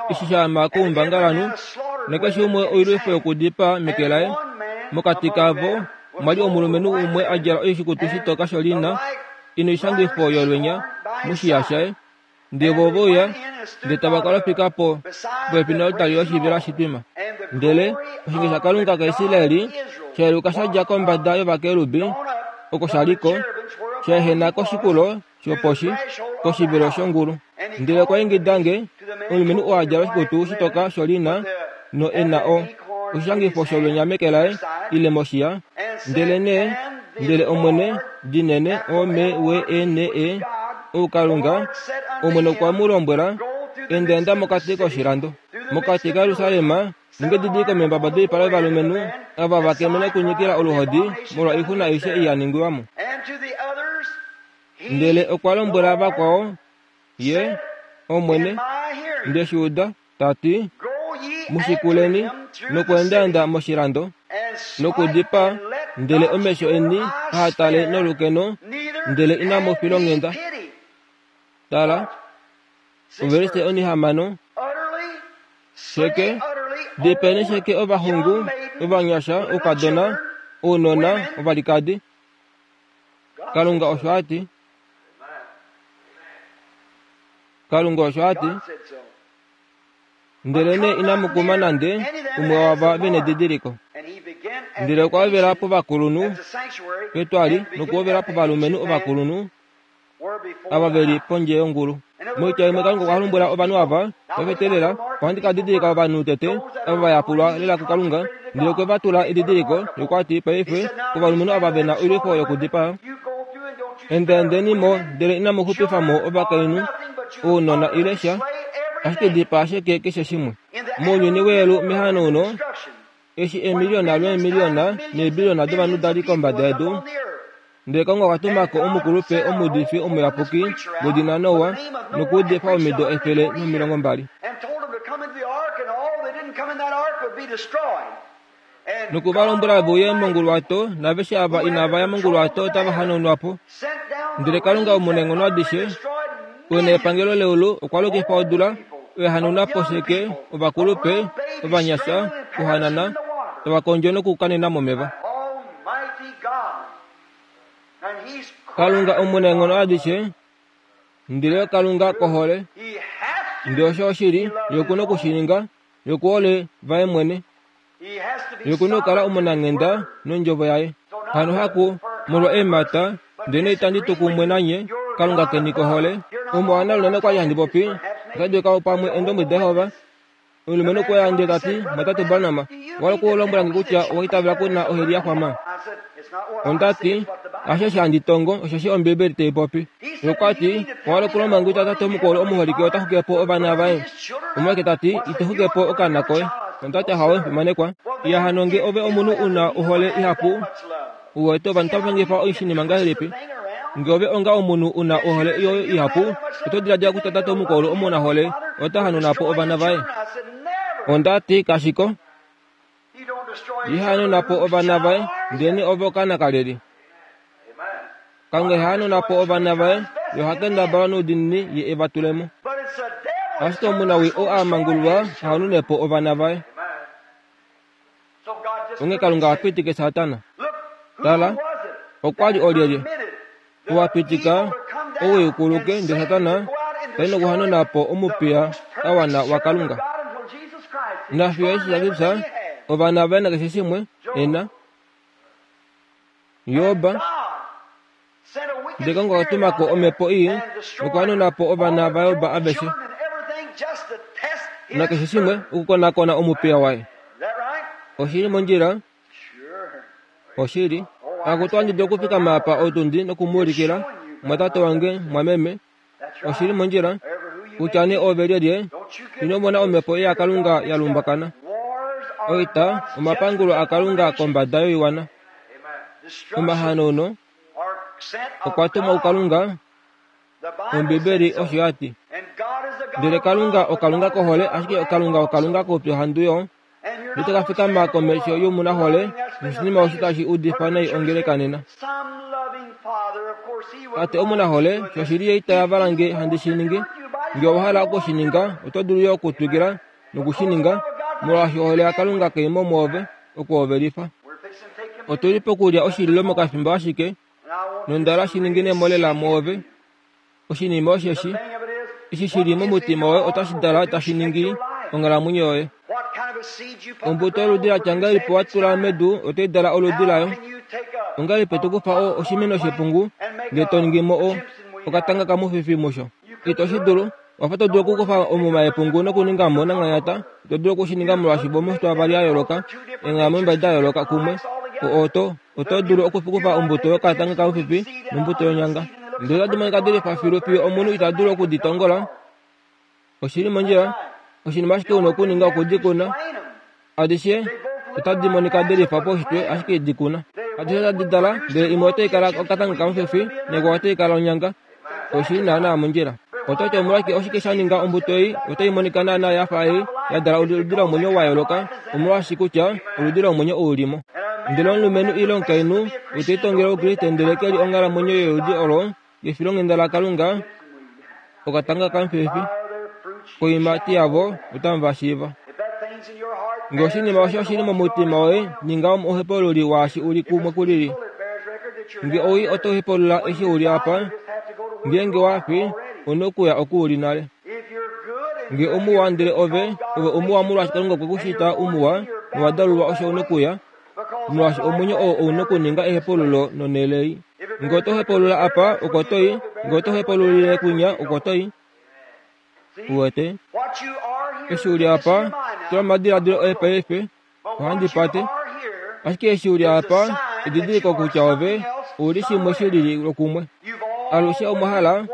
Speaker 1: eshi sha ama koumbangalanhu, nakeshe umwe oilwifo yokudipaa meke laye. Mokati kavo omwa li omulumenhu umwe a djala oshikutu shitoka sholiina, i noishangifo yolwenya moshiya shaye. Ndele vo ove uya, ndele tava kala ofika po popepi nolutali loshivelo hashi twima. Ndele oshinge shaKalunga kaIsrael sha yeluka sha dja kombada yovakerubi, oko sha li ko, sha ehena koshikulo shoposhi, koshivelo shongulu. Ndele okwa ingida nge, omulumenhu oo a djala oshikutu shitoka sholiina no e na o oshishangifo sholwenya meke laye ile moshiya, ndelenee ndele Omwene dinene O M W E N E ou Kalunga, Omwene okwa mu lombwela, Endaenda mokati koshilando, mokati kaJerusalem, ninga edidiliko meembaba doipala yovalumenhu ava va kemene okunyikila oluhodi molwa oixuna aishe ei ya ningilwa mo. Ndele okwa lombwela vakwao, Ye, Omwene, nde shi uda, ta ti, Mu shikuleni nokweendaenda moshilando nokudipaa, ndele omesho eni aha tale nolukeno, ndele inamu filonghenda. Tala, ovelise onihamano. Sheke, dipeni sheke ovaxungu, ovanyasha, oukadona, ounona, ovalikadi. Kalunga osho a ti. Kalunga osho a ti. Ndelenee inamu kuma nande umwe waava ve nedidiliko. Ndele okwa ovela povakulunhu petwali nokuovela povalumenhu ovakulunhu ava ve li pondje yongulu. Moitya imwe Kalunga okwa lombwela ovanhu ava, Paife teelela, ohandi ka didilika ovanhu tete ava va yapulwa lela kuKalunga, ndele okwe va tula edidiliko, nokwa ti, Paife, kovalumenhu ava ve na oilwifo yokudipaa, endaendeni mo, ndele inamu xupifa mo ovakainhu, ounona ile sha, ashike dipaa sheke keshe shimwe. Mounyuni weyelu mehanauno, eshi eemiliyona lweemiliyona neebiliyona dovanhu da li kombada yedu, ndele Kalunga okwa tuma ko omukulupe omuudifi omuyapuki wedina Noa nokuudifa omido 120. Noku va lombwela ve uye monguluwato, naaveshe ava inava ya monguluwato otava hanaunwa po. Ndele Kalunga Omunaenghono adishe, ou e na epangelo leulu, okwa lokifa odula, oya hanauna po sheke ovakulupe, ovanyasha, ohanana, tava kondjo nokukanena momeva. Kalunga Omunaenghono adishe, ndele Kalunga kohole, ndele osho oshili, ye oku na oku shi ninga, ye oku hole vaye mwene. Ye oku na okukala omunanghenda nondjovo yaye. Hano haku molwa eemhata, ndele itandi tu kumwe nanye, Kalunga keni kohole. Omuwana lunene kwa li handi popi, ota dulika pamwe Eendombwedi daJehova. Omulumenhu okwe ya ndele ta ti, Mwatate Branham, owa hala okulombwela nge kutya owa itavela ku na oheli ya xwama? Onda ti, Hasho eshi handi tongo, osheshi Ombiibeli tai popi. Ye okwa ti, Owa hala okulombwela nge kutya tate omukulu omuholike ota xuke po ovana vaye? Omolwashike ta ti, Ito xuke po okaana koye? Onda ti, Ahawe, fimanekwa. Iya hano nge ove omunhu u na ohole ihapu, u wete ovanhu tava pangifa oshinima ngahelipi? Nge ove onga omunhu u na ohole yoye ihapu, oto diladila kutya tate omukulu omunahole ota hanuna po ovana vaye? Onda ti, Kashi ko. Iha hanuna po ovana vaye, ndelenee ove okaana kalyelye? Kalunga iha hanuna po ovana vaye, ye oha kendabala noudiinini ye e va tule mo. Ashike omunawii oo a mangululwa ha hanune po ovana vaye. Onghee Kalunga oha pitike Satana. Tala, okwa li olyelye? Ou a pitika owii u kuluke, ndele Satana ta i nokuhanuna po omupiya a wana waKalunga. Nafiyo eshi sha fifya ovana vaye nakeshe shimwe e na. Job, ndele Kalunga okwa tuma ko omhepo ii nokuhanuna po ovana vaJob aveshe nakeshe shimwe okukonakona omupiya waye. Oshi li mondjila? Oshili. Akutu ohandi dulu okufikama apa otundi noku mu ulikila, mwatate wange, mwameme. Oshi li mondjila. Kutya nee ove lyelye, ino mona omhepo yaKalunga ya lumbakana. Oita, omapangulo aKalunga kombada yoiwana. Omahanauno okwa tumwa kuKalunga, Ombibeli osho ya ti. Ndele Kalunga oKalunga kohole, ashike Kalunga oKalunga koupyuhandu yo. Ndele ka fikama komesho yomunahole, noshinima osho tashi udifa nai ongeleka nena. Tate omunahole, shoshili ye ita yavala nge handi shi ningi. Nge owa hala oku shi ninga, oto dulu yo okutwikila noku shi ninga, molwaashi ohole yaKalunga kai mo mwoove, oku ove lifa. Otu li pokulya oshililo mokafimbo ashike, nonda hala shi ningine mo lela mwoove. Oshinima osheshi, eshi shi li momutima woye otashi dala tashi ningi onghalamwenyo yoye. Ombuto yoludi la tya ngahelipi wa tula medu otai dala oludi layo. Ongahelipi to kufa o, oshimeno shepungu ndele to ningi mo o, okatanga kamufifi musho? Ito shi dulu. Owa fa to dulu okukufa omuma yepungu nokuninga mo nanghanyata. Ito dulu oku shi ninga molwaashi vomushitwa vavali ya yooloka, eenghalamwenyo mbali da yooloka kumwe. O, oto, oto dulu okukufa ombuto yokatanga kamufifi nombuto yonyanga. Ndele otadi monika di lifa filu fiyo omunhu ita dulu oku di tongola. Oshi li mondjila. Oshinima ashike u na okuninga oku di kuna. Adishe otadi monika de lifa paushitwe, ashike di kuna. Adishe otadi dala, ndele imwe otai kala okatanga kamufefi, naikwao otai kala onyanga. Oshi li naanaa mondjila. Oto ti omolwashike oshike sha ninga ombuto ei otai monika naanaa ya fa ei ya dala oludi lomwenyo wa yooloka? Omolwaashi kutya oludi lomwenyo ou li mo. Ndele omulumenhu ile omukainhu ote litongele Oukriste ndele ke li onghalamwenyo yoludi olo yefilonghenda laKalunga, okatanga kamufefi, koiimati yavo otamu va shiiva. Nge oshinima osho oshi li momutima woye, ninga omuhepaululi waashi u li kumwe ku lili. Nge owii oto hepaulula eshi u li apa, ngeenge wa fi, u nokuya oku u li nale. Nge omuwa ndele ove, ove omuwa molwaashi Kalunga okwe ku shita umuwa, nowa dalulwa osho u nokuya, molwaashi omwenyo oo ou nokuninga ehepaululo nonhele ei. Nge oto hepaulula apa, oko to i, nge oto hepaululile kwinya, oko to i. Uwete? Eshi u li apa, tula omadiladilo oye paife, ohandi pate. Ashike eshi u li apa, edidiliko kutya ove ou li shimwe shi lili lokumwe. Alushe omwa hala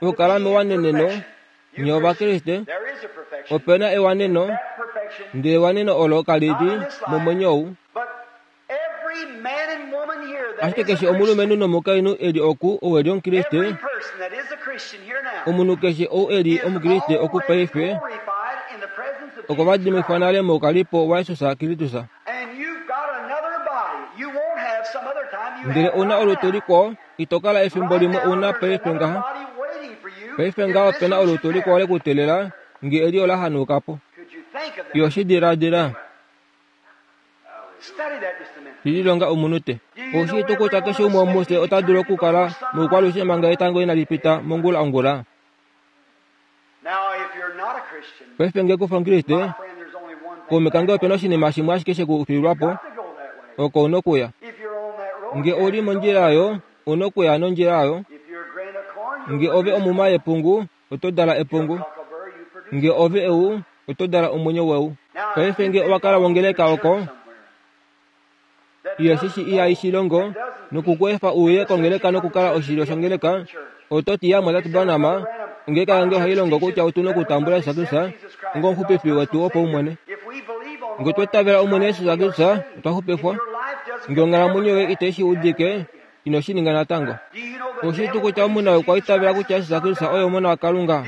Speaker 1: okukala mewaneneno, nye Ovakriste. Ope na ewaneno, ndele ewaneno olo kali li momwenyo ou. Ashike keshe omulumenhu nomukainhu e li oku ou e li Omukriste, omunhu keshe ou e li Omukriste oku paife, okwa vadimifwa nale moukalipo waJesus Kristus. Ndele ou na olutu likwao, ito kala efimbo limwe u na paife ngaha. Paife ngaha ope na olutu likwao le ku teelela, nge eli ola hanauka po. Yo shi diladila. Lilonga omunute. Oushii tuu kutya keshe umwe womufye ota dulu okukala moukwalushe manga etango inali pita mongula ongula? Paife nge kufa Omukriste, kaume kange ope na oshinima shimwe ashike she ku fiilwa po, oko u na okuya. Nge ou li mondjila oyo, u na okuya nondjila oyo. Nge ove omuma yepungu, oto dala epungu. Nge ove eu, oto dala omwenyo weu. Paife nge owa kala wongeleka oko, ihashi shi ihai shi longo noku ku efa uye kongeleka nokukala oshilyo shongeleka, oto ti, Ya Mwatate Branham, ongeleka yange ohai longo kutya otu nokutambula Jesus Kristus onga omuxupifi wetu wopaumwene. Nge otwa itavela Omwene Jesus Kristus, otwa xupifwa. Nge onghalamwenyo yoye itai shi udike, ino shi ninga natango. Oushii tuu kutya omunhu okwa itavela kutya Jesus Kristus oye Omona waKalunga?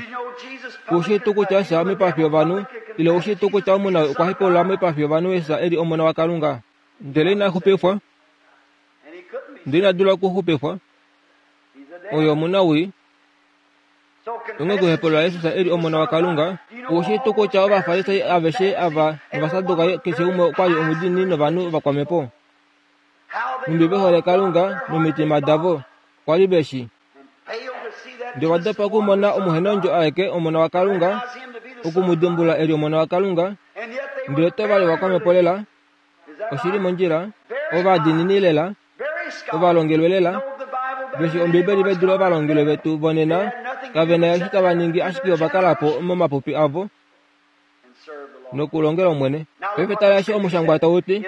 Speaker 1: Oushii tuu kutya Jesus omoipafi yovanhu, ile oushii tuu kutya omunhu okwa hepaulula moipafi yovanhu Jesus e li Omona waKalunga? Ndele ina xupifwa, ndele ina dula okuxupifwa. Oye omunawii. Onghee okuhepaulula Jesus e li Omona waKalunga, oushii tuu kutya Ovafarisai aveshe ava nOvasadukai keshe umwe okwa li omudiinini novanhu vakwamhepo? Nhumbi ve hole Kalunga nomitima davo, kwa li ve shi. Ndele ova dopa okumona omuhenondjo aeke, Omona waKalunga, oku mu dimbulula e li Omona waKalunga, ndele otava li vakwamhepo lela, oshi li mondjila, ovadiinini lela, ovalongelwe lela, ve shi Ombibeli ve dule ovalongelwe vetu vonena, kave na eshi tava ningi ashike ova kala po momapupi avo, nokulongela Omwene. Paife tala eshi omushangwa tau ti,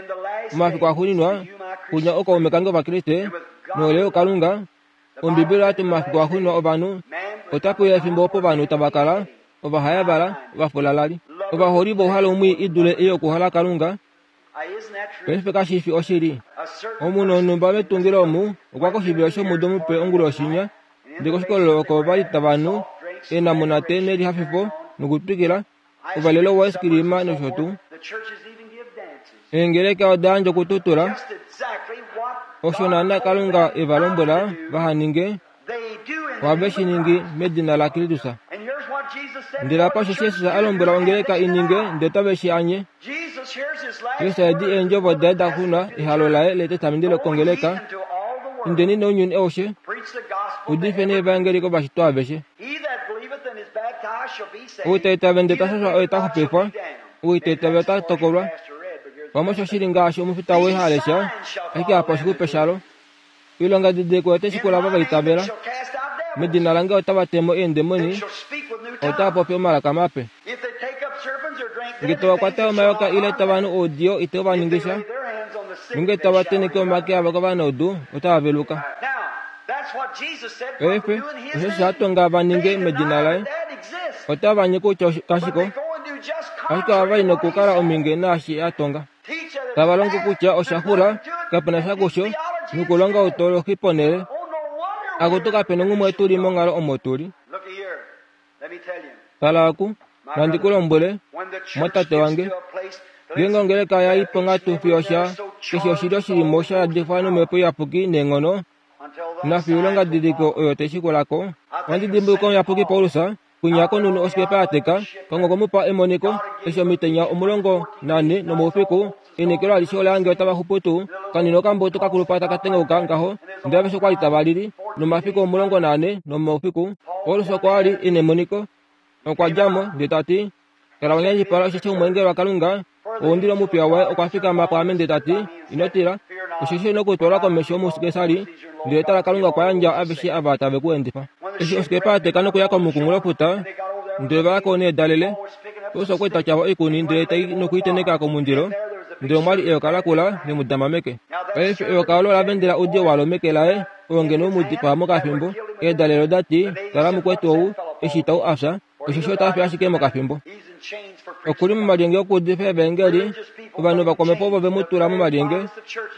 Speaker 1: Momafiku axuuninwa, kunye ookaume kange Ovakriste, nohole yokalunga, Ombibeli oya ti momafiku axuuninwa ovanhu otape uya efimbo opo ovanhu tava kala ovahayavala, ovafulalali, ovaholi vouhalo mwii i dule ei yokuhola Kalunga. Paife kashi fi oshili. Omunhu wonhumba metungilo omu okwa koshivilo shomudo mupe onguloshinya, ndele koshikololo oko va li tava nu eenamunate nelihafifo. nokutwikila, ouvalelo woice-creama nosho tuu. Eengeleka oda yandja okututula osho naana Kalunga e va lombwela vaha ninge, ohave shi ningi medina laKristus. Ndele apa osho Jesus a lombwela ongeleka i ninge ndele otave shi anye. Jesus edi eendjovo daye da xuna ehalo laye letestamende kongeleka, Indeni nounyuni aushe, udifeni evaengeli kovashitwa aveshe. Ou ta itavele ndele ta shashwa oye ta xupifwa, ou ita itavele ota tokolwa. Pamwe osho shi li ngaashi omufita woi ha lesha, ashike apa oshixupe shalo. Oilonga didiliko oyo tai shikula ava va itavela. Medina lange otava te mo eendemoni, otava popi omalaka mape. Nge tava kwata omayoka ile tava nu oudiyo itau va ningisha, nonge tava tenheke omake avo kovanaudu otava veluka. Paife, osho sha tonga va ninge medina laye. Otava anye kutya kashi ko, ashike ohava i nokukala omhinge naashi a tonga. Tava longo kutya osha xula, kape na sha kusho, nokulonga outolohi ponhele. Akutu kape nonghumwe tu li monghalo omo tu li. Tala oku, nandi ku lombwele, mwatate wange, ngeenge ongeleka ya i ponghatu fiyo sha keshe oshilyo shi li mo sha yadifwa nomhepo iyapuki neenghono, nafiyo oilongadidiliko oyo tai shikula ko, ohandi dimbuluka omuyapuki Paulus, kwinya konunu osikepa ya teka, Kalunga okwe mu pa emoniko, eshi omitenya 14 nomoufiku, einekelo alishe ola yange otava xupu tuu, kanini okambutu ka kulupa taka tengauka ngaho, ndele aveshe okwa li tava lili, nomafiku 14 nomaufiku, Paulus okwa li e nemoniko. Okwa dja mo, ndele ta ti, Kala wa nyanyipala osheshi omweengeli waKalunga, ou ndi li omupiya waye, okwa fikama pwaame ndele ta ti, Ino tila, osheshi ino kutwalwa komesho muKesari, ndele tala Kalunga okwa yandja aveshe ava tave ku endifa. Eshi osikepa ya teka nokuya komukunghulofuta, ndele va ya ko needalele, Paulus okwa eta tyava oikuni ndele tai noku i tenheka komundilo, ndele omwa li eyoka lakula le mu dama meke. Paife eyoka olo ola vendela oudiyo walo meke laye, oo ngeno u mu dipaa mokafimbo. Eedalele oda ti, Tala mukwetu ou, eshi itau a fya, osheshi ota fi ashike mokafimbo. Oku li momalyenge okuudifa evaengeli, ovanhu vakwamhepo ovo ve mu tula momalyenge.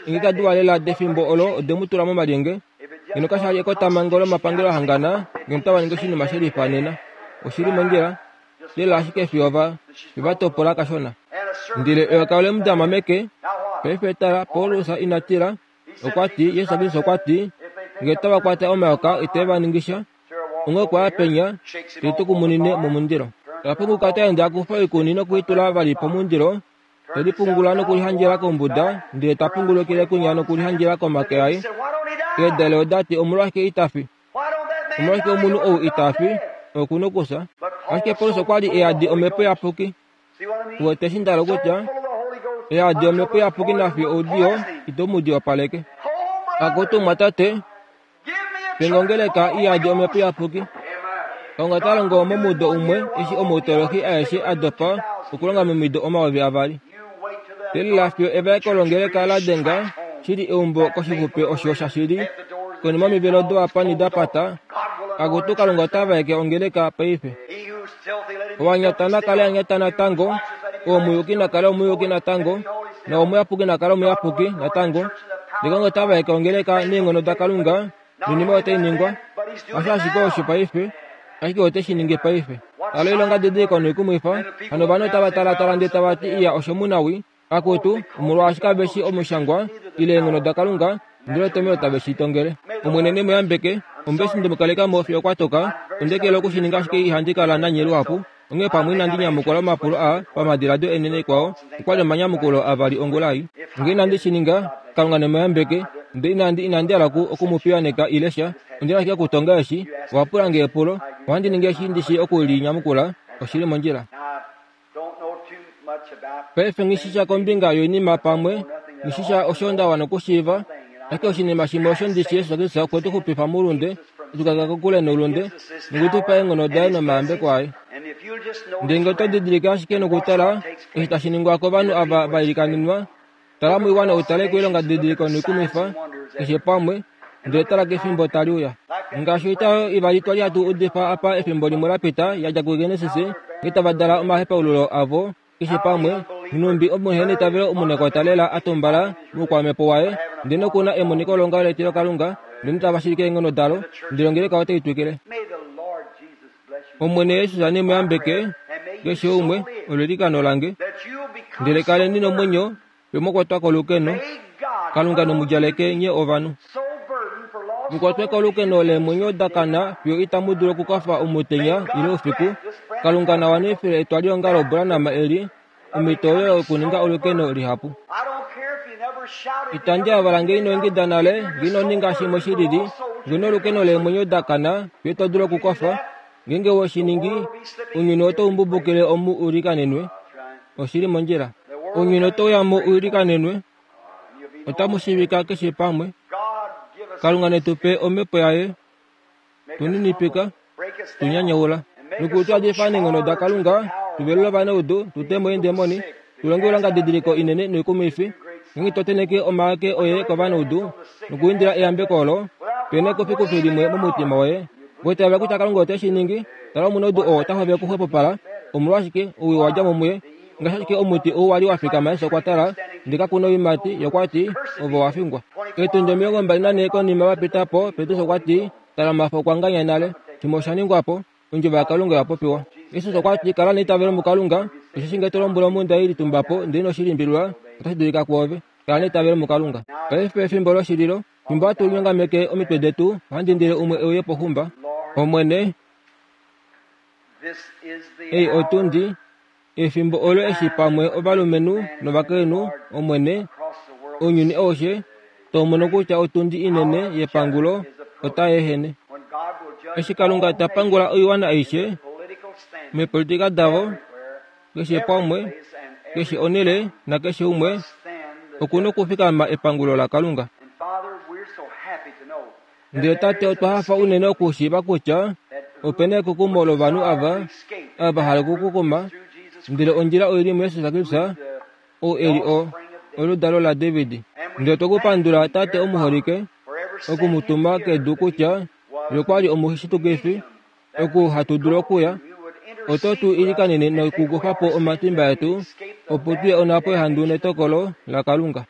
Speaker 1: Eengeleka diwa lela defimbo olo ode mu tula momalyenge. Ngeno kasha li ekotamhango lomapangelo a hangana, ngeno otava ningi oshinima she lifa nena. Oshi li mondjila lela ashike fiyo va, fiyo va topola kashona. Ndele eyoka ole mu dama meke. Paife tala, Paulus ina tila. Okwa ti, Jesus Kristus okwa ti, Nge otava kwata omayoka ite va ningi sha. Onghee okwa ya penya, te tukumunine momundilo. Ta punguka ta ende a kufa oikuni noku i tula vali pomundilo, te lipungula nokulihandjela kombuda, ndele ta pungulukile kwinya nokulihandjela komake aye. Eedale oda ti, Omolwashike ita fi? Omolwashike omunhu ou ita fi? Oku nokufya. Ashike Paulus okwa li e yadi Omhepo Iyapuki. Uwete eshi nda hala okutya? E yadi Omhepo Iyapuki nafiyo oudiyo ito mu diyopaleke. Akutu mumwatate, Pengongeleka i yadi Omhepo Iyapuki. Kalunga ta longo momudo umwe eshi omautolohi aeshe a dopa okulonga momido 2000. Teelela fiyo evaeko longeleka la denga shili eumbo koshixupe osho shashili konima omivelo dowapani da pata. Akutu Kalunga ota vaeke ongeleka paife. Owanyata na kale a nyata natango, oomuyuki na kale omuyuki natango, na omuyapuki na kale omuyapuki natango. Ndele Kalunga ota vaeke ongeleka neenghono daKalunga, noinima otai ningwa. Hasho ashike osho paife, ashike ote shi ningi paife. Tala oilonga didiliko noikumwifa, hano ovanhu otava talatala ndele tava ti, Iya, osho omunawii. Akutu, omolwaashi kave shi Omushangwa, ile eenghono daKalunga, ndele otomhelo tave shi tongele. Omwene ne mu yambeke. Ombeshi nde mu kaleka mo fiyo kwa toka. Onde kelela oku shi ninga ashike ihandi kala nanye luhapu. Onghee pamwe inandi nyamukula omapulo aa pamadiladio enene ikwao, okwa li omanyamukulo avali ongula ei. Nge inandi shi ninga, Kalunga ne mu yambeke. Ndele inandi, inandi hala oku, oku mu piyaaneka ile sha. Ondi na ashike okutonga eshi. Owa pula nge epulo. Ohandi ningi eshi ndi shii oku li nyamukula. Oshi li mondjila. Paife nghi shi sha kombinga yoinima pamwe, nghi shi sha osho nda wana okushiiva, ashike oshinima shimwe osho ndi shi Jesus Kristus okwe tu xupifa moulunde, e tu kaleka kokule noulunde, noku tu pa eenghono daye nomayambeko aye. Ndele ngee oto didilike ashike nokutala eshi tashi ningwa kovanhu ava va ilikanenwa, Tala moiwana u tale koilonga didiliko noikumwifa keshe pamwe, ndele tala kefimbo tali uya. Ngaashi oita oyo ivali twa li hatu udifa apa efimbo limwe la pita ya dja kuGenesis, nghee tava dala omahepaululo avo keshe pamwe, nhumbi omuheneitavelo omunekota lela a tumbala moukwamhepo waye, ndele noku na emoniko longaho letilokalunga, ndele notava shilike eenghono dalo, ndele ongeleka otai twikile. Omwene Jesus ne mu yambeke. Keshe umwe, olo eilikano lange. Ndele kaleni nomwenyo, fiyo mwa kwatwa kolukeno. Kalunga ne mu djaleke nye ovanhu. Mu kwatwe kolukeno leemwenyo da kana fiyo itamu dulu okukofa omutenya ile oufiku. Kalunga na wanifile etwaliongalo Branham eli omhito oyo yokuninga olukeno lihapu. Itandi avala nge ino ingida nale, nge ino ninga shimwe shi lili, nge ino olukeno leemwenyo da kana fiyo ito dulu okukofa. Ngeenge we shi ningi, ounyuni otau mbubukile omu u likanenwe. Oshi li mondjila. Ounyuni otau ya mo u likanenwe. Otamu shiivika keshe pamwe. Kalunga ne tu pe omhepo yaye. Tu ninipika, tu nyanyaula, noku tu yadifa neenghono daKalunga, tu velule ovanaudu, tu te mo eendemoni, tu longe oilongadidiliko inene noikumwifi, ngeenge to tenheke omake oye kovanaudu nokuindila eyambeko olo, pe na ekufikufi limwe momutima woye. Oitavela kutya Kalunga ote shi ningi, tala omunaudu oo ota hovele okuxwepopala. Omolwashike owii wa dja mo muye? Ngaashi ashike omuti ou wa li wa fikama eshi okwa tala, ndele kaku na oiimati, ye okwa ti, Ove owa fingwa. Eetundi 24 konima va pita po, Petrus okwa ti, Tala omafo okwa nganya nale. Shimwe osha ningwa po. Ondjovo yaKalunga oya popiwa. Jesus okwa ti, Kala neitavelo muKalunga, osheshi ngee to lombwele omhunda ei litumba po, ndele ino shi limbililwa, otashi dulika kwoove. Kala neitavelo muKalunga. Paife efimbo loshililo, fimbo hatu linyongameke omitwe detu, ohandi indile umwe e uye poxumba. Omwene, ei otundi, efimbo olo eshi pamwe ovalumenhu novakainhu, Omwene, ounyuni aushe, tau mono kutya otundi inene yepangulo otai ehene. Eshi Kalunga ta pangula oiwana aishe meepolitika davo, keshe pamwe, keshe onhele nakeshe umwe oku na okufikama epangulo laKalunga. Ndele Tate, otwa hafa unene okushiiva kutya ope na ekukumo lovanhu ava, ava va hala okukukuma, ndele ondjila oi li muJesus Kristus, ou e li o, oludalo laDavid. Ndele otwe ku pandula, Tate omuholike, oku mu tuma kedu kutya Ye okwa li omushitukifi, oku hatu dulu okuya, oto tu ilikanene nokukufa po omatimba etu, opo tu ye onhapo yehandu netokolo laKalunga.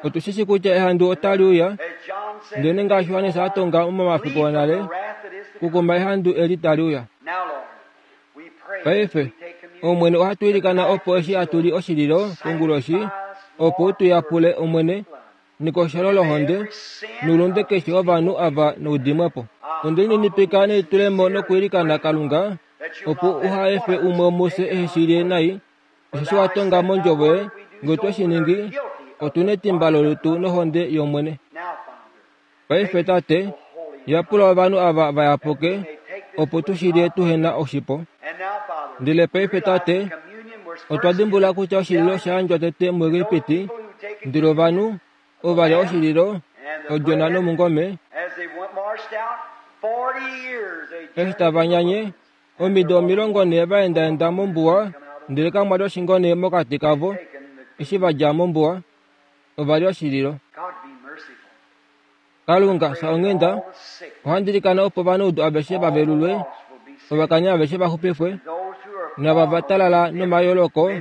Speaker 1: Otu shi shii kutya ehandu otali uya, ndele ngaashi Johannes a tonga momafiku onale, kukuma ehandu eli tali uya. Paife, Omwene, ohatu ilikana opo eshi hatu li oshililo konguloshi, opo u tu yapule, Omwene, nekosholo lohonde noulunde keshe wovanhu ava noudimwe po. Onde lininipika nelitulemo nokwiilikana Kalunga, opo uha efe umwe womufye ehe shi lye nai, osheshi wa tonga mondjovo yoye, nge otwe shi ningi, otu netimba lolutu nohonde yOmwene. Paife Tate, yapula ovanhu ava va yapuke, opo tu shi lye tuhe na oshipo. Ndele paife Tate, otwa dimbulula kutya oshililo osha yandjwa tete muEgipiti, ndele ovanhu ova lya oshililo, odjona nomungome, eshi tava nyanye, omido 40 va endaenda mombuwa, ndele kamwa li oshingone mokati kavo, eshi va dja mombuwa, ova lya oshililo. Kalunga, fya onghenda, ohandi ilikana opo ovanaudu aveshe va velulwe, ovakani aveshe va xupifwe, nava va talala nomayooloko,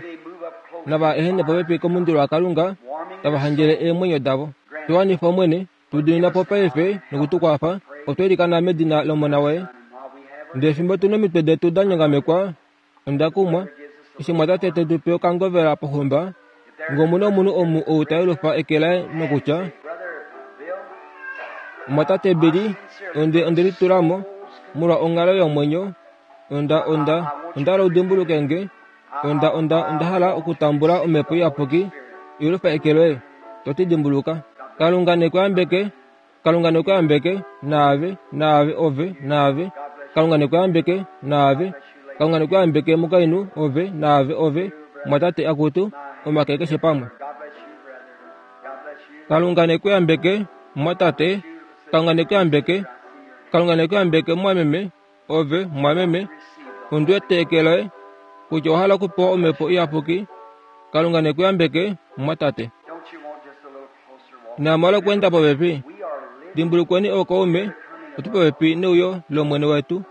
Speaker 1: nava ehene popepi komundilo waKalunga, tava handjele eemwenyo davo. Tu wanifa, Omwene, tu dimina po paife noku tu kwafa, otwa ilikana medina lOmona woye. Ndele fimbo tu nomitwe detu da nyongamekwa, onda kumwa, eshi mwatate te tu pe okangovela poxumba, Nge omu na omunhu omu ou ta yelufa eke laye nokutya, Mwatate Billy, onde, onde litula mo, molwa onghalo yomwenyo, onda, onda, onda hala u dimbuluke nge, onda, onda, onda hala okutambula Omhepo Iyapuki, yelufa eke loye, to ti dimbuluka. Kalunga ne ku yambeke. Kalunga ne ku yambeke, naave, naave, ove, naave. Kalunga ne ku yambeke, naave. Kalunga ne ku yambeke, mukainhu, ove, naave, ove, mwatate, akutu, omake keshe pamwe. Kalunga ne ku yambeke, mwatate. Kalunga ne ku yambeke. Kalunga ne ku yambeke, mwameme, ove, mwameme. Ondi wete eke loye, kutya owa hala okupewa Omhepo Iyapuki. Kalunga ne ku yambeke, mwatate. Inamu okweenda popepi. Dimbulukweni ookaume, otu popepi neuyo lOmwene wetu.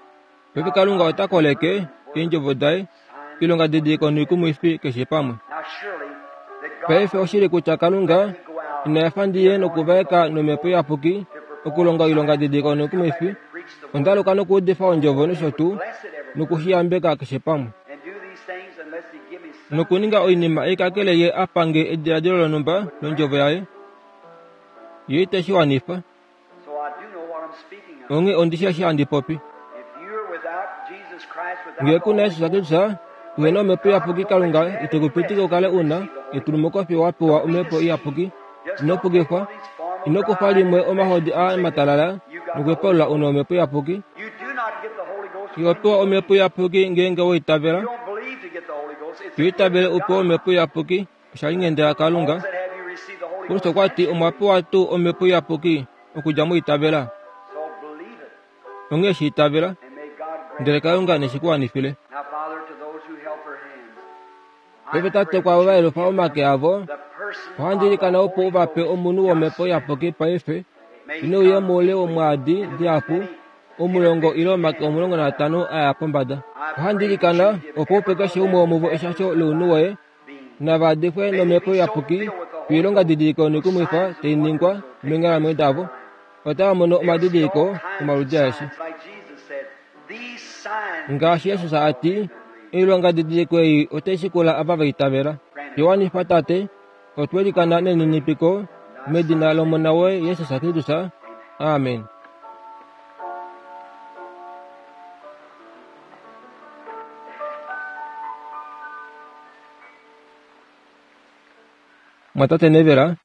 Speaker 1: Paife Kalunga ota koleke eendjovo daye, oilongadidiliko noikumwifi keshe pamwe. Paife oshili kutya Kalunga ina efa ndi ye nokuvaeka nomhepo iyapuki okulonga oilongadidiliko noikumwifi. Onda aluka nokuudifa ondjovo nosho tuu. Nokushiyambeka keshe pamwe. Nokuninga oinima ei kakele Ye a pange ediladilo lonhumba lOndjovo Yaye, Ye ite shi wanifa. Onghee ondi shi eshi handi popi. Ngee ku na Jesus Kristus, uhe na Omhepo Iyapuki, Kalunga ite ku pitike u kale u na etulumuko fiyo wa pewa Omhepo Iyapuki. Ino pukifwa. Ino kufa limwe omahodi aa matalala nokuhepaulula u na Omhepo Iyapuki. Iho pewa Omhepo Iyapuki ngeenge wa itavela. To itavele u pewe Omhepo Iyapuki, osha li nghenda yaKalunga. Paulus okwa ti, Omwa pewa tuu Omhepo Iyapuki okudja mwiitavela? Onghee shi itavela, ndele Kalunga ne shi ku wanifile. Paife Tate, kwaavo va yelufa omake avo, ohandi ilikana opo u va pe omunhu wOmhepo Iyapuki paife, ine uye moule womwaadi dihapu, omulongo ile omake 15 a ya pombada. Ohandi ilikana opo u pe keshe umwe womuvo eshasho lounhu woye, nava difwe nOmhepo Iyapuki oilonga didiliko noikumwifa tai ningwa meenghalamwenyo davo. Otava mono omadidiliko omaludi aeshe. Ngaashi Jesus a ti, Oilonga didiliko ei otai shikula ava va itavela. Yowanifa Tate, otwe likana neninipiko medina lOmona woye Jesus Kristus. Amen. Mwatate Nevera.